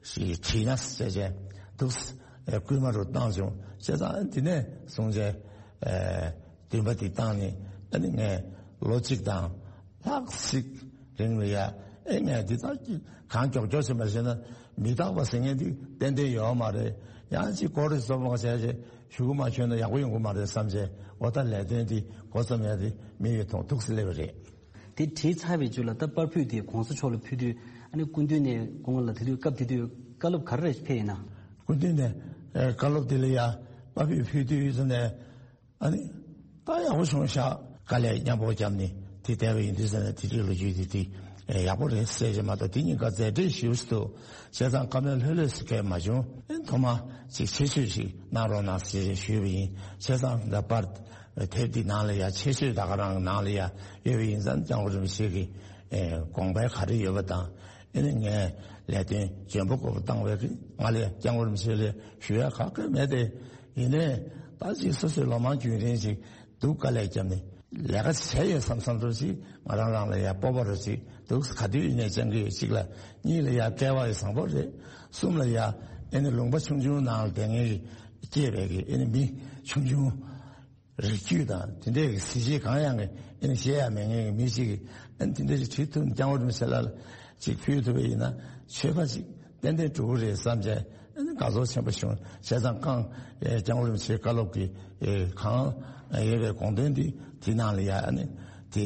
ཞེས་བྲིས་ན་ཟེར་བྱས་འདུག་སྐུལ་མ་རུ་བཏང་བྱུང་བྱས་ཙང་འདི་ནས་བཟུང་བྱས་འདུན་པ་འདི་བཏང་ནས་ཨ་ནི་ངས་ལོ་གཅིག་དང་ལྷག་ཅིག་རིང་ལ་ཡ་ཨེ་ངས་འདི་ལྟར་གང་མགྱོགས་མགྱོགས་བྱེད་མ་བྱས་ན་མི་རྟག་པ་ཟེར་མཁན་འདི་ཏན་ཏན་ཡོད་མ་རེད། ཡང་ཅིག་སྐོར་རེ་བཟོ་མ་བྱས་བྱས་ཞུ་གི་མ་བྱོན་ན་ཡག་པོ་ཡོང་གི་མ་རེད་བསམ་བྱས་འོ་ད་ལས་དོན་འདི་འགོ་རྩོམ་ཡ་དེ་མི་ཡོད་མཐོང་ཐུགས་སུ་སླེབས་པ་རེད། དེ་བྲིས་ཚར་བའི་རྗེས་ལ་ད་པར་ཕུད་དེ་གོང་ས་མཆོག་ལ་ཕུལ་དུས་ཨ་ནི་སྐུ་མདུན་ནས་སྐུ་ངོ་ལ་དེ་དུས་སྐབས་དེ་དུས་བཀའ་སློབ་ག་རེ་རེ་ཕེབས་ཡིན་ན། སྐུ་མདུན་ནས་ཨེ་བཀའ་སློབ་དེ་ལ་ཡ་པར་ཕུད་ཕུལ་དུས་ཟེར་ནས་ཨ་ནི་ད་ཡག་པོ་བྱུང་ཤག་དཀའ་ལས་མཉམ་པོ་བརྒྱབ་ནས་དེ་བསྡད་པ་ཡིན་དུས་ཟེར་ནས་དེ་དུས་ལོ་རྒྱུས་དེ་དེ་ཨེ་ཡག་པོ་རེད་ཟེར་གྱི་མ་གཏོགས་དེ་གཉིས་ཀ་མཛད་བྲེལ་ཞེ་པོ་ཞིག་འདུག་བྱས་ཙང་བཀའ་མོལ་ལྷོད་ལྷོད་ཟེར་མཁན་མ་བྱུང་། ཨེ་ཐོག་མ་ཅིག་ཆེད་བརྗོད་ཞིག་གནང་རོགས་གནང་ཟེར་ཞུས་པ་ཡིན། བྱས་ཙང་ད་པར་དེབ་འདི་ནང་ལ་ཡ་ཆེད་བརྗོད་ད་ག་རང་གི་ནང་ལ་ཡ་ཡོད་པ་ཡིན་ཙང་སྐྱབས་མགོན་རིན་པོ་ཆེ་གི་ཨེ་དགོངས་པ་ག་རེ་ཡོད་པ་དང་ཨེ་ནི་ངས་ལས་དོན་འཇོན་པོ་དགོས་པ་བཏང་བའི་གི་ང་ལ་ཡ་སྐྱབས་མགོན་རིན་པོ་ཆེ་ལ་ཞུ་ཡ་ག་གེ་མེད་དེ། ཡིན་ནའི་ད་ཅིག་སོ་སོའི་ལོ་མང་རྒྱུན་རིང་ཞིག་སྡུག་དཀའ་ལས་བརྒྱབ་ནས་ལས་ཀ་བྱས་ཡོད་བསམ་བསམ་འདྲ་ཅིག་ང་རང་རང་ལ་ཡ་སྤོབས་པ་རུ་ཅིག་འདུག་ག་དུས་ཡིན་ནའི་བཅང་གི་ཡོད། གཅིག་ལ་གཉིས་ལ་ཡ་སྐལ་བ་ཡི་བཟང་པོ་རེད། གསུམ་ལ་ཡ་ཨེ་ནི་ལུང་པ་ཆུང་ཆུང་ནང་ལ་བསྡད་མཁན་གྱི་སྐྱེས་པའི་གི་ཨེ་ནི་མི་ཆུང་ཆུང་རིགས་རྒྱུད་དང་དེ་འདྲའི་གི་གཟི་བརྗིད་གང་ཡང་གི་ཨེ་ནི་བཤད་ཡ་མེད་མཁན་གྱི་མི་ཅིག་གིས་ཨེ་ནི་དེ་འདྲ་ཅིག་བྲིས་ཐུབ་ནས་སྐྱབས་མགོན་རིན་པོ་ཆེ་ལ་ཅིག་ཕུལ་ཐུབ་པ་ཡིན་ན་ཆོས་པ་ཅིག་ཏན་ཏན་འགྲོ་གི་རེད་བསམ་བྱས་ཨ་ནི་དགའ་ཚོར་ཆེན་པོ་བྱུང་། བྱས་ཙང་ཀང་ཨེ་སྐྱབས་མགོན་རིན་པོ་ཆེའི་བཀའ་སློབ་ཀྱི་ཨེ་གང་ཨེ་ཡོད་པའི་དགོངས་དོན་འདི་དེའི་ནང་ལ་ཡ་ཨ་ནི་དེ་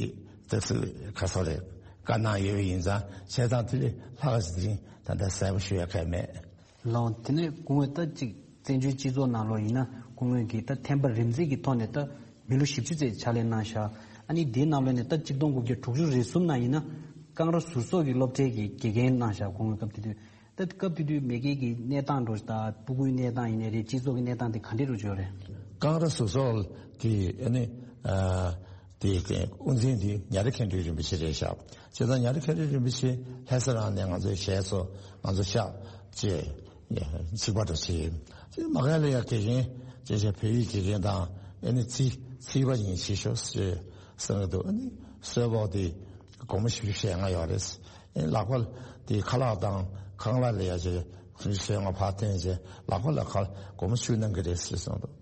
ཏོག་ཙམ་ག་ཚོད་རེད་བཀའ་གནང་ཡོད་པ་ཡིན་ཙང་བྱས་ཙང་དེ་ལས་ལྷག་ཅིག་དེ་རིང་ད་ལྟ་གསལ་པོ་ཞུ་ཡ་གལ་མེད། ལགས་དེ་ནས་སྐུ་ངོས་ད་ཅིག་བཙན་བྱོལ་སྤྱི་ཚོགས་ནང་ལོགས་ཡིན་ན་སྐུ་ངོས་ཀྱིས་ད་ཐེམ་པ་རིམ་འཛེགས་ཀྱི་ཐོག་ནས་ད་མི་ལོ་བཞི་བཅུ་ཙམ་ཕྱག་ལས་གནང་ཤག་ཨ་ནི་དེའི་ནང་ལོགས་ནས་ད་གཅིག་སྟོང་དགུ་བརྒྱ་དྲུག་ཅུ་རེ་གསུམ་ནང་ཡིན་ན་ཀང་ར་ཟུར་ཚོགས་ཀྱི་སློབ་གྲྭའི་གི་དགེ་རྒན་གནང་ཤག་སྐུ་ངོས་སྐབས་དེ་དུས། ད་སྐབས་དེ་དུས་མ་གི་གི་གནས་སྟངས་འགྲོ་ད་སྤུ་གུའི་གནས་སྟངས་ཡིན་ནའི་རེད། སྤྱི་ཚོགས་ཀྱི་གནས་སྟངས་དེ་ག་འདྲས་རུ་འགྲོ་རེད། ཀང་ར་ཟུར་ཚོགས་དེ་ཨ་ནི་ཨ་དེ་དབུ་འཛིན་དེ་ཉ་རི་མཁན་སྤྲུལ་རིན་པོ་ཆེ་རེད་ཤག་བྱས་ཙང་ཉ་རི་མཁན་སྤྲུལ་རིན་པོ་ཆེ་ལྷ་ས་རང་ནས་ང་ཚོའི་གཞས་ཚོ་ང་ཚོ་ཤག་ཅེས་ཚིག་པ་འགྲོ་བྱེད། དེ་མ་ག་ལ་ཡ་དགེ་རྒན་ཅེས་བྱ་བོད་ཡིག་དགེ་རྒན་དང་ཨ་ནི་ཚིག་ཚིག་པ་ཡིན་ཞེས་ཤོག་ཟེར་གསུངས་འདུག་ཨ་ནི་གསོལ་ཕོགས་དེ་སྒོར་མོ་བཞི་བཅུ་ཞེ་ལྔ་ཡོད་རེད། ཨེ་ལག་པ་དེ་ཁ་ལག་དང་ཁང་གླ་ལ་ཡ་ཅེ་ཞེ་ལྔ་ཕར་བཏོན་ཅེ་ལག་པ་ལ་ཁ་སྒོར་མོ་བཅུ་གནང་གི་རེད་ཟེར་གསུངས་འདུག་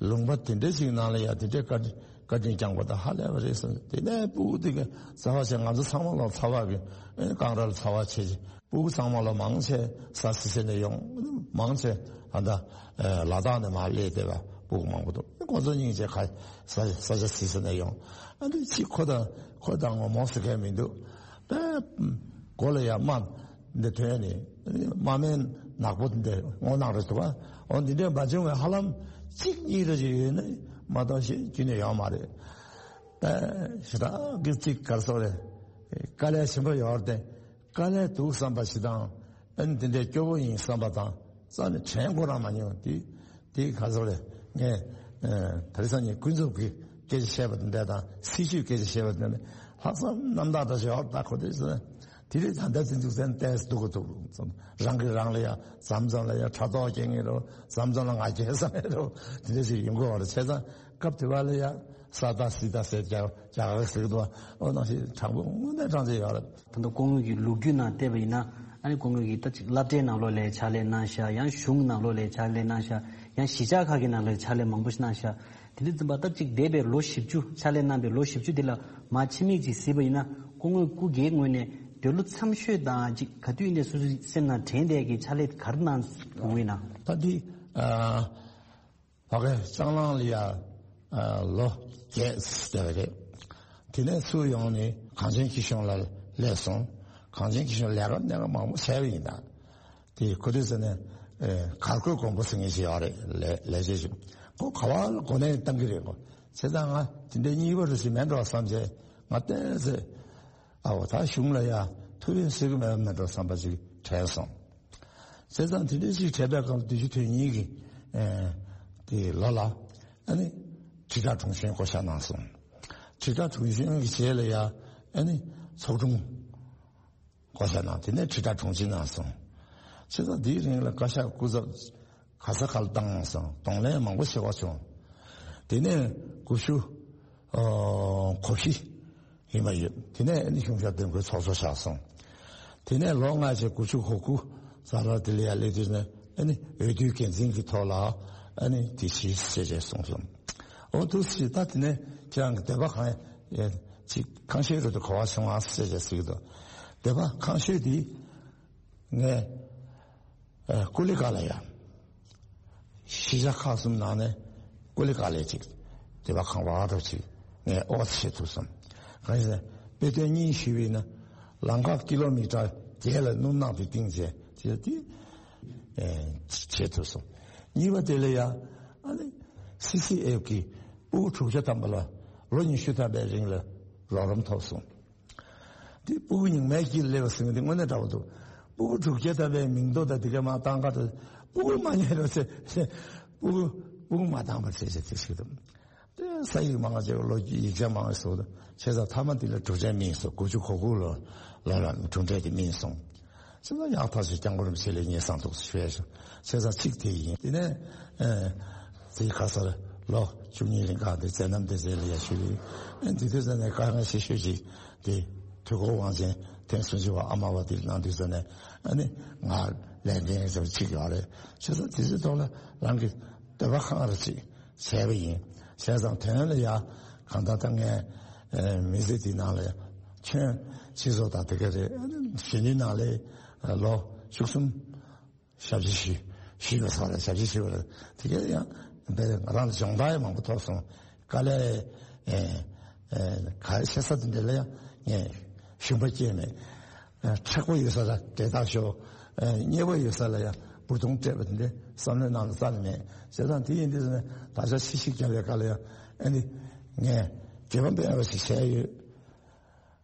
ལུང་པ་དེ་འདྲ་ཞིག་ནང་ལ་ཡ་དེ་འདྲའི་བཀའ་དྲིན་བཀའ་དྲིན་བསྐྱངས་པ་དང་ཧ་ལས་པ་རེད་གསུངས། དེ་ནས་སྤུ་གུ་དེ་ག་རྩ་བ་ཆེ་ང་ཚོ་ཚང་མ་ལ་ཚ་བ་གི་ཨེ་ཀང་ར་ལ་ཚ་བ་ཆེ་ཆེ་སྤུ་གུ་ཚང་མ་ལ་མང་ཆེ་ས་སི་སེ་ནས་ཡོང་མང་ཆེ་ཨ་ད་ལ་དྭགས་ནས་མར་སླེབས་བསྡད་པ་སྤུ་གུ་མང་པོ་འདུག་ཁོ་ཚོ་སྙིང་རྗེ་ཁ་ས་ས་ཆ་སི་སེ་ནས་ཡོང་ཨ་འདི་ཅི་ཁོ་དང་ཁོ་དང་ངོ་མོ་ཟེར་མཁན་མི་འདུག་དཔེ་མགོ་ལ་ཡ་རྨ་འདི་ཐོན་ནས་རྨ་སྨན་ནག་པོ་འདི་སྔོ་ནག་རེད་འདུག་བ། འོ་འདི་འདྲའི་མ་བྱུང་བའི་ཧ་ལམ་གཅིག་གཉིས་རེ་ཅིག་ཡོད་ནི་མ་གཏོགས་ཤེས་རྒྱུ་ནི་ཡོད་མ་རེད། དཔེ་ཞེ་དྲག་གི་གཅིག་གར་སོགས་རེད། དཀའ་ལས་ཆེན་པོ་ཡོད་རེད་དེ། དཀའ་ལས་འདུག་བསམ་པ་ཞིག་དང་། ཨ་ནི་དེ་འདྲའི་སྐྱོ་བོ་ཡིན་བསམ་པ་དང་རྩ་ནས་དྲན་ཁོ་རང་མ་མྱོང་། དེ་དེ་ག་ཚོད་རེད། ངས་ཨ་དེ་རིང་སང་ཉིན་ཀུན་རྫོབ་ཀྱི་སྐད་ཆ་བཤད་པ་དེ་འདྲ་དང་སྲིད་ཇུས་སྐད་ཆ་བཤད་པ་དེ་འདྲ་ལྷག་བསམ་རྣམ་དག་འདྲ་ཞིག་ཡོད་ད་ཁོ་དེ་ཚོ་དེ་རིང་ད་ལྟ་དེ་འཛུགས་ཚན་ཏོག་ཙམ་སྡུག་གི་འདུག་རང་གིས་རང་ལ་ཡ་མཚམས་མཚམས་ལ་ཡ་ཕྲག་དོག་སྐྱེ་ངེས་རོ། མཚམས་མཚམས་ལ་ང་རྒྱལ་ཟ་ངེས་རོ། དེ་འདྲ་ཞིག་ཡོང་གི་ཡོད་རེད། བྱས་ཙང་སྐབས་དེ་བ་ལ་ཡ་ས་ད་སི་ད་ཟེར་རྒྱ་རྒྱ་གར་ཟེར་གི་འདུག་ཨོ་ནང་བཞིན་དྲང་པོ་དངོས་གནས་དྲང་ཆེ་ཡོད་རེད། ད་ལྟ་སྐུ་ངོ་གི་ལོ་རྒྱུས་ནང་བལྟས་པ་ཡིན་ན་ཨ་ནི་སྐུ་ངོ་གིས་ད་ཅིག་སློབ་གྲྭའི་ནང་ལོགས་ལ་ཕྱག་ལས་གནང་ཤག་ཡང་གཞུང་ནང་ལོགས་ལ་ཕྱག་ལས་གནང་ཤག་ཡང་གཞིས་ཆགས་ཁག་གི་ནང་ལ་ཕྱག་ལས་མང་པོ་ཞིག་གནང་ཤག་དེ་འདྲ་ཙམ་པ་ད་ཅིག་འདས་པའི་ལོ་བཞི་བཅུ་ཕྱག་ལས་གནང་པའི་ལོ་བཞི་བཅུ་འདི་ལ་མར་ཕྱི་མིག་ཅིག་གཟིགས་པ་ཡིན་ན་སྐུ་ངོ་སྐུ་སྒེར་ངོས་ནས་འདོད་བློ་འཚབ་ཤོས་དང་ཅིག་ག་དུས་ནས་སོ་སོའི་སེམས་ནང་དྲན་བསྡད་ཀྱི་ཕྱག་ལས་ག་རེ་གནང་ཡོང་གི་ཡིན་ན། ད་འདི་ཨ། ཕ་གི་ལྕང་གླང་ལ་ཡ་ཨ་ལོ་བརྒྱད་བསྡད་པ་རེད། དེ་ནས་ཚུར་ཡོང་ནས་གངས་ཅན་སྐྱིད་གཤོངས་ལ་སླེབས་སོང་། གངས་ཅན་སྐྱིད་གཤོངས་ལས་ཀ་གནད་འགག་མང་པོ་བྱས་པ་ཡིན་ད། དེ་ཁོ་དུས་ཟེར་ནས་ཨེ་གར་བསྐོས་མགོན་པོ་ཟེར་མཁན་ཞིག་ཡོད་རེད། ལས་ལས་བྱེད་ཞིག་ཁོ་ག་བ་ལ་གོ་གནས་བཏང་གི་རེད། ཁོ་ བྱས་ཙང་ང་དེ་འདྲའི་གཉིས་པ་རུ་ཞིག་མེད་འགྲོ་བསམ་བྱས། ང་བལྟས་ཚེ་ཨ་འོ་ད་གཞུང་ལ་ཡ་ཐུགས་ཕན་གསོས་ཀྱི་མེད་པ་མེད་འགྲོ་བསམ་པ་ཞིག་དྲན་སོང་། བྱས་ཙང་དེ་འདྲའི་ཞིག་དྲན་པའི་སྐབས་བདུན་ཅུ་དོན་གཉིས་ཀྱི་ཨེ་དེ་ལོ་ལ་ཨ་ནི་དྲིལ་བསྒྲགས་དྲུང་ཆེན་བསྐོ་བཞག་གནང་སོང་། དྲིལ་བསྒྲགས་དྲུང་ཆེན་གྱི་རྗེས་ལ་ཡ་ཨ་ནི་ཚོགས་དྲུང་བསྐོ་བཞག་གནང་། དེ་ནས་དྲིལ་བསྒྲགས་དྲུང་ཆེ་གནང་སོང་། བྱས་ཙང་འདིའི་རིང་ལ་བཀའ་ཤག་སྐུ་ཚབ་ག་ས་ག་ལ་བཏང་སོང་། གདོང་ལེན་མང་པོ་བྱེད་པ་བྱུང་། དེ་ནས་དགུ་བཅུ་ཨོ་གོ་བཞི་ཡིན་པ་ཡོད། དེ་ནས་ཨ་ནི་གཞུང་ཞབས་འདེམས་བསྐོའི་ཚོགས་གཙོ་བཞག་སོང་། དེ་ནས་ལོ་ལྔ་བཅུ་གོ་དགུ་ཙམ་ལ་དེ་ལ་ཡ་སླེབས་དུས་ནས་ཨ་ནི་འོས་བསྡུའི་འགན་འཛིན་གྱི་ཐོག་ལ་ཨ་ནི་དེ་ཞིག་བྱས་བྱས་གསུངས་སོང་། འོ་འདུག་སེ་ད་དེ་ནས་ཁྱེད་རང་གི་འདོད་པ་གང་ཡ་ཅིག་གང་ཤེས་རུ་དུ་གོ་བ་བྱུང་ཨ་ཟེར་བྱས་ཟེར་གྱི་འདུག་འདོད་པ་གང་ཤེས་དེ་ངས་ཨ་ཀུ་ལི་ཀ་ལ་ཡ། གཞིས་ཆགས་ཁག་གསུམ་ནང་ནས་ཀུ་ལི་ཀ་ལས་ཅིག་དེ་བ་གང་བ་རོ་ཅིག་ངས་ཨོ་ཚེ་ཐུབ་སོང་། གང་ཡིན་ཟེར་དཔེ་དོན་གཉིས་ཞུས་པས་ན། ལམ་ཁ་ཀི་ལོ་མི་ཊར་བརྒྱད་ལ་སྣུམ་ནག་དེ་བཏིང་བྱས་དེ་དེ་ཨེ་བྱེད་ཐུབ་སོང་། གཉིས་པ་དེ་ལ་ཡ་ཨ་ནི་སི་སི་ཨེཕ་གི་སྤུ་གུ་དྲུག་བརྒྱ་ཐམ་པ་ལ་ལོ་ཉི་ཤུ་ཐམ་པའི་རིང་ལ་རོགས་རམ་ཐོབ་སོང་། འདི་སྤུ་གུ་རྙིང་མའི་དཀྱིལ་སླེབས་པ་ཟེར་མཁན་འདི་དངོས་གནས་འདྲ་བོ་འདུག་སྤུ་གུ་དྲུག་བརྒྱ་ཐམ་པའི་མིང་ཐོ་དང་དེ་ག་མ་བཏང་ག་དང་སྤུ་གུ་མ་རྙེད་རོགས་ཟེར། སྤུ་གུ་སྤུ་གུ་མ་བཏང་བར་བྱས་བྱས་དེ་ཞིག་དང་། དེ་ས་ཡིག་མང་ཆེ་བ་ལོ་རྒྱུས་ཡིག་ཆ་མང་བའི་སོགས་དང་བྱས་ཙང་མཐའ་མ་དེ་ལ་གྲུབ་འབྲས་སྨིན་སོང་། དགུ་བཅུ་གོ་དགུ་ལོ་ལོ་ལ་གྲུབ་འབྲས་དེ་སྨིན་སོང་། ཅི་ལ་ཡག་ཐག་ཆོད་སྐྱབས་མགོན་རིན་པོ་ཆེ་ལ་ངས་བསམ་ཐུགས་སུ་ཞུ་ཡ་ཞུ། བྱས་ཙང་གཅིག་དེ་ཡིན། དེ་ནས་ཨེ་དེའི་ཁ་སར་ལོ་བཅུ་གཉིས་རིང་ག་དེ་མཛད་རྣམ་དེ་མཛད་ལ་ཡ་ཞུ་ཡིན། ཨེ་དེ་དུས་ཙམ་ནས་དཀའ་ངལ་ཆེ་ཤོས་ཅིག་དེ་དུས་འཁོར་དབང་ཆེན་ཐེངས་སུམ་ཅུ་པ་ཨ་མ་བ་དེ་གནང་དུས་ཙམ་ནས་ཨ་ནི་ང་ལས་འགན་ཟེར་བ་གཅིག་ཡོད་རེད། བྱས་ཙང་དེ་ཚོའི་ཐོག་ལ་རང་གི་འདོད་པ་ཁེངས་རེ་ཅིག་བྱས་པ་ཡིན། བྱས་ཙང་དོན་ལ་ཡ་གང་ལྟར་ད་ངས་ཨེ་མི་ཚེ་འདི་ནང་ལ་ཁྱོན་སྤྱི་ཚོགས་དང་དེ་ག་རེད། ཨ་ནི་གཞོན་ནུའི་ནང་ལ་ལོ་བཅུ་གསུམ་ཞབས་ཕྱི་ཞུས་ཞུས་པ་སོགས་ལ་ཞབས་ཕྱི་ཞུས་པ་ལ་དེ་ག་ཡང་དཔེ་ང་རང་ལ་སྦྱོང་བརྡར་ཡང་མང་པོ་ཐོབ་སོང་། དཀའ་ལས་ཨེ་ཨེ་ག་རེ་བྱེད་ས་དེ་འདྲ་ལ་ཡང་ངས་ཞུམ་པ་སྐྱེས་མེད། མཁྲེགས་པོ་ཡོད་ས་ལ་འབྲེལ་ཐག་ཤོར། མཉེས་པོ་ཡོད་ས་ལ་ཡང་འབུར་ཐོན་སྤྲད་པ་དེ་འདྲའི་བསམ་བློའི་ནང་ལ་རྩ་ནས་མེད། བྱས་ཙང་དེ་ཡིན་དུས་ཙམ་ནས་ད་ཆ་ཕྱི་ཞིག་རྒྱབ་པའི་སྐབས་ལ་ཡང་ཨ་ནི་ངས་དགེ་བ་འབད་བ་ཞིག་བྱས་ཡོད།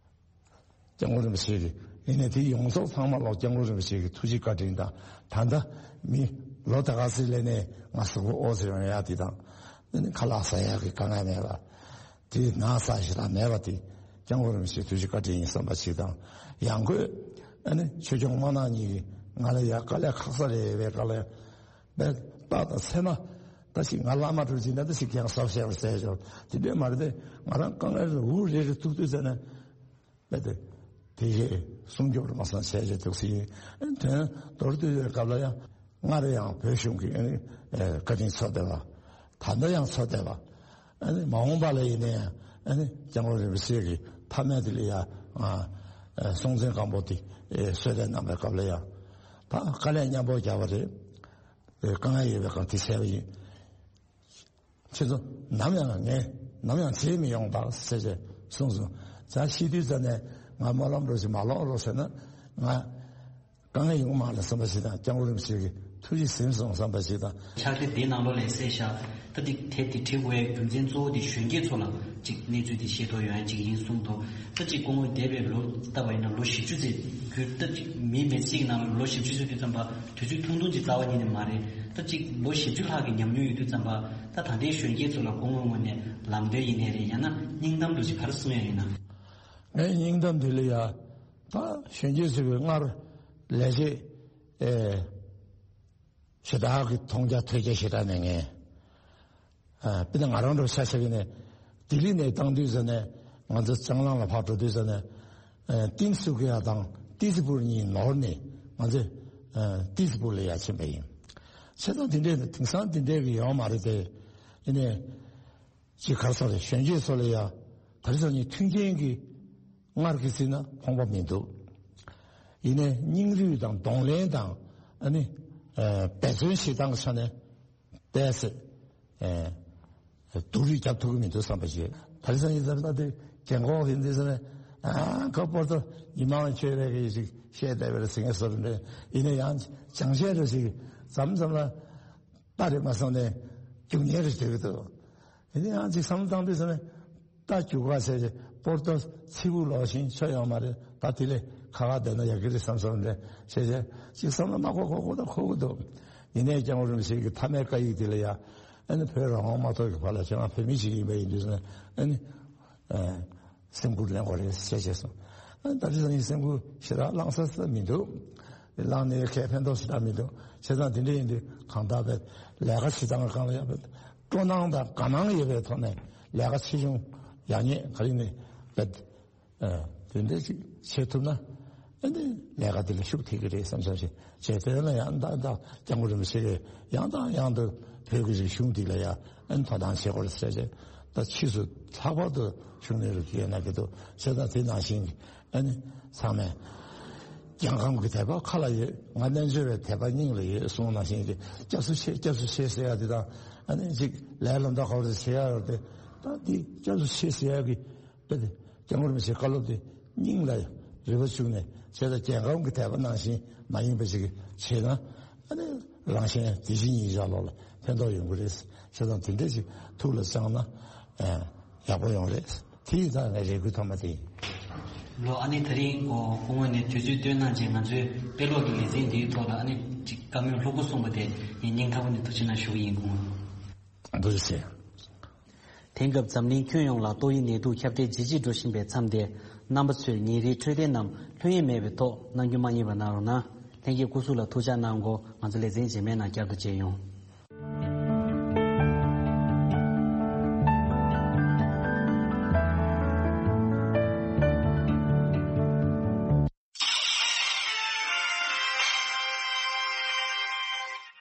སྐྱབས་མགོན་རིན་པོ་ཆེ་གི་ཡིན་ནའི་དེ་ཡོངས་རྫོགས་ཚང་མ་ལོག་སྐྱབས་མགོན་རིན་པོ་ཆེ་གི་ཐུགས་རྗེ་བཀའ་དྲིན་དང་། ད་ལྟ་མི་ལོ་ད་ག་ཚོད་སླེབས་ནའི་ང་གཟུགས་པོ་ཨོ་ཙི་ཡོང་ཡག་དེ་དང་། ཨ་ནི་ཁ་ལག་ཟ་ཡག་གི་དཀའ་ངལ་མེད་པ། དེ་ན་ཚ་ཞེ་དྲག་མེད་པ་དེ་སྐྱབས་མགོན་རིན་པོ་ཆེའི་ཐུགས་རྗེ་བཀའ་དྲིན་ཡིན་བསམ་པ་ཞིག་དང་། ཡང་སྒོས་ཨ་ནི་ཆོས་སྐྱོང་དམར་ནག་གཉིས་ཀྱིས་ང་ལ་ཡ་དཀའ་ལས་ཁག་ས་རེ་བའི་སྐབས་ལ་ཡ་དཔེ་རྟགས་དང་མཚན་མ་ད་ཞིག་ང་བླ་མ་འགྲོ་ཅིག་ན་ད་ཞིག་ཀྱང་ཟབ་བཤད་པར་ཟེར་ཆོག་དེ་འདྲས་མ་རེད་དེ། ང་རང་དཀའ་ངལ་རུ་འུ་རེ་རེ་ཐུག་དུས་ཟེར་ན། དཔེ་དེ་དེ་ཡས་སྲུང་སྐྱོབ་རུ་མ་སང་བྱས་བྱས་འདུག་སེ་ཡིན། དོན་མདོར་བསྡུས་པའི་སྐབས་ལ་ཡང་སྔར་ཡང་བོད་གཞུང་གི་ཨ་ནི་བཀའ་དྲིན་མཚོན་བསྡད་པ། ད་ལྟ་ཡང་མཚོན་བསྡད་པ། ཨ་ནི་མ་འོངས་པ་ལ་ཡིན་ན་ཡང་ཨ་ནི་སྐྱབས་མགོན་རིན་པོ་ཆེ་གི་ཐ་མལ་དེ་ལ་ཡང་ཨ་སྲོང་བཙན་སྒམ་པོ་དེ་གསོལ་སྟོན་གནང་བའི་སྐབས་ལ་ཡང་ད་དཀའ་ལས་མཉམ་པོ་བརྒྱབ་པ་རེད། དཀའ་ངལ་ཡོད་པའི་སྒང་དེ་བྱས་པ་ཡིན། ཁྱེད་ཚོ་ནམ་ཡང་ངས་ནམ་ཡང་བརྗེད་མི་ཡོང་ད་ཟེར་བྱས་གསུངས་སོང་། ད་ཤི་དུས་ཙམ་ནས་ང་སྨོན་ལམ་རོགས་ཞིག་མ་ལོག་རོགས་ཟེར་ན་ང་དཀའ་ངལ་ཡོང་མ་རེད་བསམ་པ་ཞིག་དང་། སྐྱབས་མགོན་རིན་པོ་ཆེ་གི་ཐུགས་རྗེ་ཟིན་སོང་བསམ་པ་ཞིག་དང་། ཕྱག་དེབ་འདིའི་ནང་ལོགས་ལ་གསལ་བཞག་ད་འདི་དེབ་འདི་བྲི་དགོས་རྒྱུ་མཚན་གཙོ་བོ་འདི་གཞོན་སྐྱེས་ཚོ་ལ་ཅིག་གནས་ཚུལ་འདི་ཤེས་རྟོགས་ཡོང་ཡ་ཅིག་ཡིན་གསུངས་འདུག་ད་ཅིག་སྐུ་ངོ་འདས་པའི་ལོ་ལྟ་བ་ཡིན་ན་ལོ་བཞི་བཅུ་ཙམ་རྒྱུན་ད་ཅིག་མིའི་མི་ཚེ་གཅིག་ནང་ལ་ལོ་བཞི་བཅུ་ཙམ་དུས་ཙམ་པ་དུས་ཚོད་ཐུང་ཐུང་ཅིག་རྩ་བ་ཉིད་ནས་མ་རེད། ད་ཅིག་ལོ་བཞི་བཅུ་ལྷག་གི་ཉམས་མྱོང་ཡོད་དུས་ཙམ་པ་ད་ད་ལྟའི་གཞོན་སྐྱེས་ཚོ་ལ་སྐུ་ངོའི་ངོས་ནས་ལམ་སྟོན་ཡིན་ནའི་རེད། ཡང་ན་སྙིང་གཏམ་འདྲ་ཅིག་ག་རེ་གསུང་ཡ་ཡིན་ན། ངའི་སྙིང་གཏམ་དེ་ལ་ཡ་ད་གཞོན་སྐྱེས་ཚོ་གི་སྔར་ལས་བྱེད་ཨེ། ཞེ་དྲག་གི་མཐོང་རྒྱ་ཐོས་རྒྱ་ཞེ་དྲག་མེད་མཁན། ཨ་དཔེར་ན་ང་རང་འདྲ་ཆ་བཞག་གི་ནས་ལྡི་ལི་ནས་བཏང་དུས་ཙམ་ནས་ང་ཚོ་ལྕང་གླང་ལ་ཕར་འགྲོ་དུས་ཙམ་ནས་ཨ་ཏིན་སུ་ཀི་ཡ་དང་ཏི་ཙི་པུར་གཉིས་ནོར་ནས་ང་ཚོ་ཨ་ཏི་ཙི་པུར་ལ་ཡར་ཕྱིན་པ་ཡིན། བྱས་ཙང་དེ་འདྲས་དེང་སང་དེ་འདྲས་ཀྱི་ཡོད་མ་རེད་དེ། ཡིན་ནའི་ཅིག་ག་རེ་ཟེར་རེད། གཞོན་སྐྱེས་ཚོ་ལ་ཡ་ད་རེས་ཚོ་གཉིས་མཐུན་རྐྱེན་གྱི་སྔར་གྱི་ཚིག་ན་ཕོངས་པ་མི་འདུག་ཡིན་ནའི་སྙིང་རུས་དང་གདོང་ལེན་དང་ཨ་ནི་ཨ་འབད་བརྩོན་བྱེད་སྟངས་ཀྱི་ཆ་ནས་བལྟས་ཚེ་ཨ་སྡུག་རུས་རྒྱབ་ཐུབ་ཀྱི་མི་འདུག་བསམ་པ་ཞིག་ད་རེས་ཚོ་གཉིས་ད་ལྟ་དེ་རྒན་གོག་ཡིན་དུས་ཚོ་ནས་ཨ་ཁ་པར་དུ་ཉི་མ་ལ་ཁྱོད་རེ་གི་ཞིག་བཤད་བསྡད་པའི་ཟིང་ངེ་སོར་འདྲ་ཡིན་ན་ཡང་བྱང་ཆེན་རེ་ཞིག་མཚམས་མཚམས་ལ་ལྟ་རེ་མ་སོང་ནས་རྒྱུག་ཉེ་རེ་བྱེད་ཀྱི་འདུག་དེ་ནས་ཡང་ཅིག་བསམ་བློ་བཏང་དུས་ཙམ་ནས་ད་རྒྱུག་ག་ཟེར་ཏེ་པོར་ཏོ་ཚི་བུ་ལོག་ཤིང་ཆོ་ཡོང་མ་རེད། ད་དེ་ལས་ཁ་ཁ་བསྡད་ན་ཡག་གི་རེད་བསམ་བསམ་རེད་ཟེར་ཏེ་ཅིག་བསམ་བློ་མ་འཁོར་འཁོར་འཁོར་ད་འཁོར་གི་འདུག་ཡིན་ནའི་སྐྱབས་མགོན་རིན་པོ་ཆེ་གི་མཐའ་མའི་བཀའ་ཡིག་དེ་ལ་ཡ་ཨ་ནི་བོད་རང་དབང་མ་ཐོབ་ཀྱི་བར་ལ་ཁྱེད་རང་བོད་མི་ཞིག་ཡིན་པ་ཡིན་དུས་ཙམ་ནས་ཨ་ནི། སེམས་ཁུར་ལེན་དགོས་རེད་ཟེར་བྱས་སོང་། ད་རེས་ནི་སེམས་ཁུར་ཞེ་དྲག་བླངས་ས་ས་མི་འདུག་བླངས་ནས་ཁས་ཕན་ཐོགས་ཞེ་དྲག་མི་འདུག་བྱས་ཙང་དེ་འདྲ་ཡིན་དུས་གང་ལྟར་བས་ལས་ཀ་བྱེད་སྟངས་སྒང་ལ་ཡང་བས་སྤྲོ་སྣང་དང་དགའ་སྣང་ཡོད་པའི་ཐོག་ནས་ལས་ཀ་ཆེ་ཆུང་ཡག་ཉེས་ག་རེ་ནས་བས་དེ་འདྲ་ཅིག་བྱེད་ཐུབ་ན་ཨ་ནི་ལས་ཀ་དེ་ལ་ཤུགས་ཐེབས་ཀྱི་རེད་བསམ་བསམ་ཞིག་བྱས་དོན་ལ་ཡང་ད་ད་སྐྱབས་མགོན་རིན་པོ་ཆེ་གིས་ཡང་དང་ཡང་དུ་བོད་ཀྱི་རིག་གཞུང་འདི་ལ་ཡང་ཨ་ནི་དོ་སྣང་བྱེད་དགོས་ཟེར་བྱས། ད་ཕྱིས་སུ་ལྷག་པར་དུ་ཤུགས་སྣོན་རུ་སྐྱེལ་གནང་གི་འདུག་བྱས་ཙང་དེ་ནང་བཞིན་ཨ་ནི་ཚང་མས་རྒྱལ་ཁམས་ཀྱི་དད་པ་ཁ་ལ་ཡོད། ང་རྣལ་འབྱོར་བའི་དད་པ་སྙིང་ལ་ཡོད་གསུངས་ནང་བཞིན་གྱི་སྐྱབས་སུ་མཆི་སྐྱབས་སུ་མཆི་ཟེར་ཡ་དེ་དང་ཨ་ནི་ཅིག་ལས་ལ་འདའ་ག་རེ་བྱེད་ཡ་རེད་དེ། ད་འདི་སྐྱབས་སུ་མཆི་ཟེར་ཡ་གི་དཔེ་དེ་སྐྱབས་མགོན་རིན་པོ་ཆེའི་བཀའ་སློབ་དེ་སྙིང་ལ་རི་བ་བཅུག་ནས་བྱས་ཙང་རྒྱལ་ཁམས་ཀྱི་དད་པ་ནང་བཞིན་མ་ཡིན་པ་ཞིག་བྱས་ན་ཨ་ནི་རང་གཞན་དེ་བཞིན་ཉིད་བཞག་ལོག་ལ་ཕན་ཐོགས་ཡོང་གི་རེད། བྱས་ཙང་དེ་འདྲ་ཞིག་ཐུགས་ལ་བཅངས་ན་ཨ་ཡག་པོ་ཡོང་རེད། དེ་ཡིན་ཙང་ངའི་རེ་སྐུལ་ཐོག་མ་དེ་ཡིན། ལོ་ཨ་ནི་ད་རིང་གོ་སྐུ་ངོ་ནས་དུས་ཚོད་བཏོན་གནང་རྗེས་ང་ཚོའི་དཔེ་ཀློག་གི་ལེ་ཚན་འདིའི་ཐོག་ལ་ཨ་ནི་ཅིག་བཀའ་མོལ་ལྷུག་པོ་གསུངས་པ་དེ་ངས་སྙིང་ཐག་པ་ནས་ཐུགས་རྗེ་གནང་ཞུ་གི་ཡིན་སྐུ་ངོ། ཐུགས་རྗེ་ཆེ། དེང་སྐབས་འཛམ་གླིང་ཁྱོན་ཡོངས་ལ་ཏོག་དབྱིབས་ནད་དུག་ཁྱབ་གདལ་ཇེ་ཆེར་འགྲོ་བཞིན་པའི་མཚམས་དེར་རྣམ་པ་ཚོས་ཉིན་རེའི་འཕྲོད་བསྟེན་རྣམས་ལྷོད་གཡེང་མེད་པའི་ཐོག་གནང་རྒྱུ་མ་བསྙེལ་བ་གནང་རོགས་གནང་། ལྷན་རྒྱས་སྐུ་གཟུགས་ལ་ཐུགས་ཅག་གནང་གོ། ང་ཚོ་ལེ་ཚན་རྗེས་མའི་ནང་བསྐྱར་དུ་མཇལ་ཡོང་།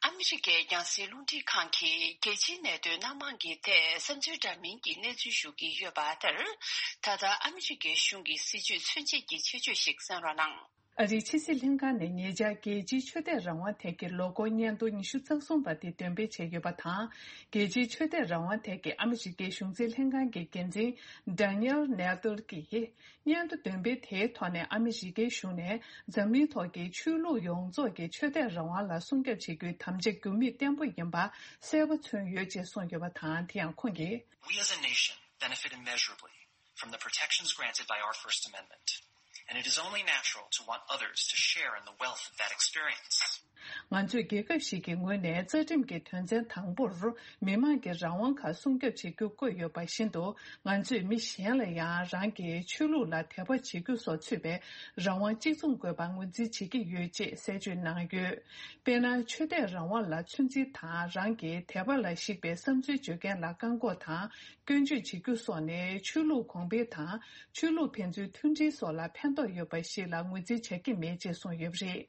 ཨ་མི་རི་ཀའི་རྒྱང་སྲིང་རླུང་འཕྲིན་ཁང་གིས་རྒྱལ་སྤྱིའི་གནད་དོན་སྣ་མང་གི་ཐད་བསམ་ཚུལ་འདྲ་མིན་གྱི་གནས་ཚུལ་ཞུ་གི་ཡོད་པ་ལྟར། ད་ལྟ་ཨ་མི་རི་ཀའི་གཞུང་གི་སྲིད་བྱུས་མཚོན་བྱེད་ཀྱི་ཆེད་བརྗོད་ཞིག་གསན་རོགས་གནང་། ཨ་རིའི་ཕྱི་སྲིད་ལྷན་ཁང་ནས་ཉེ་ཆར་རྒྱལ་སྤྱིའི་ཆོས་དད་རང་དབང་ཐད་ཀྱི་ལོ་འཁོར་སྙན་ཐོ་ཉི་ཤུ་རྩ་གསུམ་པ་དེ་འདོན་སྤེལ་བྱས་ཡོད་པ་དང་། རྒྱལ་སྤྱིའི་ཆོས་དད་རང་དབང་ཐད་ཀྱི་ཨ་མི་རི་ཀའི་གཞུང་འཛིན་ལྷན་ཁང་གི་འགན་འཛིན་Daniel Nadler གྱིས། སྙན་ཐོ་འདོན་སྤེལ་དེའི་ཐོག་ནས་ཨ་མི་རི་ཀའི་གཞུང་ནས་འཛམ་གླིང་ཐོག་གི་ཆོས་ལུགས་ཡོངས་རྫོགས་ཀྱི་ཆོས་དད་རང་དབང་ལ་སྲུང་སྐྱོབ་བྱེད་རྒྱུའི་དམ་བཅའ་འགྱུར་མེད་བརྟན་པོ་ཡིན་པ་གསལ་པོ་མཚོན་ཡོད་ཅེས་གསུངས་ཡོད་པ་དང་། དེ་ཡང་ཁོང་གིས། We as a nation benefit immeasurably from the protections granted by our First Amendment, and it is only natural to want others to share in the wealth of that experience. ང་ཚོས་རྒྱལ་ཁབ་ཞིག་གི་ངོས་ནས་རྩ་ཁྲིམས་ཀྱི་དོན་ཚན་དང་པོར་མི་མང་གི་རང་དབང་ཁག་སྲུང་སྐྱོབ་བྱེད་རྒྱུ་བཀོད་ཡོད་པ་བཞིན་དུ། ང་ཚོས་མི་གཞན་ལ་ཡང་རང་གི་ཆོས་ལུགས་ལ་དད་པ་བྱེད་རྒྱུ་སོགས་ཚུད་པའི་རང་དབང་གཅིག་མཚུངས་དགོས་པ་ངོས་འཛིན་བྱེད་ཀྱི་ཡོད་ཅེས་གསལ་བརྗོད་གནང་ཡོད། དཔེར་ན། ཆོས་དད་རང་དབང་ལ་ཚོད་འཛིན་དང་། རང་གི་དད་པ་ལ་གཞིགས་པའི་བསམ་ཚུལ་བརྗོད་མཁན་ལ་བཀག་འགོག་དང་། སྐྱོན་བརྗོད་བྱེད་རྒྱུ་སོགས་ནི་ཆོས་ལུགས་གོང་འཕེལ་དང་། ཆོས་ལུགས་ཕན་ཚུན་མཐུན་སྒྲིལ་སོགས་ལ་ཕན་ཐོགས་ཡོད་པ་ཞིག་ལ་ངོས་འཛིན་བྱ་གི་མེད་ཅེས་གསུངས་ཡོད་པ་རེད།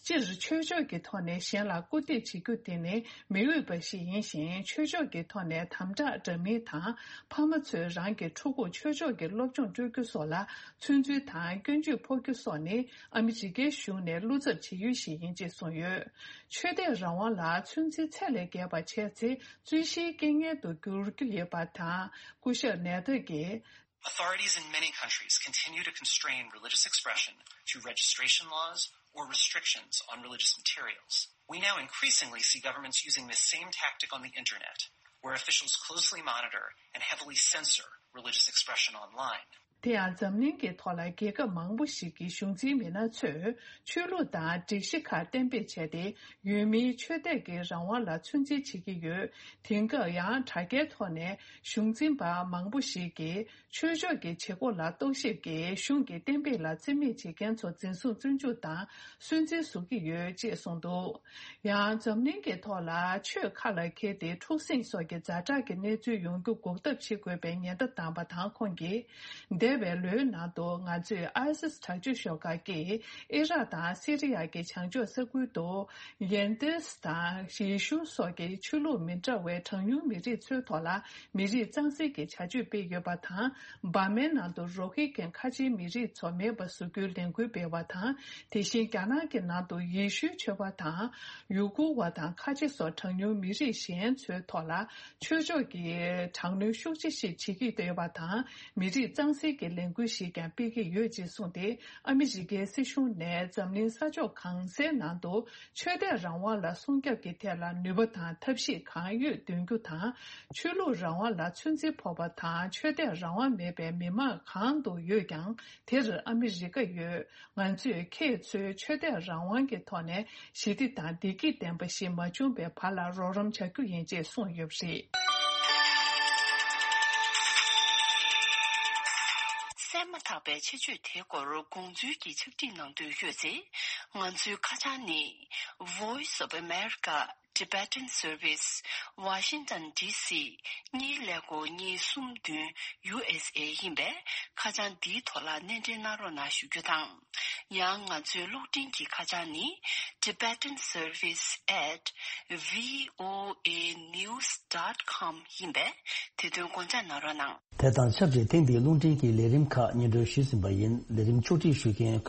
སྤྱིར་ཆོས་ཕྱོགས་ཀྱི་ཐོག་ནས་གཞན་ལ་སྐུར་འདེབས་བྱེད་རྒྱུ་དེ་ནི་མི་འོས་པ་ཞིག་ཡིན་ཞིང་། ཆོས་ཕྱོགས་ཀྱི་ཐོག་ནས་དམ་དྲག་འདྲ་མིན་དང་། ཕ་མ་ཚོས་རང་གི་ཕྲུ་གུར་ཆོས་ཕྱོགས་ཀྱི་སློབ་སྦྱོང་སྤྲོད་རྒྱུ་སོགས་ལ་ཚོད་འཛིན་དང་སྐྱོན་བརྗོད་ཕོག་རྒྱུ་སོགས་ནི་ཨ་མི་རི་ཀའི་གཞུང་ནས་བློ་འཚབ་བྱེད་ཡུལ་ཞིག་ཡིན་ཅེས་གསུངས་ཡོད། ཆོས་དད་རང་དབང་ལ་ཚོད་འཛིན་ཚད་ལས་བརྒལ་བ་བྱས་ཚེ། རྩོད་གཞིའི་རྐྱེན་ངན་དུ་འགྱུར་རྒྱུ་ཡོད་པ་དང་། སྐུ་ཞབས་ནེ་ཐར་གྱིས། Authorities in many countries continue to constrain religious expression through registration laws or restrictions on religious materials. We now increasingly see governments using this same tactic on the internet, where officials closely monitor and heavily censor religious expression online. དེ་ཡང་འཛམ་གླིང་གི་ཐོག་ལ་རྒྱལ་ཁབ་མང་པོ་ཞིག་གི་གཞུང་འཛིན་མི་སྣ་ཚོས་ཆོས་ལུགས་དང་སྒྲིག་གཞི་ཁག་གཏན་འབེབས་བྱས་ཏེ། ཡུལ་མིའི་ཆོས་དད་ཀྱི་རང་དབང་ལ་ཚོད་འཛིན་བྱེད་ཀྱི་ཡོད། དེང་སྐབས་ཡང་དྲ་རྒྱའི་ཐོག་ནས་གཞུང་འཛིན་པ་མང་པོ་ཞིག་གིས་ཆོས་ཕྱོགས་ཀྱི་བྱེད་སྒོ་ལ་རྟོག་ཞིབ་ཀྱིས་གཞུང་གི་གཏན་འབེབས་ལ་རྩིས་མེད་བྱེད་མཁན་ཚོ་འཛིན་བཟུང་བཙོན་འཇུག་དང་སུན་གཙེར་བཟོ་གི་ཡོད་ཅེས་གསུངས་འདུག་ཡང་འཛམ་གླིང་གི་ཐོག་ལ་ཆོས་ཁ་ལ་འཁྱེར་ཏེ་འཁྲུག་ཟིང་སོགས་ཀྱི་ཛ་དྲག་གི་གནས་ཚུལ་ཡོང་རྒྱུ་འགོག་ཐབས་བྱེད་དགོས་པའི་ཉེན་བརྡ་བཏང་བ་དང་། ཁོང་གིས། འདས་པའི་ལོའི་ནང་དུ་ང་ཚོས་ཨའི་སིས་དྲག་སྤྱོད་ཤོག་ཁག་གིས་ཨི་རག་དང་སི་རི་ཡ་གི་བྱང་ཕྱོགས་ས་ཁུལ་དུ་ཡན་ཏིས་དང་ཡེ་ཤུ་སོགས་ཀྱི་ཆོས་ལུགས་མི་འདྲ་བའི་གྲངས་ཉུང་མི་རིགས་ཚོའི་ཐོག་ལ་མི་རིགས་གཙང་སེལ་གྱི་བྱ་སྤྱོད་སྤེལ་ཡོད་པ་དང་། འབར་མའི་ནང་དུ་རོ་ཧི་གན་ཁ་ཆེའི་མི་རིགས་ཚོ་མེད་པ་བཟོ་རྒྱུའི་ལས་འགུལ་སྤེལ་བ་དང་། དེ་བཞིན་རྒྱ་ནག་གི་ནང་དུ་ཡེ་ཤུའི་ཆོས་པ་དང་ཡུ་གུར་བ་དང་ཁ་ཆེ་སོགས་གྲངས་ཉུང་མི་རིགས་གཞན་ཚོའི་ཐོག་ལ་ཆོས་ཕྱོགས་ཀྱི་དྲག་གནོན་ཤུགས་ཆེ་ཞིག་བྱེད་ཀྱི་ཡོད་པ་དང་། མི་རིགས་གཙང་སེལ་ ཀྱི་ལས་འགུལ་ཞིག་ཀྱང་སྤེལ་གྱི་ཡོད་ཅེས་གསུངས་ཏེ། ཨ་མི་རི་ཀའི་སྲིད་གཞུང་ནས་འཛམ་གླིང་ས་ཕྱོགས་གང་སའི་ནང་དུ་ཆོས་དད་རང་དབང་ལ་སྲུང་སྐྱོབ་ཀྱི་ཐད་ལ་ནུས་པ་དང་ཐབས་ཤེས་གང་ཡོད་འདོན་རྒྱུ་དང་། ཆོས་ལུགས་རང་དབང་ལ་ཚོད་འཛིན་ཕོག་པ་དང་། ཆོས་དད་རང་དབང་མེད་པའི་མི་མང་གང་དུ་ཡོད་ཀྱང་། དེར་ཨ་མི་རི་ཀ་ཡོད། ང་ཚོས་ཁྱེད་ཚོའི་ཆོས་དད་རང་དབང་གི་ཐོག་ནས་ཞི་བདེ་དང་བདེ་སྐྱིད་ལྡན་པ་ཞིག་མ་བྱུང་བའི་བར་ལ་རོགས་རམ་བྱ་རྒྱུ་ཡིན་ཅེས་གསུངས་ཡོད་པ་རེད། གསན་མ་ཐག་པའི་ཆེད་བརྗོད་དེའི་སྐོར་དགོངས་ཚུལ་གྱི་ཕྱག་བྲིས་གནང་འདོད་ཡོད་ཚེ། ང་ཚོའི་ཁ་བྱང་ནི། Voice of America Tibetan Service, Washington D C གཉིས་ཀླད་ཀོར་གཉིས་གསུམ་བདུན་U S A ཡིན་པས། ཁ་བྱང་འདིའི་ཐོག་ལ་སྣེ་འདྲེན་གནང་རོགས་གནང་ཞུ་རྒྱུ་དང་། ཡང་ང་ཚོའི་གློག་འཕྲིན་གྱི་ཁ་བྱང་ནི། Tibetan Service at V O A news dot com ཡིན་པས། དེ་དོན་དགོངས་འཇགས་གནང་རོགས་གནང་། དེ་དང་ཆབས་ཅིག་ཐེངས་འདིའི་རླུང་འཕྲིན་གྱི་ལས་རིམ་ཁག་སྙན་སྒྲོན་ཞུས་ཟིན་པ་ཡིན། ལས་རིམ་ཕྱོགས་སྒྲིག་ཞུ་མཁན་གུས་